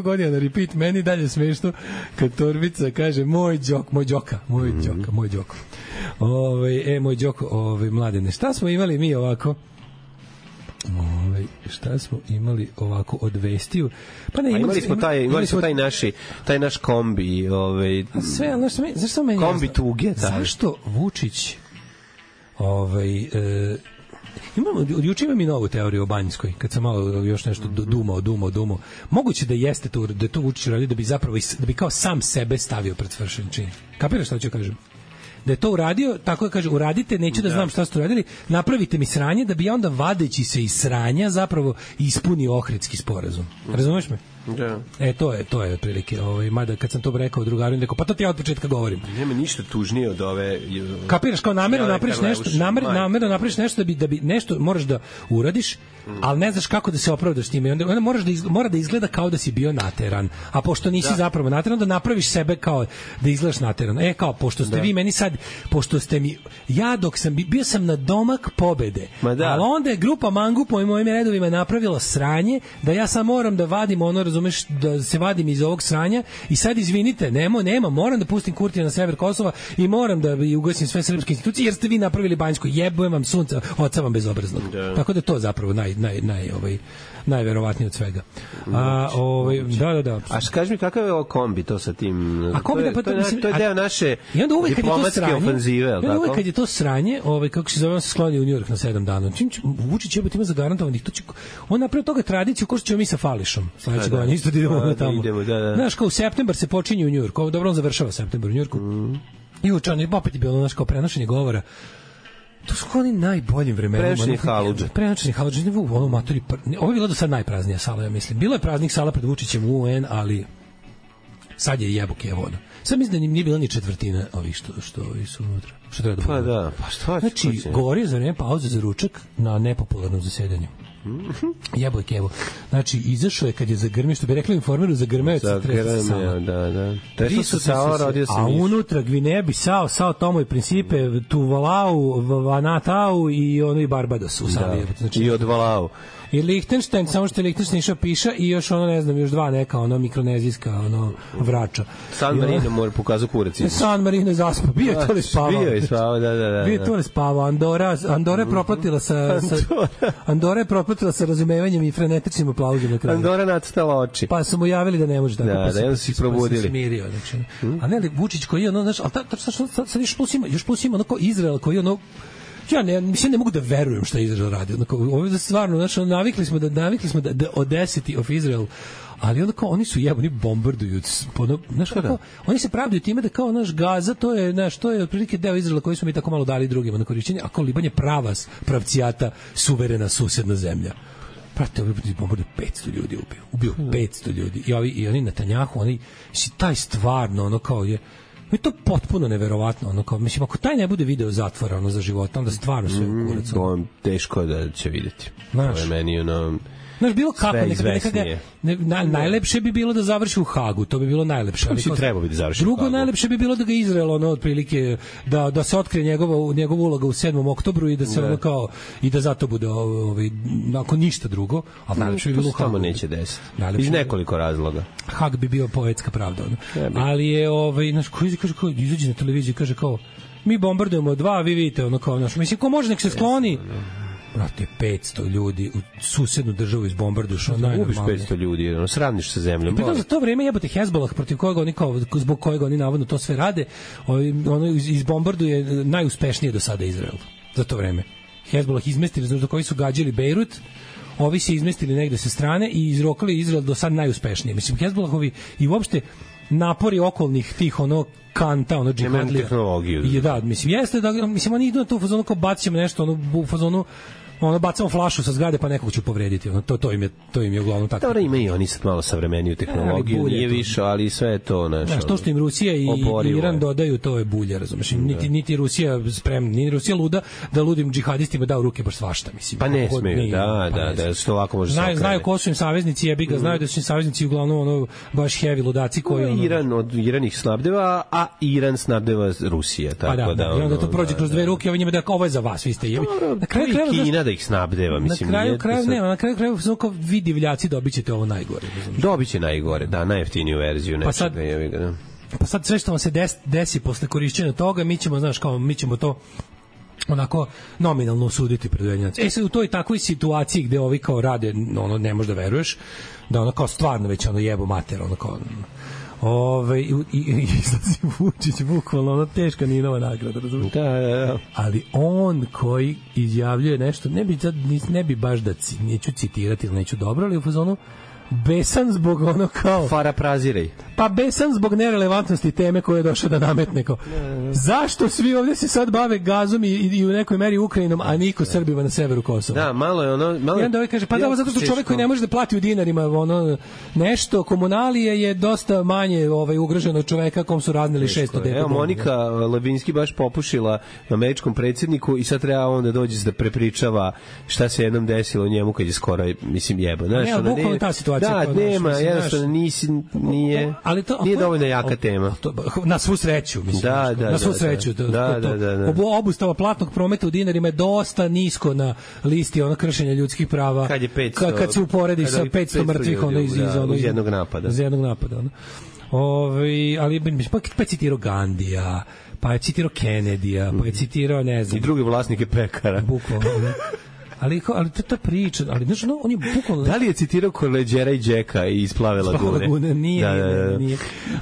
godina na repeat, meni dalje smešno kad Torbica kaže moj đoko. Moj đoko, mladene. Šta smo imali mi ovako? Šta smo imali ovako od vestiju? Pa ne, imali smo taj naš kombi, sve, zašto meni kombi tuge, zašto Vučić juče imam i novu teoriju o Banjskoj, kad sam malo još nešto dumao. Moguće da jeste to, da je to Vučić radio da bi kao sam sebe stavio pred svršen čin. Kapiraš šta ću kažem? Da je to uradio, tako da kaže, uradite, neću da znam šta ste uradili, napravite mi sranje, da bi ja onda vadeći se iz sranja zapravo ispunio Ohridski sporazum. Razumeš me? Da. To je otprilike, mada kad sam to rekao drugaru, rekao, pa to ti ja od početka govorim. Nema ništa tužnije od ove... Kapiraš, kao namerno napraviš nešto da bi nešto moraš da uradiš, ali ne znaš kako da se opravdaš time. Onda mora da izgleda kao da si bio nateran. A pošto nisi zapravo nateran, da napraviš sebe kao da izgledaš nateran. Kao, pošto ste vi meni sad, pošto ste mi, ja dok sam bio sam na domak pobede, ali onda je grupa mangupa u mojim redovima napravila sranje, da ja sad moram da vadim ono, razumeš, da se vadim iz ovog sranja i sad izvinite, nema, moram da pustim Kurtija na sever Kosova i moram da ugasim sve srpske institucije jer ste vi napravili Banjsko, jebujem vam sunca, oca vam bezobraznog. Tako da to zapravo najverovatnije od svega. Da. A kaži mi kakav je ovo kombi to sa tim? To je deo naše diplomatske ofenzive, je li tako? Uvek kad je to sranje, kako se zove, on se sklonio u Njujork na 7 dana. Vučić ima zagarantovanih. On napravio toga tradiciju ko što ćemo mi sa Fališom. Sledeće godine isto da idemo tamo. Znaš, kao u septembar se počinje u Njujorku. Dobro, on završava septembar u Njujorku. I učan, opet je bilo, znaš, kao prenošenje govora. To su oni najboljim vremenima. Prenoćeni haludže. Ovo je bilo do sad najpraznija sala, ja mislim. Bilo je praznih sala pred Vučićem u UN, ali sad je jebuk je voda. Sad mislim da nije bila ni četvrtina ovih što su unutra. Što treba da bude. Znači, govorio za vreme pauze za ručak na nepopularnom zasedanju. Jebo je kevo. Znači, izašao je kad je zagrmio, što bi rekli Informeru, zagrmeo je sa tresa sama. Da. A unutra Gvineja Bisao, Sao Tomo i Principe, Tuvalau, Vanatau i ono i Barbados u Sali. Znači, i od Valau. I Lichtenstein, samo što je Lichtenstein išao piša i još ono, ne znam, još dva neka, ono mikronezijska, ono vrača. San Marino mora pokazao kurac. San Marino je zaspao, bio je to li spavao. Bio je spavao, da. Bio je to li spavao. Andora je propratila sa razumevanjem i frenetičnim aplauzom na kraju. Andora nacrtala oči. Pa su mu javili da ne može tako. Da, jedno su ih probudili. Pa se smirio, znači. A ne li Vučić koji je ono, znaš, ali sad još plus ima ono kao Izrael koji je ono, ja ne mogu da verujem šta je Izrael radio. Ovo je stvarno, znači, navikli smo da Audacity of Israel, ali onda kao oni su oni bombarduju, znaš kako, oni se pravdaju time da kao naš Gaza, to je otprilike deo Izraela koji smo mi tako malo dali drugima na korišćenje, a kao Liban je pravcijata, suverena susedna zemlja. Prate, ovi bombarduju 500 ljudi ubio 500 ljudi. I oni Netanjahu, oni si taj stvarno, ono kao je, i to potpuno neverovatno, ono kao, mislim, ako taj ne bude video zatvora, ono, za života, onda stvarno sve u kurac. To teško da će vidjeti. To je meni, ono, znaš, bilo kako, najlepše bi bilo da završi u Hagu, to bi bilo najlepše. Ali treba bi da završi u Hagu. Drugo najlepše bi bilo da ga Izrael, ono, otprilike, da se otkrije njegova uloga u 7. oktobru i da se ono kao, i da zato bude, ako ništa drugo, ali najlepše bi bilo u Hagu. To neće desiti. Iz nekoliko razloga. Hag bi bio poetska pravda, ono. Ali je, znaš, ko izađe na televiziju i kaže kao, mi bombardujemo 2, vi vidite, ono kao, znaš, mislim, ko može nek se skloni. Brate, 500 ljudi u susednu državu izbombarduš, ono najnormalnije. Ubiš 500 ljudi, ono, sravniš sa zemljom. Pritom za to vreme jebote Hezbollah, protiv kojeg oni kao, zbog kojeg oni navodno to sve rade, ono izbombarduje najuspešnije do sada Izrael. Za to vreme. Hezbollah izmestili, znači koji su gađali Bejrut, ovi se izmestili negde sa strane i izrokali Izrael do sad najuspešnije. Mislim, Hezbollahovi i uopšte napori okolnih tih ono kanta, ono džihadlija. Tehnologiju. I da, mislim, jeste da, mislim, oni idu na to u fazonu kao bacimo nešto, ono, u fazonu bacamo flašu sa zgrade pa nekog ću povrediti, to im je uglavnom tako. Dobro, ima i oni sad malo savremeniju tehnologiju, nije više, ali sve je to nešto. To što im Rusija i Iran dodaju, to je bulje, razumeš? Niti Rusija spremna, ni Rusija luda da ludim džihadistima da u ruke baš svašta, mislim. Pa ne smeju, da, što ovako može se okrenuti. Znaju ko su im saveznici, jebi ga, znaju da su im saveznici uglavnom baš heavy ludaci koji Iran ih snabdeva, a Iran snabdeva Rusija, tako da. I onda to prođe kroz dve ruke, ovo njima da ovo je za vas, vi ste jebi. Na kraju da ih snabdeva, mislim. Na kraju kao vi divljaci dobićete ovo najgore. Dobiće najgore, da, najjeftiniju verziju nečega. Pa sad sve što vam se desi posle korišćenja toga, mi ćemo to onako nominalno osuditi pred Ujedinjenim. Sad u toj takvoj situaciji gde ovi kao rade, ono ne možeš da veruješ, da ono kao stvarno već ono jebo mater, ono kao i izlazi Vučić, bukvalno ono teška Ninova nagrada, razumiješ? Da. Ali on koji izjavljuje nešto, ne bi baš da neću citirati ili neću dobro, ali u fazonu besan zbog ono kao Farapraziraj. Pa besan zbog nerelevantnosti teme koje je došao da nametne kao. Zašto svi ovdje se sad bave gazom i u nekoj meri Ukrajinom, a niko Srbima na severu Kosova? Da, malo je ono... I onda ovaj kaže, pa da, zato što čovjek koji ne može da plati u dinarima ono, nešto, komunalije je dosta manje ugroženo od čoveka kom su raznili 600 deka. Evo, Monika Levinski baš popušila američkom predsjedniku i sad treba on da dođe da prepričava šta se jednom desilo njemu kad je skoro, mislim, jebo. Znaš, ne, bukvalno ta situacija. Da, nema, jednostavno nije dovoljno jaka tema. Na svu sreću, mislim. Na svu sreću. Obustava platnog prometa u dinarima je dosta nisko na listi kršenja ljudskih prava. Kad je 500, kad se uporedi sa 500 mrtvih iz jednog napada. Ali pa je citirao Gandija, pa je citirao Kennedyja, pa je citirao, ne znam, i druge vlasnike pekara. Bukvalno, da. Ali ta priča, ali znaš, on je bukvalno... Da li je citirao Korleđera i Džeka i iz Plave lagune? Nije.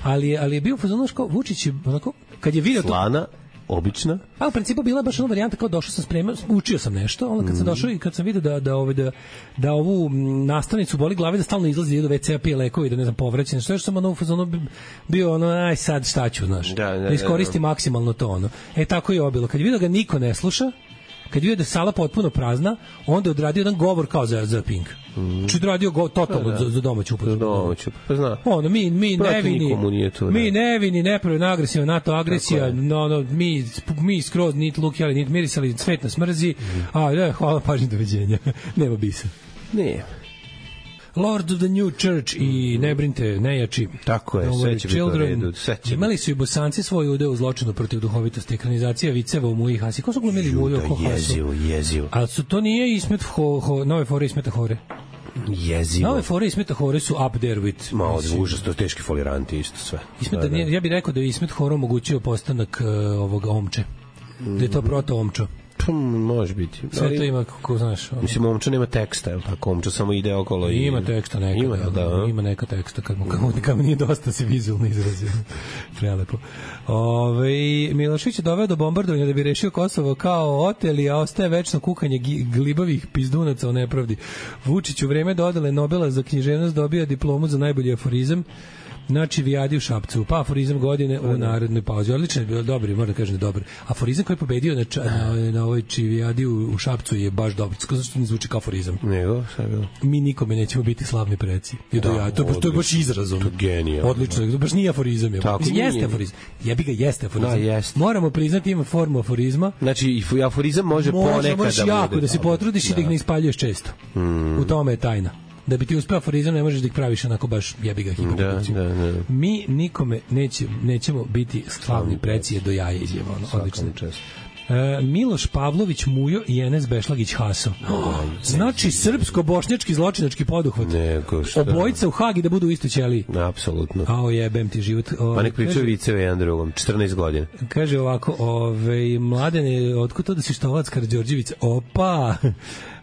Ali je bio fazon kao Vučić je onako, kad je video slana, obična. Pa u principu bila baš ona varijanta kao došao sam spreman, učio sam nešto, onda kad sam došao i kad sam video da ovu nastavnicu boli glave, da stalno izlazi do WC-a, pije lekovi, da ne znam, povraća nešto, što sam ono u fazonu bio aj sad šta ću, znaš. Da iskoristi maksimalno to ono. Tako je obilo. Kad je video ga niko ne sluša, kad je vidio da je sala potpuno prazna, onda je odradio jedan govor kao za Pink. Či odradio totalno za domaću upotrebu. Za domaću, pa zna. Ono, mi nevini, nepravilna agresija, NATO agresija, mi skroz nit lukjali, nit mirisali, svet nas mrzi, hvala, pažnji, doviđenja. Nema bisa. Ne. Lord of the New Church i ne brinite, nejači. Tako je, sve će biti u redu. Imali su i Bosanci svoj udeo u zločinu protiv duhovitosti. Ekranizacija viceva u Muji Hasi. Ko su glumili Muju oko Hasu? Jezivo. Ali to nije Ismet nove fore Ismeta Hore. Jezivo. Nove fore Ismeta Hore su up there with... Ma, užasno, teški foliranti isto sve. Ja bih rekao da je Ismet Hore omogućio postanak ovog Omče. Da je to proto-Omčo. Može biti. Sve to ima, kako znaš. Mislim, Omča nema teksta, je li tako? Omča samo ide okolo i... Ima teksta neka. Ima neka teksta, kad mu nije dosta se vizualno izrazio. Prelepo. Milošević je doveo do bombardovanja da bi rešio Kosovo kao oteli, a ostaje večno kukanje glibavih pizdunaca o nepravdi. Vučić u vreme dodele Nobela za književnost dobija diplomu za najbolji aforizam. Znači, Vijadi u Šapcu, pa aforizam godine u narodnoj pauzi. Odlično je bilo, dobro, moram da kažem da dobar. Aforizam koji je pobedio na ovoj Čivijadi u Šapcu je baš dobro. Zašto ne zvuči kao aforizam? Nego, šta je bilo? Mi nikome nećemo biti slavni preci. To je baš izrazom. To je genijalno. Odlično, baš nije aforizam. Jeste aforizam. Jebi ga, jeste aforizam. Moramo priznati, ima formu aforizma. Znači, aforizam može ponekad da bude. Jako, da se potrudiš i da ih ne ispaljuješ često. U tome je tajna. Da bi ti uspeo aforizam, ne možeš da ih praviš onako baš jebi ga hipoteticiju. Mi nikome nećemo biti slavni preci do jaja izjeva. Odlično. Miloš Pavlović Mujo i Enes Bešlagić Haso. Znači srpsko-bošnjački zločinački poduhvat. Obojica u Hagi da budu u istoj ćeliji. Apsolutno. Ao jebem ti život. Pa nek pričaju viceve jedan drugom. 14 godina. Kaže ovako, Mladene, otkud to da si Štolac Karađorđević? Opa!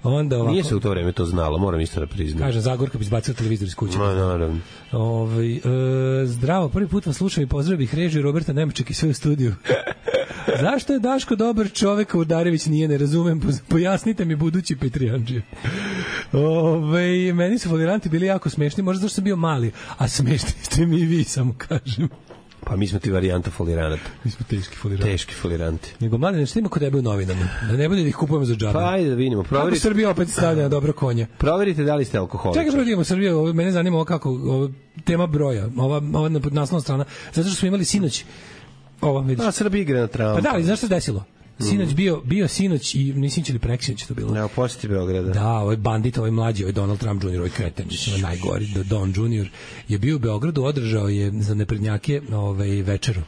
Onda ovako, nije se u to vreme to znalo, moram isto da priznam. Kaže, Zagorka bi izbacila televizor iz kuće. Naravno. Zdravo, prvi put vas slušam i pozdravio bih režiju Roberta Nemaček i sve u studiju. Zašto je Daško dobar čovek, a Udarević nije, ne razumem, pojasnite mi budući Petrijanđije. Meni su foliranti bili jako smešni, možda zašto sam bio mali, a smešni ste mi i vi, samo kažem. Pa mi smo ti varijanta foliranata. Mi smo teški foliranti. Nego mlade, nešto ima kod tebe u novinama. Da ne bude da ih kupujemo za džabe. Pa ajde da vidimo. Kako Srbija opet stavlja na dobro konja. Proverite da li ste alkoholičar. Čekaj, vidimo Srbiju, mene zanima ovo kako, tema broja, ova naslovna strana. Zato što smo imali sinoć Srbija igra na Trumpa. Pa da, ali znaš što se desilo? Sinoć bio sinoć i nisi ili preksinoć to bilo. Ne, posjeti Beograda. Da, ovaj bandit, ovaj mlađi, ovaj Donald Trump Jr., ovaj kreten, najgori, Don Jr. je bio u Beogradu, održao je za neprednjake večeru.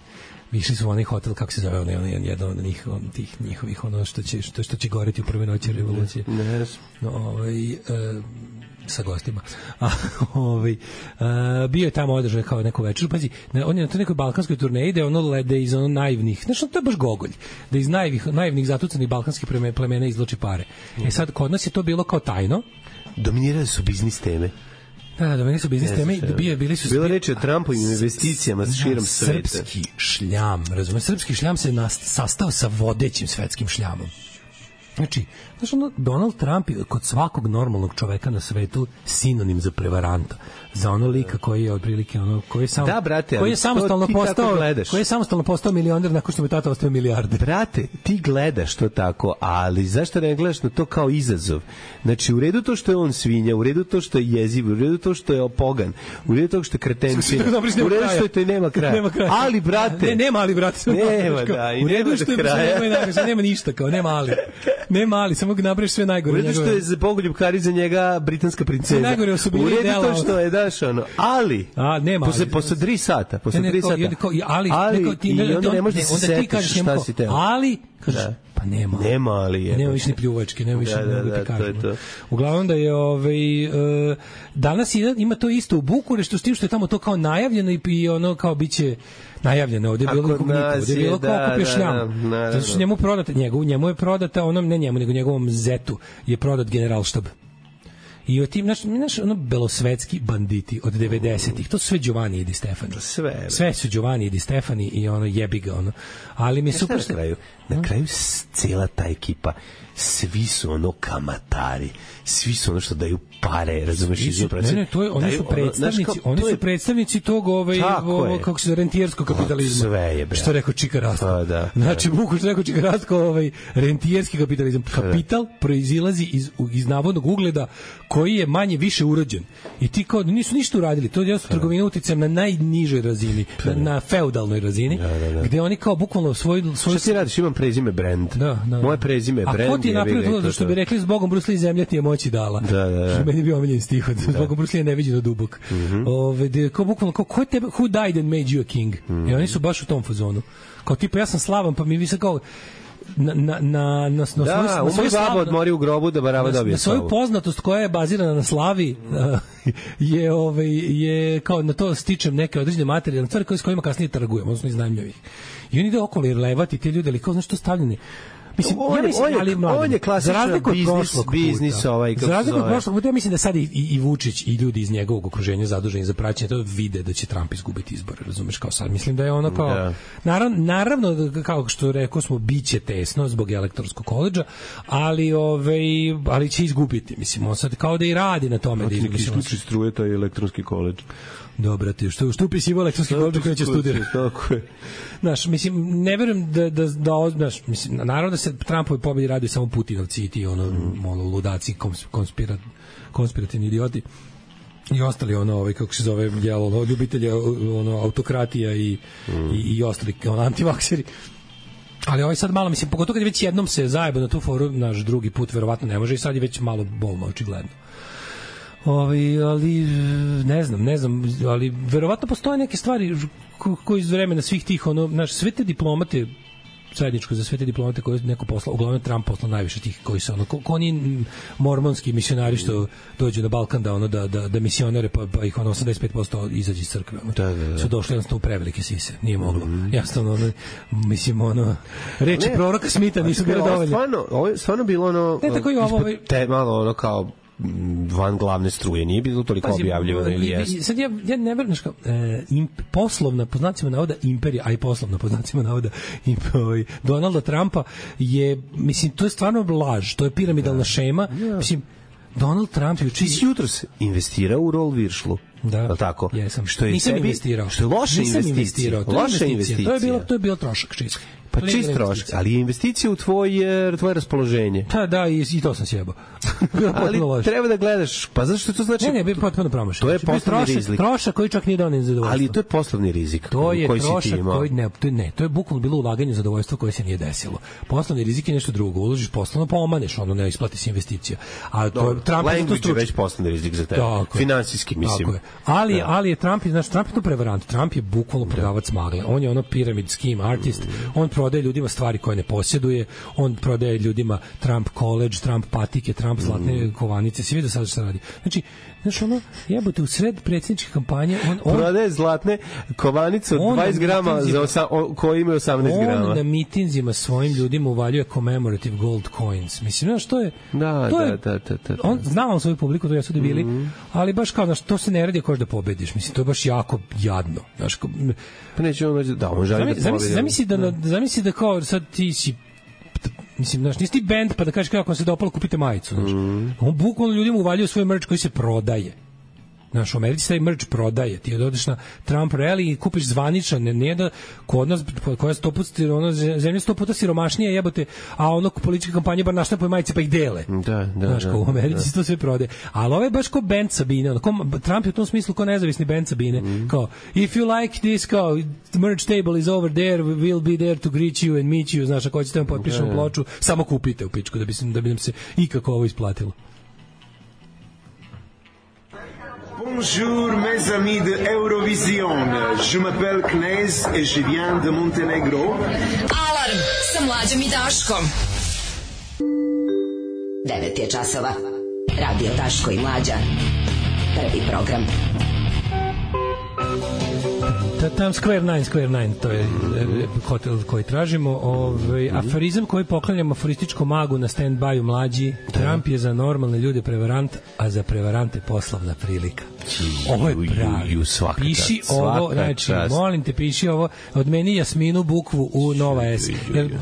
Išli su u onaj hotel, kako se zove, jedan od tih njihovih, ono što će goreti u prve noći revolucije. Sa gostima. Bio je tamo održao kao neku večeru. Pazi, on je na toj nekoj balkanskoj turneji da iz ono naivnih, znači to je baš gogolj, da iz naivnih zatucanih balkanskih plemena izvlači pare. Sad, kod nas je to bilo kao tajno. Dominirali su biznis teme. Da, dominirali su biznis teme. Bilo reči o Trumpovim investicijama širom sveta. Srpski šljam, razumiješ? Srpski šljam se sastao sa vodećim svetskim šljamom. Znači, Donald Trump je kod svakog normalnog čoveka na svetu sinonim za prevaranta. Za ono lika koji je otprilike koji je samo koji je samostalno postao milioner nakon što mu tata ostao milijarder. Brate, ti gledaš to tako, ali zašto ne gledaš na to kao izazov? Znači, u redu to što je on svinja, u redu to što je jeziv, u redu to što je opogan, u redu to što je kretenčina, u redu što je to i nema kraja. Ali, brate... Nema ali, brate. Nema, da, i nema do kraja. Nema ništa, kao, nema ali. Nema ali, samo ga napraviš sve najgore. U redu što je za Bogoljub Karić za njega britanska princeza. U redu to što je, daš, ali... nema ali. Posle 3 sata. Ali, i onda ne možeš da se setiš šta si teo. Ali, kaže, pa nema. Nema ali je. Nema više ni pljuvačke, nema više ni kažemo. To. Uglavnom da je danas ima to isto u Bukureštu, s tim što je tamo to kao najavljeno i ono kao biće najavljeno, ovdje je bilo kao kupio šljam. Zato što njemu prodate, njemu je prodata, onom, ne njemu, nego njegovom zetu je prodat generalštab. I o tim, naš belosvetski banditi od 90-ih, to su sve Giovanni i Di Stefani. Sve su Giovanni i Di Stefani i jebi ga, ali mi je super što... Na kraju cijela ta ekipa, svi su kamatari, svi su što daju pare, razumeš? Oni su predstavnici tog kako se rentijerskog kapitalizma. Sve je, bre. Što rekao Čika Rastko. Znači, Buku što rekao Čika Rastko, rentijerski kapitalizam. Kapital proizilazi iz navodnog ugleda koji je manje više urođen. I ti kao nisu ništa uradili. To je trgovina uticajem na najnižoj razini, na feudalnoj razini, gde oni kao bukvalno svoj... Šta ti radiš? Imam prezime brand. Moje prezime brand. A ko ti je napravio to što bi rekli zbogom Bruce Lee zemlja ti je moći dala. Da. Meni je bio omiljen stih od zbogom Bruce Lee je neviđeno dubok. Kao bukvalno, ko tebe, who died and made you a king? I oni su baš u tom fazonu. Kao tipa ja sam slavan, pa mi vi se kao na svoju baba odmori u grobu da barava dobije slavu. Na svoju poznatost koja je bazirana na slavi je kao na to stičem neke određene materijalne stvari s kojima kasnije trgujem, odnosno iznajmljujem ih. I oni ide okolo i levati te ljude, ali kao znaš što stavljeni. Mislim, on je klasičan biznis za razliku od prošlog puta, ja mislim da sad i Vučić i ljudi iz njegovog okruženja zaduženi za praćenje to vide da će Trump izgubiti izbore, razumeš, kao sad. Mislim da je ono kao, naravno, kao što rekao smo, biće tesno zbog elektorskog koledža, ali će izgubiti, mislim, on sad kao da i radi na tome. Da isključi struje taj elektronski koledž. Dobro, ti što upisivo elektronski koledž koji će studirati. Tako je. Znaš, mislim, ne verujem znaš, mislim, naravno da se Trumpovi pobedi radi samo Putinovci i ti ludaci, konspirativni idioti i ostali kako se zove ljubitelja autokratija i ostali antivakseri. Ali sad malo, mislim, pogotovo kad već jednom se zajeba na tu foru, naš drugi put verovatno ne može i sad je već malo bolno, očigledno. Ali ne znam, ali verovatno postoje neke stvari koji iz vremena svih tih, sve te diplomate, zajedničko za sve te diplomate koje neko poslao, uglavnom Trump poslao najviše tih koji su oni mormonski misionari što dođu na Balkan da misionere pa ih 85% izađe iz crkve. Su došli jednostavno u prevelike sise, nije moglo. Jasno, mislim, reči proroka Smitha nisu bile dovoljne. Ovo je stvarno bilo malo kao van glavne struje, nije bilo toliko objavljivano ili jeste. Sad ja ne verujem, poslovna, po znacima navoda, imperija, a i poslovna, po znacima navoda, Donalda Trumpa je, mislim, to je stvarno laž, to je piramidalna šema, mislim, Donald Trump je ti si jutros investirao u Roll Viršlu. Da, tako. Jesam. Nisam investirao. Što je loša investicija. To je bilo trošak čist. Pa čist trošak, ali je investicija u tvoje raspoloženje. Da, i to sam sjebao. Ali treba da gledaš, pa zašto to znači? Ne, potpuno promašaj. To je poslovni rizik. Trošak koji čak nije doneo zadovoljstvo. Ali to je poslovni rizik koji si ti imao. To je bukvalno bilo ulaganje u zadovoljstvo koje se nije desilo. Poslovni rizik je nešto drugo. Uložiš poslovno, pa omaneš, ne isplati se investicija. A to je Trump je već poslovni rizik za tebe. Finansijski, mislim. Ali je Trump je to prevarant. Trump je bukvalno prodavac magle. On je pyramid scheme artist. On prodaje ljudima stvari koje ne posjeduje. On prodaje ljudima Trump college, Trump patike, Trump zlatne kovanice. Svi vidio sad što radi. Znači, jebote, u sred predsjedničke kampanje on prodaje zlatne kovanice od 20 grama koji imaju 18 grama. On na mitinzima svojim ljudima uvaljuje commemorative gold coins. Mislim, znaš, to je... Da. On znao svoju publiku, to jesu debili, ali baš kao, znaš, to se ne radi ako da pobediš. Mislim, to je baš jako jadno. Znaš, pa neće on žali da pobedi. Zamisli da kao sad ti si Mislim, znaš, nisi ti band pa da kažeš kako vam se dopalo, kupite majicu, znaš. On bukvalno ljudima uvaljuje svoj merch koji se prodaje. Znaš, u Americi taj merch prodaje. Ti odeš na Trump rally i kupiš zvaničan, ne da kod nas, koja zemlja 100 puta siromašnija jebote, a ono političke kampanje bar naštapuju majice pa ih dele. Znaš, kao u Americi se to sve prodaje. Ali ovo je baš kao band Sabine. Trump je u tom smislu kao nezavisni band Sabine. Kao, if you like this, kao, merch table is over there, we'll be there to greet you and meet you. Znaš, ako hoćete vam potpišemo ploču, samo kupite u pičku da bi nam se ikako ovo isplatilo. Bonjour mes amis de Eurovision. Je m'appelle Knez et je viens de Montenegro. Alarm sa Mlađom i Daškom. 9 je časova. Radio Daško i Mlađa. Prvi program. Tam Square 9, to je hotel koji tražimo. Aforizam koji poklanjamo aforističkom magu na stand-by-u Mlađi. Trump je za normalne ljude prevarant, a za prevarante poslovna prilika. Ovo je pravi. Piši ovo, znači, molim te, piši ovo. Od meni Jasminu Bukvu u Nova S.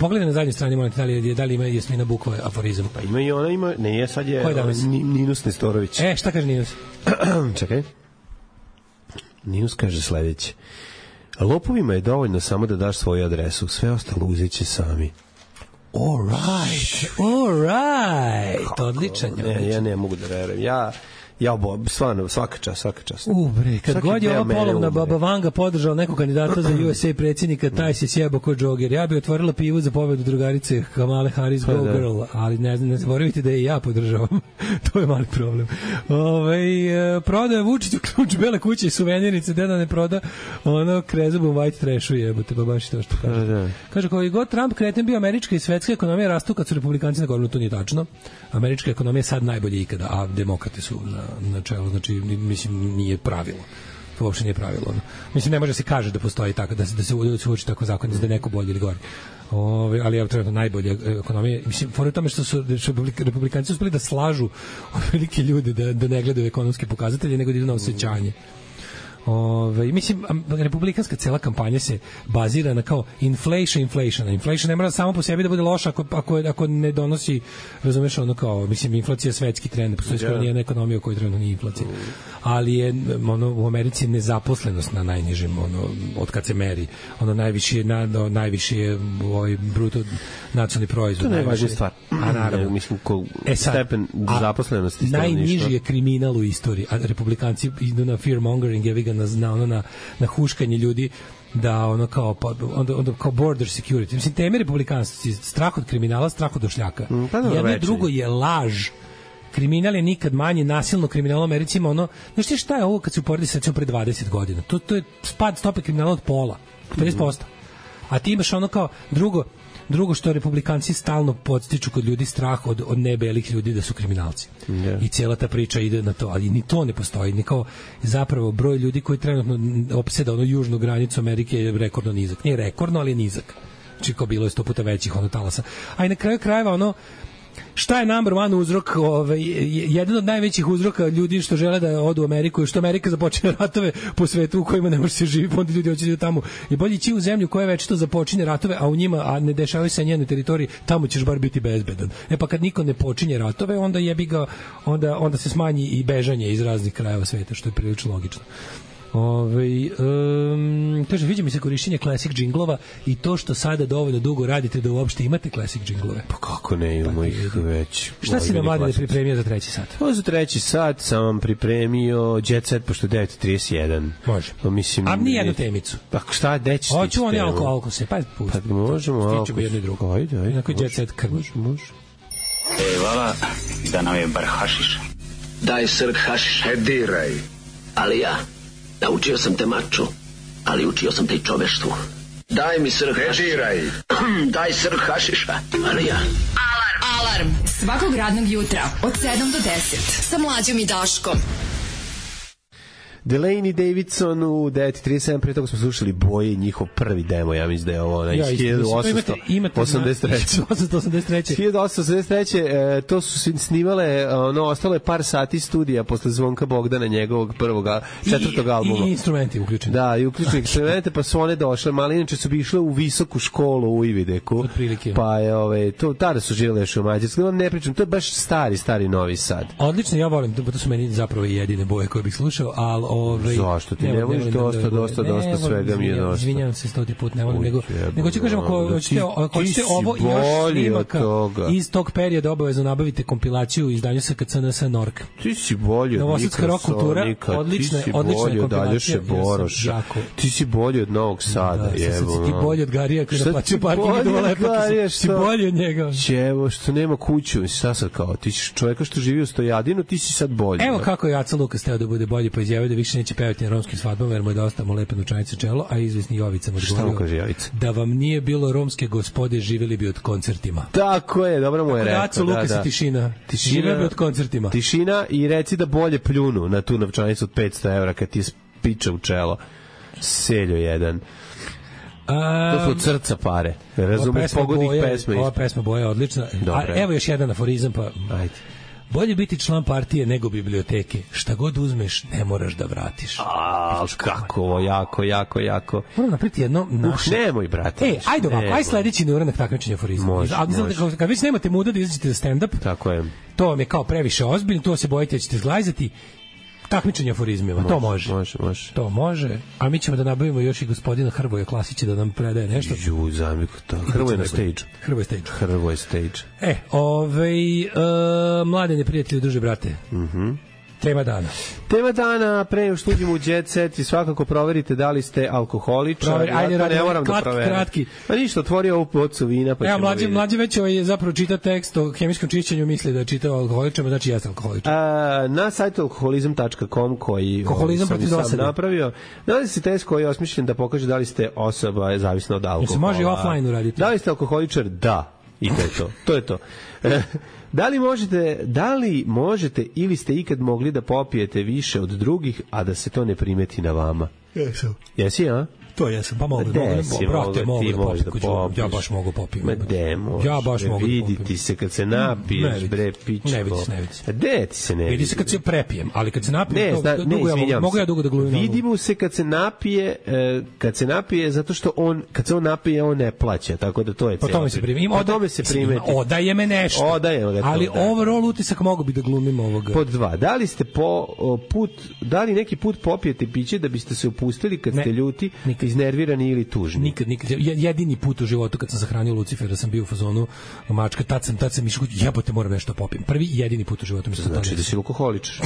Pogledaj na zadnjoj strani, molim te, da li ima Jasmina Bukva aforizam? Pa ima i ona, ima, ne, sad je Ninus Nestorović. Šta kaže Ninus? Čekaj. Ninus kaže sledeće. Lopovima je dovoljno samo da daš svoju adresu, sve ostalo uzet će sami. All right. Odličan. Ja ne mogu da verujem. Ja stvarno, svaka čast. Bre, kad god je ova polovna baba Vanga podržao nekog kandidata za USA predsjednika, taj se sjebo ko džoger. Ja bi otvorila pivu za pobedu drugarice Kamale Harris, Go Girl, ali ne zaboravite da i ja podržavam. To je mali problem. Prodaje Vučiću ključ bele kuće i suvenirnice, da ne proda ono krezubom white trashu, jebote, pa baš to što kaže. Kaže, kao i god Trump kreten bio, američka i svetska ekonomija rastu kad su republikanci na gornu, to nije tačno. Američka ekonomija je sad najbolje ikada, a demokrate su na čelu, znači, mislim, nije pravilo. To uopšte nije pravilo. Mislim, ne može se kaže da postoji tako, da se uči tako zakon, da je neko bolji ili gori. Ali je trenutno najbolje ekonomije. Mislim, fora je tome što su republikanci uspeli da slažu velike ljude da ne gledaju ekonomske pokazatelje, nego da idu na osjećanje. Mislim, republikanska cela kampanja se bazira na kao inflation. Inflation ne mora samo po sebi da bude loša ako ne donosi, razumeš, ono kao, mislim, inflacija je svetski trend, postoji skoro nijedna ekonomija u kojoj trenutno nije inflacija. Ali je, u Americi je nezaposlenost na najnižem, od kad se meri, najviše je bruto nacionalni proizvod. To je najvažnija stvar. A naravno. Mislim, stepen zaposlenosti. Najniži je kriminal u istoriji, a republikanci idu na fear-mongering, na huškanje ljudi, da ono kao onda kao border security. Mislim, teme republikanstva, strah od kriminala, strah od došljaka. Jedno drugo je laž. Kriminal je nikad manji, nasilno kriminal u Americi ima znaš šta je ovo kad se uporedi sa pre 20 godina? To je pad stope kriminala od pola, 50%. A ti imaš ono kao drugo što republikanci stalno podstiču kod ljudi strah od nebelih ljudi da su kriminalci. I cijela ta priča ide na to, ali ni to ne postoji. Ni kao zapravo broj ljudi koji trenutno opseda južnu granicu Amerike je rekordno nizak. Nije rekordno, ali je nizak. Znači kao bilo je 100 puta većih talasa. A i na kraju krajeva šta je number one uzrok, jedan od najvećih uzroka ljudi što žele da odu u Ameriku, što Amerika započne ratove po svetu u kojima ne može se živjeti, onda ljudi hoće da tamo. Je bolje ići u zemlju koja već to započinje ratove, a u njima, a ne dešavaju se na njenoj teritoriji, tamo ćeš bar biti bezbedan. Pa kad niko ne počinje ratove, onda jebi ga, onda se smanji i bežanje iz raznih krajeva sveta, što je prilično logično. Kaže, viđa mi se korišćenje classic džinglova i to što sada dovoljno dugo radite da uopšte imate classic džinglove. Pa kako ne, imamo ih već. Šta si nam Mladine pripremio za treći sat? Za treći sat sam vam pripremio Jet Set, pošto je 9:31. Može. Mislim, a ni jednu temicu. Pa šta, gde ćeš? Hoću oni alko se, pa pusti. Pa možemo alko. Stičemo jedno i drugo. Ajde. Inako Jet Set krv. Može. Vala, da nam je bar hašiša. Daj srk hašiša. Diraj. Ali ja naučio sam te maču, ali učio sam te i čoveštvu. Daj mi srh hašiša. Daj srh hašiša, ali ja. Alarm svakog radnog jutra od 7 do 10 sa Mlađom i Daškom. Delaney Davidson u 9:37, pre toga smo slušali Boje, njihov prvi demo, ja mislim da je ovo onaj 1883. 1883. To su snimale, ostalo je par sati studija posle Zvonka Bogdana, njegovog prvog, četvrtog albuma. I instrumenti uključeni. Da, i uključeni instrumente, pa su one došle, ali inače su bi išle u visoku školu u Ivideku. Otprilike. Pa je, to tada su živjeli još u Mađarskoj. Vam ne pričam, to je baš stari Novi Sad. Odlično, ja volim, to su meni zapravo jedine Boje koje bih slušao, ali zašto ti ne voliš dosta svega mi je dosta. Izvinjavam se 100 put, ne volim, nego ću kažem, ako hoćete ovo i još snimaka iz tog perioda, obavezno nabavite kompilaciju u izdanju SKCNS Nork. Ti si bolji od Novosadska rock kultura, odlična kompilacija. Boroša. Ti si bolji od Novog Sada, jevo. Ti bolji od Garija koji naplaćuje parking i dola lepa. Ti bolji od njega. Čevo, što nema kuću, šta sad kao? Ti si čovjeka što živi u Stojadinu, ti si sad bolji. Evo kako je Aca Lukas teo da bude bolji, pa izjavio da više neće pevati na romskim svadbama, jer mu je dosta mu lepe novčanice čelo, a izvisni Jovica mu odgovorio da vam nije bilo romske gospode, živjeli bi od koncertima. Tako je, dobro mu je rekao. Aca Lukas i tišina. Živeli bi od koncertima. Tišina i reci da bolje pljunu na tu novčanicu od 500 evra kad ti piča u čelo. Seljo jedan. To su od srca pare. Razumeš pogodnih pesma. Ova pesma Boja je odlična. Evo još jedan aforizam, pa ajde. Bolje biti član partije nego biblioteke. Šta god uzmeš, ne moraš da vratiš. Kako, jako. Moram napriti jedno naše... Nemoj, brate. Ajde ovako, aj sledeći neuranak takmičenja aforizma. Može. Kad već nemate muda da izađete za stand-up, tako je. To vam je kao previše ozbiljno, to se bojite da ćete zglajzati. Takmičenje aforizmima, to može. To može. A mi ćemo da nabavimo još i gospodina Hrvoja Klasića da nam predaje nešto. Hrvoje na stage. Hrvoje stage. Mladene prijatelji, druže brate. Tema dana, pre nego što uđemo u Jet Set i svakako proverite da li ste alkoholičar. Ajde, ne moram da proverim. Kratki. Pa ništa, otvorio ovu bocu vina, pa ćemo vidjeti. Mlađe već zapravo čita tekst o hemijskom čišćenju, misli da je čitao alkoholičar, znači jeste alkoholičar. Na sajtu alkoholizam.com koji sam sam napravio, nalazi se test koji je osmišljen da pokaže da li ste osoba zavisna od alkohola. Se može i offline uraditi. Da li ste alkoholičar? Da. I to je to. To je to. Da li možete ili ste ikad mogli da popijete više od drugih, a da se to ne primeti na vama? Jesam. Jesi, a? To jesam, pa mogu da popim. Ja baš mogu popiti. Ma de možeš, viditi se kad se napiješ, bre, pičko. Ne vidi se. De ti se ne vidi. Vidi se kad se prepijem, ali kad se napijem, mogu ja dugo da glumim. Vidi mu se kad se napije, zato što kad se on napije, on ne plaća, tako da to je cijelo. Po tome se primeti. Odaje me nešto. Ali overall utisak mogu bi da glumim ovoga. Pod 2. Da li neki put popijete piće da biste se upustili kad ste ljuti, iznervirani ili tužni? Nikad. Jedini put u životu kad sam sahranio Lucifera, sam bio u fazonu mačka, tad sam išao, jebote, moram nešto popijem. Prvi i jedini put u životu mi se znači da si alkoholičar.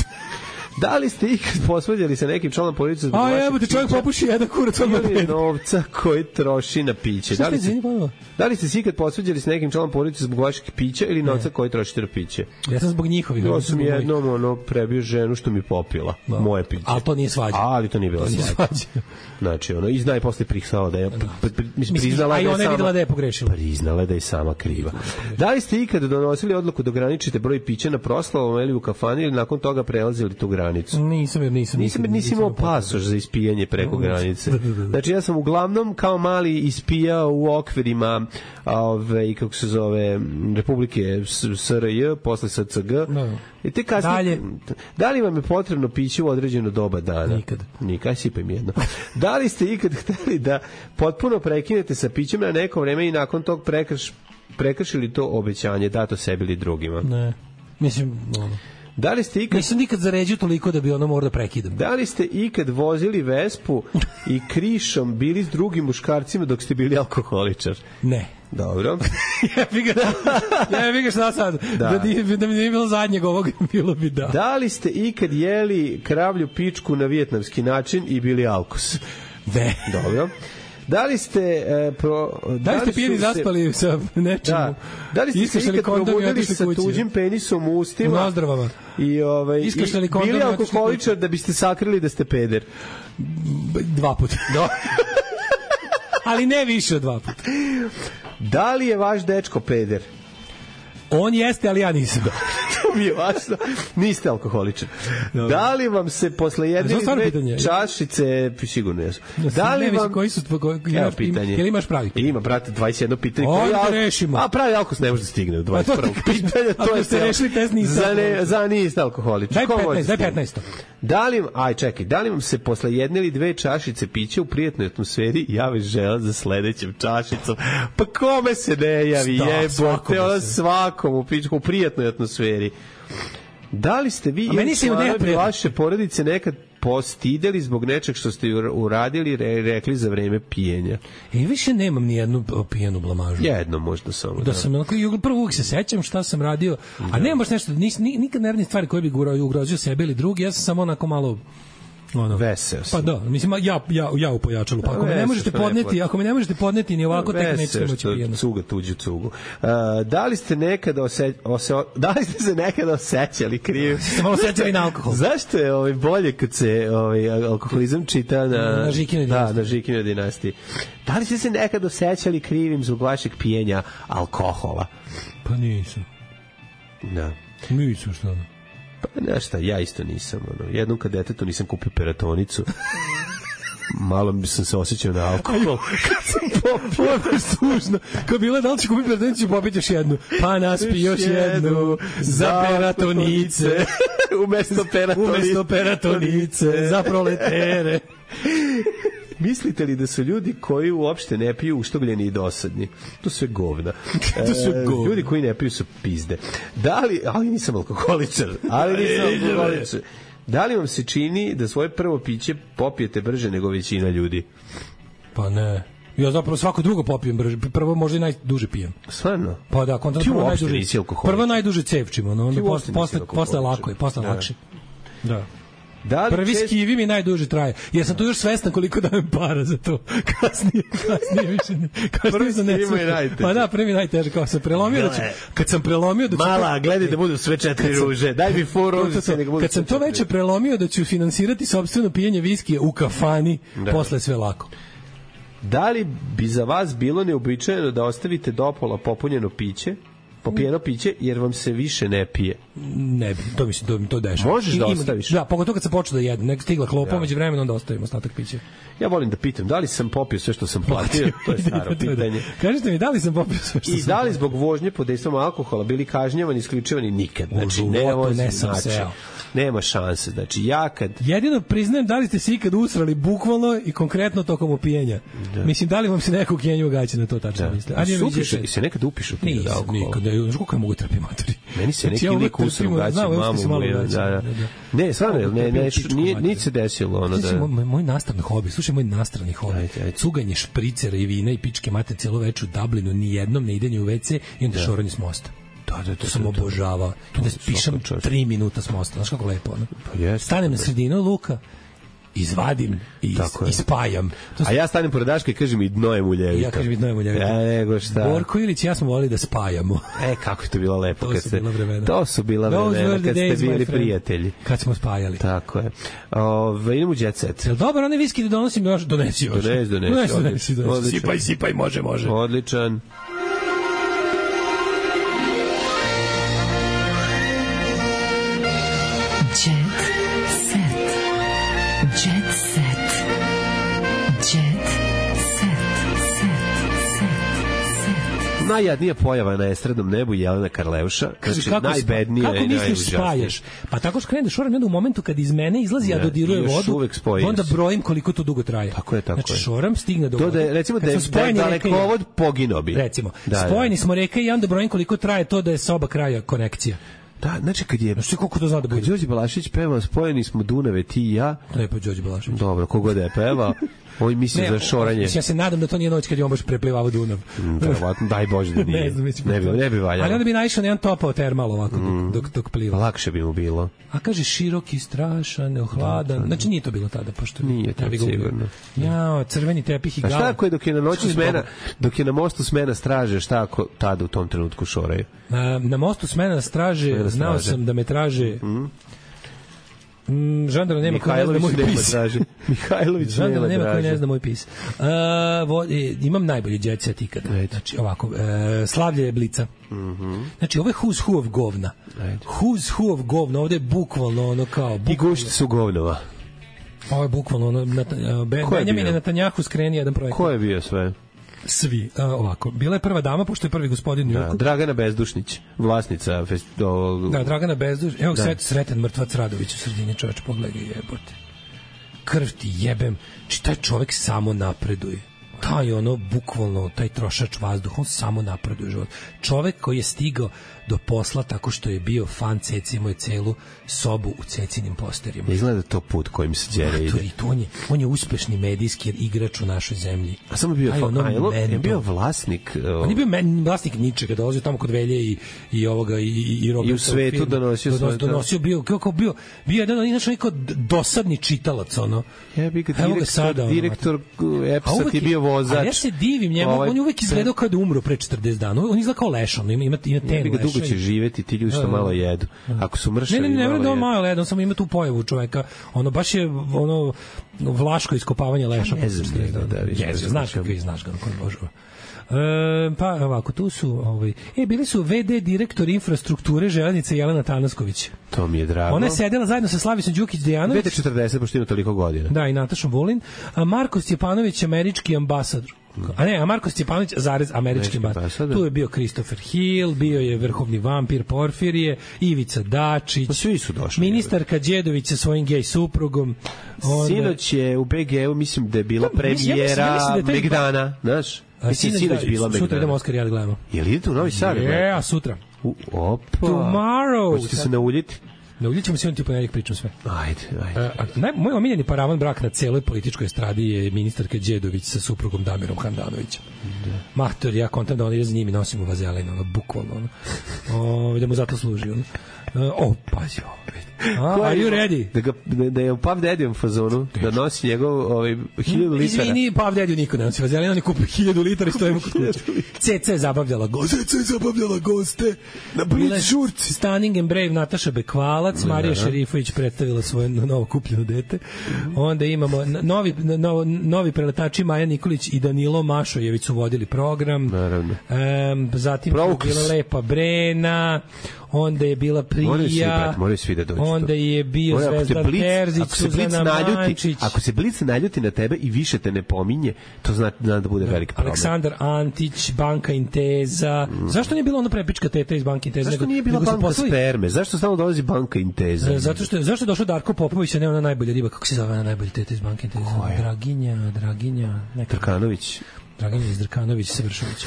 Da li ste ikad posvađali sa nekim članom porodice zbog vašeg pića? Čovjek popuši jedan kurac odmah ili novca koji troši na piće? Da li ste se ikad posvađali sa nekim članom porodice zbog vašeg pića ili novca koji trošite na piće? Ja sam zbog njihovih. Ja sam jednom prebio ženu što mi popila moje piće. Ali to nije svađa. Ali to nije bila svađa. Znači, i zna i posle prihvala da je priznala da je pogrešila. Priznala da je sama kriva. Da li ste ikad donosili odluku da ograničite broj pića na proslavama ili u kafani ili nakon toga prelazili tu granicu? Nisam imao pasoš za ispijanje preko granice. Znači ja sam uglavnom kao mali ispijao u okvirima kako se zove Republike SRJ, posle SCG. I te kasnije, da li vam je potrebno piće u određeno doba dana? Nikad, sipaj mi jedno. Da li ste ikad hteli da potpuno prekinete sa pićem na neko vreme i nakon tog prekršili to obećanje dato sebi ili drugima? Ne, mislim... Da li ste ikad... Nisam nikad zaređio toliko da bi ono morao da prekidam. Da li ste ikad vozili Vespu i krišom bili s drugim muškarcima dok ste bili alkoholičar? Ne. Dobro. Ja bih šta sad. Da mi nije bilo zadnjeg ovog, bilo bi da. Da li ste ikad jeli kravlju pičku na vijetnamski način i bili alkos? Ne. Dobro. Da li ste pijeni zaspali sa nečim? Da li ste se ikad probudili sa tuđim penisom u ustima? U nozdravama. I bili alkoholičar da biste sakrili da ste peder? 2 puta. Ali ne više od 2 puta. Da li je vaš dečko peder? On jeste, ali ja nisam. mi je važno. Niste alkoholičar. Da li vam se posle jedne dve čašice, sigurno jesu. Da li vam... Koji su pitanje? Ili imaš pravi? Ima, brate, 21 pitanje. Onda rešimo. A pravi alkos ne može da stigne do 21. pitanja. To je ste rešili test za niste alkoholičar. Daj 15. Da li vam se posle jedne ili dve čašice pića u prijatnoj atmosferi javi želja za sledećem čašicom? Pa kome se ne javi? Jebote, ona svakom u prijatnoj atmosferi. Da li ste vi ili članovi vaše porodice nekad postideli zbog nečeg što ste uradili, rekli za vreme pijenja? Više nemam ni jednu pijenu blamažu. Jedno možda samo. Da sam prvo uvijek se sećam šta sam radio, a nemam baš nešto, nikad ne radim stvari koje bi ugrozio sebe ili drugi, ja sam samo onako malo veseo sam. Pa da, mislim ja u pojačalu. Pa ako me ne možete podneti ni ovako, tek nećete moći pijeno. Cuga tuđu cugu. Da li ste nekada osećali krivim? Ste malo sećali na alkohol. Zašto je bolje kad se alkoholizam čita na Žikinoj dinastiji? Na Žikinoj dinastiji. Da li ste se nekada osećali krivim zbog vašeg pijenja alkohola? Pa nisam. Da. Nisam što. Pa znaš šta, ja isto nisam. Jednom kad detetu nisam kupio peratonicu, malo bi sam se osjećao na alkohol. Kad sam popio, ovo je služno. Kad bila da li će kupiti peratonicu, popit još jednu. Pa naspi još jednu za peratonice. Umesto peratonice za proletere. Mislite li da su ljudi koji uopšte ne piju uštogljeni i dosadni? To sve govna. Ljudi koji ne piju su pizde. Ali nisam alkoholičar. Da li vam se čini da svoje prvo piće popijete brže nego većina ljudi? Pa ne. Ja zapravo svako drugo popijem brže. Prvo možda i najduže pijem. Stvarno? Pa da, ti uopšte nisi alkoholičar. Prvo najduže cevčim, onda posle lako je, posle lakše. Da. Prvi skivi mi najduže traje. Jer sam tu još svestan koliko dajem para za to. Kasnije više ne. Prvi skivi je najteže. Pa da, prvi najteže. Kao sam prelomio kad sam prelomio da ću... Mala, gledaj da budu sve 4 ruže. Daj mi 4 ruže. Kad sam to veće prelomio da ću finansirati sopstveno pijenje viskija u kafani, posle sve lako. Da li bi za vas bilo neobičajeno da ostavite dopola popijeno piće, jer vam se više ne pije? Ne bi, to mislim, to dešava. Možeš da ostaviš? Da, pogotovo kad se počne da jedem, nek stigla klopa, među vremenom onda ostavim ostatak pića. Ja volim da pitam, da li sam popio sve što sam platio? To je staro pitanje. Kažite mi, da li sam popio sve što sam platio? I da li zbog vožnje pod dejstvom alkohola bili kažnjavani, isključivani? Nikad. Znači, nema šanse. Znači, jedino priznajem da li ste se ikad usrali bukvalno i konkretno tokom opijenja. Mislim, da li vam se neko kenju gaće na to tačno misle? I se nekad upišu ti od alkohola? Nikad, koliko ja mogu trpiti matori. Meni se neki lik usra u gaće, mamu. Ne, stvarno, nije se desilo. Moj nastrani hobi, slušaj, moj nastrani hobi. Cuganje špricera i vina i pičke mate celo večer u Dublinu, nijednom ne idenje u WC i onda šoranje s mosta. To sam obožavao. Da pišem 3 minuta s mosta. Znaš kako lepo, ono? Stanem na sredinu luka, izvadim i spajam. A ja stanem pored Daška i kažem i dno je muljevito. Ja kažem i dno je muljevito. Nego šta. Borko Ilić i ja smo volili da spajamo. Kako je to bilo lepo. To su bila vremena. Kad ste bili prijatelji. Kad smo spajali. Tako je. Idemo u Jet Set. Jel dobar, onaj viski da donosim još? Donesi još. Donesi. Sipaj, može. Odličan. Najjadnija pojava na estradnom nebu je Jelena Karleuša. Znači, najbednija i najužasnija. Kako misliš spajaš? Pa tako što krenem da šoram, u momentu kad iz mene izlazi, a dodiruje vodu, onda brojim koliko to dugo traje. Tako je. Znači, šoram, stigne do vode. Recimo da je dalekovod poginuo bi. Recimo, spojeni smo reke i onda brojim koliko traje to da je sa oba kraja konekcija. Da, znači kad je... Znači koliko to zna da bude? Kad Đorđe Balašić pevao Spojeni smo Dunave, ti i ja... Lepo je Đorđe Balašić. Dobro, kogod je pevao, on misli za šoranje. Ja se nadam da to nije noć kad je on baš preplivao Dunav. Verovatno, daj Bože da nije. Ne bi valjalo. Ali onda bi naišao na jedan topao termal ovako dok pliva. Lakše bi mu bilo. A kaže široki, strašan, neohladan. Znači nije to bilo tada, pošto... Nije to sigurno. Jao, crveni tepih i gala. A šta ako je dok je na noći smena, dok je na mostu smena straže, šta ako tada u tom trenutku šoraju? Na mostu smena straže, znao sam da me traže... Žandara nema ko ne zna moj pis. Mihajlović Žandara nema ko ne zna moj pis. Imam najbolji jet set ikada. Znači, ovako, Slavlje je Blica. Znači, ovo je who's who of govna. Who's who of govna, ovde je bukvalno ono kao... I gušti su govnova. Ovo je bukvalno ono... Benjamin je Netanjahu skreni jedan projekt. Ko je bio sve? Svi. Ovako, bila je prva dama, pošto je prvi gospodin New Yorku. Dragana Bezdušnić, vlasnica Dragana Bezdušnić. Evo, sretan mrtvac Radović u sredini, čoveč, pogledaj, jebote. Krv ti jebem. Či taj čovek samo napreduje. Taj ono, bukvalno, taj trošač vazduha, on samo napreduje u život. Čovek koji je stigao do posla tako što je bio fan Ceci, imao je celu sobu u Cecinim posterima. Izgleda to put kojim se Đere ide. On je uspešni medijski igrač u našoj zemlji. A samo bio bio vlasnik. On je bio vlasnik ničega, dolazio tamo kod Velje i ovoga i Roberta. I u svetu donosio bio kako bio jedan inače neko dosadni čitalac ono. Direktor EPS-a ti bio vozač. A ja se divim njemu, on je uvek izgledao kao da umro pre 40 dana. On izgleda kao leš, on ima ten leš. Dugo će živeti, ti ljudi što malo jedu. Ako su mršavi, ne vrem da on malo jedu, on samo ima tu pojavu čoveka. Ono, baš je ono vlaško iskopavanje leša. Ne znam da. Znaš kakvi, znaš ga, koji božava. Pa ovako, tu su bili su VD direktor infrastrukture železnice Jelena Tanasković. To mi je drago. Ona je sedela zajedno sa Slavisom Đukić-Dejanović. VD 40, pošto ima toliko godina. Da, i Natašom Vulin. A Marko Stjepanović, američki ambasador. A Marko Stjepanović, američki ambasador. Tu je bio Christopher Hill, bio je vrhovni vampir Porfirije, Ivica Dačić. Pa svi su došli. Ministarka Đedović sa svojim gej suprugom. Sinoć je u BG-u, mislim da je bila premijera Megdana, znaš? Sinoć bila Megdana. Sutra idemo Oskar i ja da gledamo. Jel idete u Novi Sad? A sutra. Opa. Tomorrow. Hoćete se nauljiti? Nauljit ćemo se on ti ponedjeljak pričam sve. Ajde. Moj omiljeni paravan brak na celoj političkoj estradi je ministarka Đedović sa suprugom Damirom Handanovićem. Mahtor, ja kontam da on ide za njim i nosim u vazelina, bukvalno. Da mu zato služi. Pazi ovo. Are you ready? Da je u Puff Daddy-om fazonu, da nosi njegov 1000 litara. Izvini, Puff Daddy niko ne nosi vazelina, on je kupio 1000 litara i stojimo kod kuće. Ceca je zabavljala goste. Na blic žurci. Stunning and Brave Nataša Bekvalac, Marija Šerifović predstavila svoje novo kupljeno dete. Onda imamo novi preletači Maja Nikolić i Danilo Mašojević su vodili program. Naravno. Zatim je bila Lepa Brena, onda je bila Prija, moraju svi da dođu. Onda je bio Zvezdan Terzić, Suzana Mančić. Ako se Blic naljuti na tebe i više te ne pominje, to zna da bude veliki problem. Aleksandar Antić, Banka Inteza. Zašto nije bila ona prepička teta iz Banka Inteza? Zašto nije bila Banka Sperme? Zašto stalno dolazi Banka Inteza? Zašto je došao Darko Popović, a ne ona najbolja riba, kako se zove ona najbolja teta iz Banka Inteza? Draginja. Drkanović. Dragan Izdrkanović Savršović.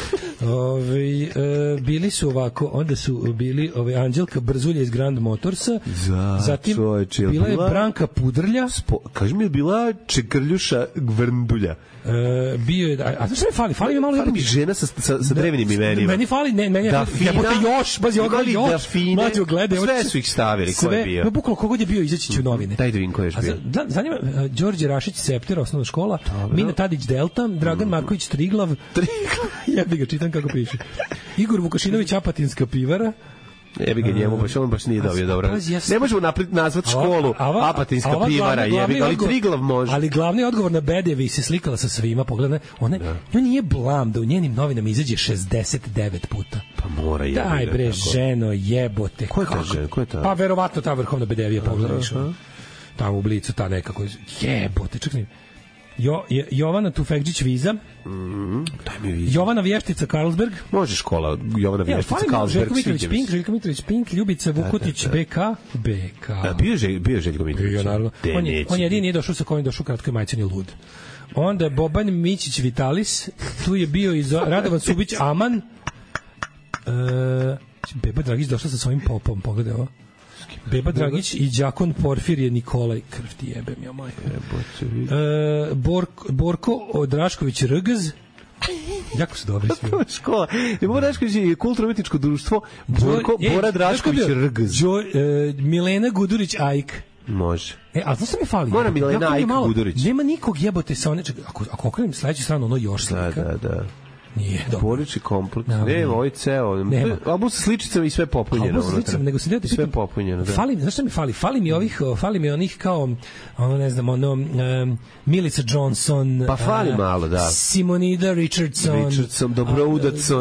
Bili su ovako, onda su bili Anđelka Brzulja iz Grand Motorsa, zatim bila je Branka Pudrlja, kaži mi je bila Čekrljuša Gvrndulja. Bio je, a znaš šta mi fali mi malo mi žena sa drevnim imenima. Meni fali, jebote još, bazi ogleda još, mlađo gledaj. Sve su ih stavili, ko je bio? Bukvalno kogod je bio, izaći će u novine. Daj da vidim ko je bio. Zanima, Đorđe Rašić Septer, osnovna škola, Mina Tadić Delta, Dragan Marković Triglav, jebi ga, čitam kako piše. Igor Vukašinović Apatinska pivara, jebi ga njemu, on baš nije dobio dobro. Ne možemo nazvati školu Apatinska pivara, jebi ga, ali Triglav može. Ali glavni odgovor na Bedevi se slikala sa svima, pogledaj, ona nije blam da u njenim novinama izađe 69 puta. Pa mora jebi. Daj bre, ženo, jebote. Ko je ta žena? Ko je ta? Pa verovatno ta vrhovna Bedevija, pogledaj. Tamo u Blicu, ta nekako, jebote, čekaj. Jovana Tufekđić Viza, Jovana Vještica Karlsberg, može škola Jovana Vještica Karlsberg, Željko Mitrović Pink, Ljubica Vukotić BK. Bio je Željko Mitrović. On jedini nije došao sa kojim došao kratkoj majcani lud. Onda Boban Mićić Vitalis, tu je bio i Radovan Subić Aman, Beba Dragić došla sa svojim popom, pogledaj ovo. Beba Dragić i đakon Porfirije Nikolaj, krv ti jebem, ja moj. Borko Drašković Rgz, jako su dobri svi. Škola. Bora Drašković je kulturno-umetničko društvo. Bora Drašković Rgz. Milena Gudurić Ajk. Može. A znaš što mi fali? Mora Milena Ajk Gudurić. Nema nikog jebote sa one... Ako okrenem sledeću stranu, ono još slika. Da. Nije, dobro. Porodični kompleks. Nema, ovo je ceo. Album sa sličicama i sve popunjeno. Album sa sličicama, nego se deo sve popunjeno, da. Znaš šta mi fali? Fali mi onih kao, ne znam, Milica Johnson. Pa fali malo, da. Simonida Richardson,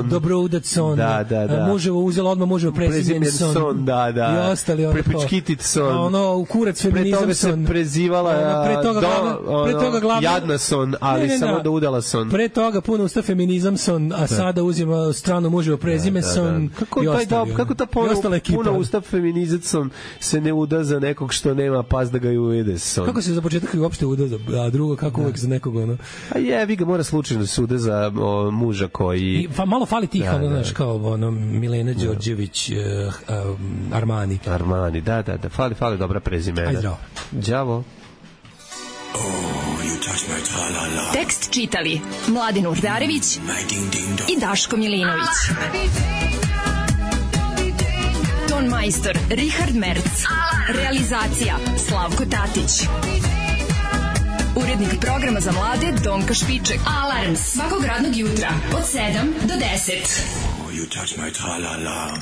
Dobroudacon. Da. Muževo uzelo odmah, muževo Prezimenson. Da. I ostali Prepičkititson. Kurac feminizamson. Pre toga se prezivala Jadnason, ali samo da udala son. Pre toga puno usta feminizamson, a sada uzima stranu muževo Prezimenson. Kako ta puno usta feminizamson se ne uda za nekog što nema pas da ga i uvede son? Kako se za početak uopšte uda, a drugo kako uvek za nekog ono? A jebi ga, mora slučajno da se uda za muža koji... Malo fali tih, znaš, kao Milena Đorđević, Armani. Da. Fali dobra prezimena. Ajde, zdravo. Đavo. Tekst čitali Mladin Urdarević i Daško Milinović. Ton majstor Richard Merc. Realizacija Slavko Tatić. Urednik programa za mlade Donka Špiček. Alarm svakog radnog jutra od 7 do 10. You touch my tra-la-la.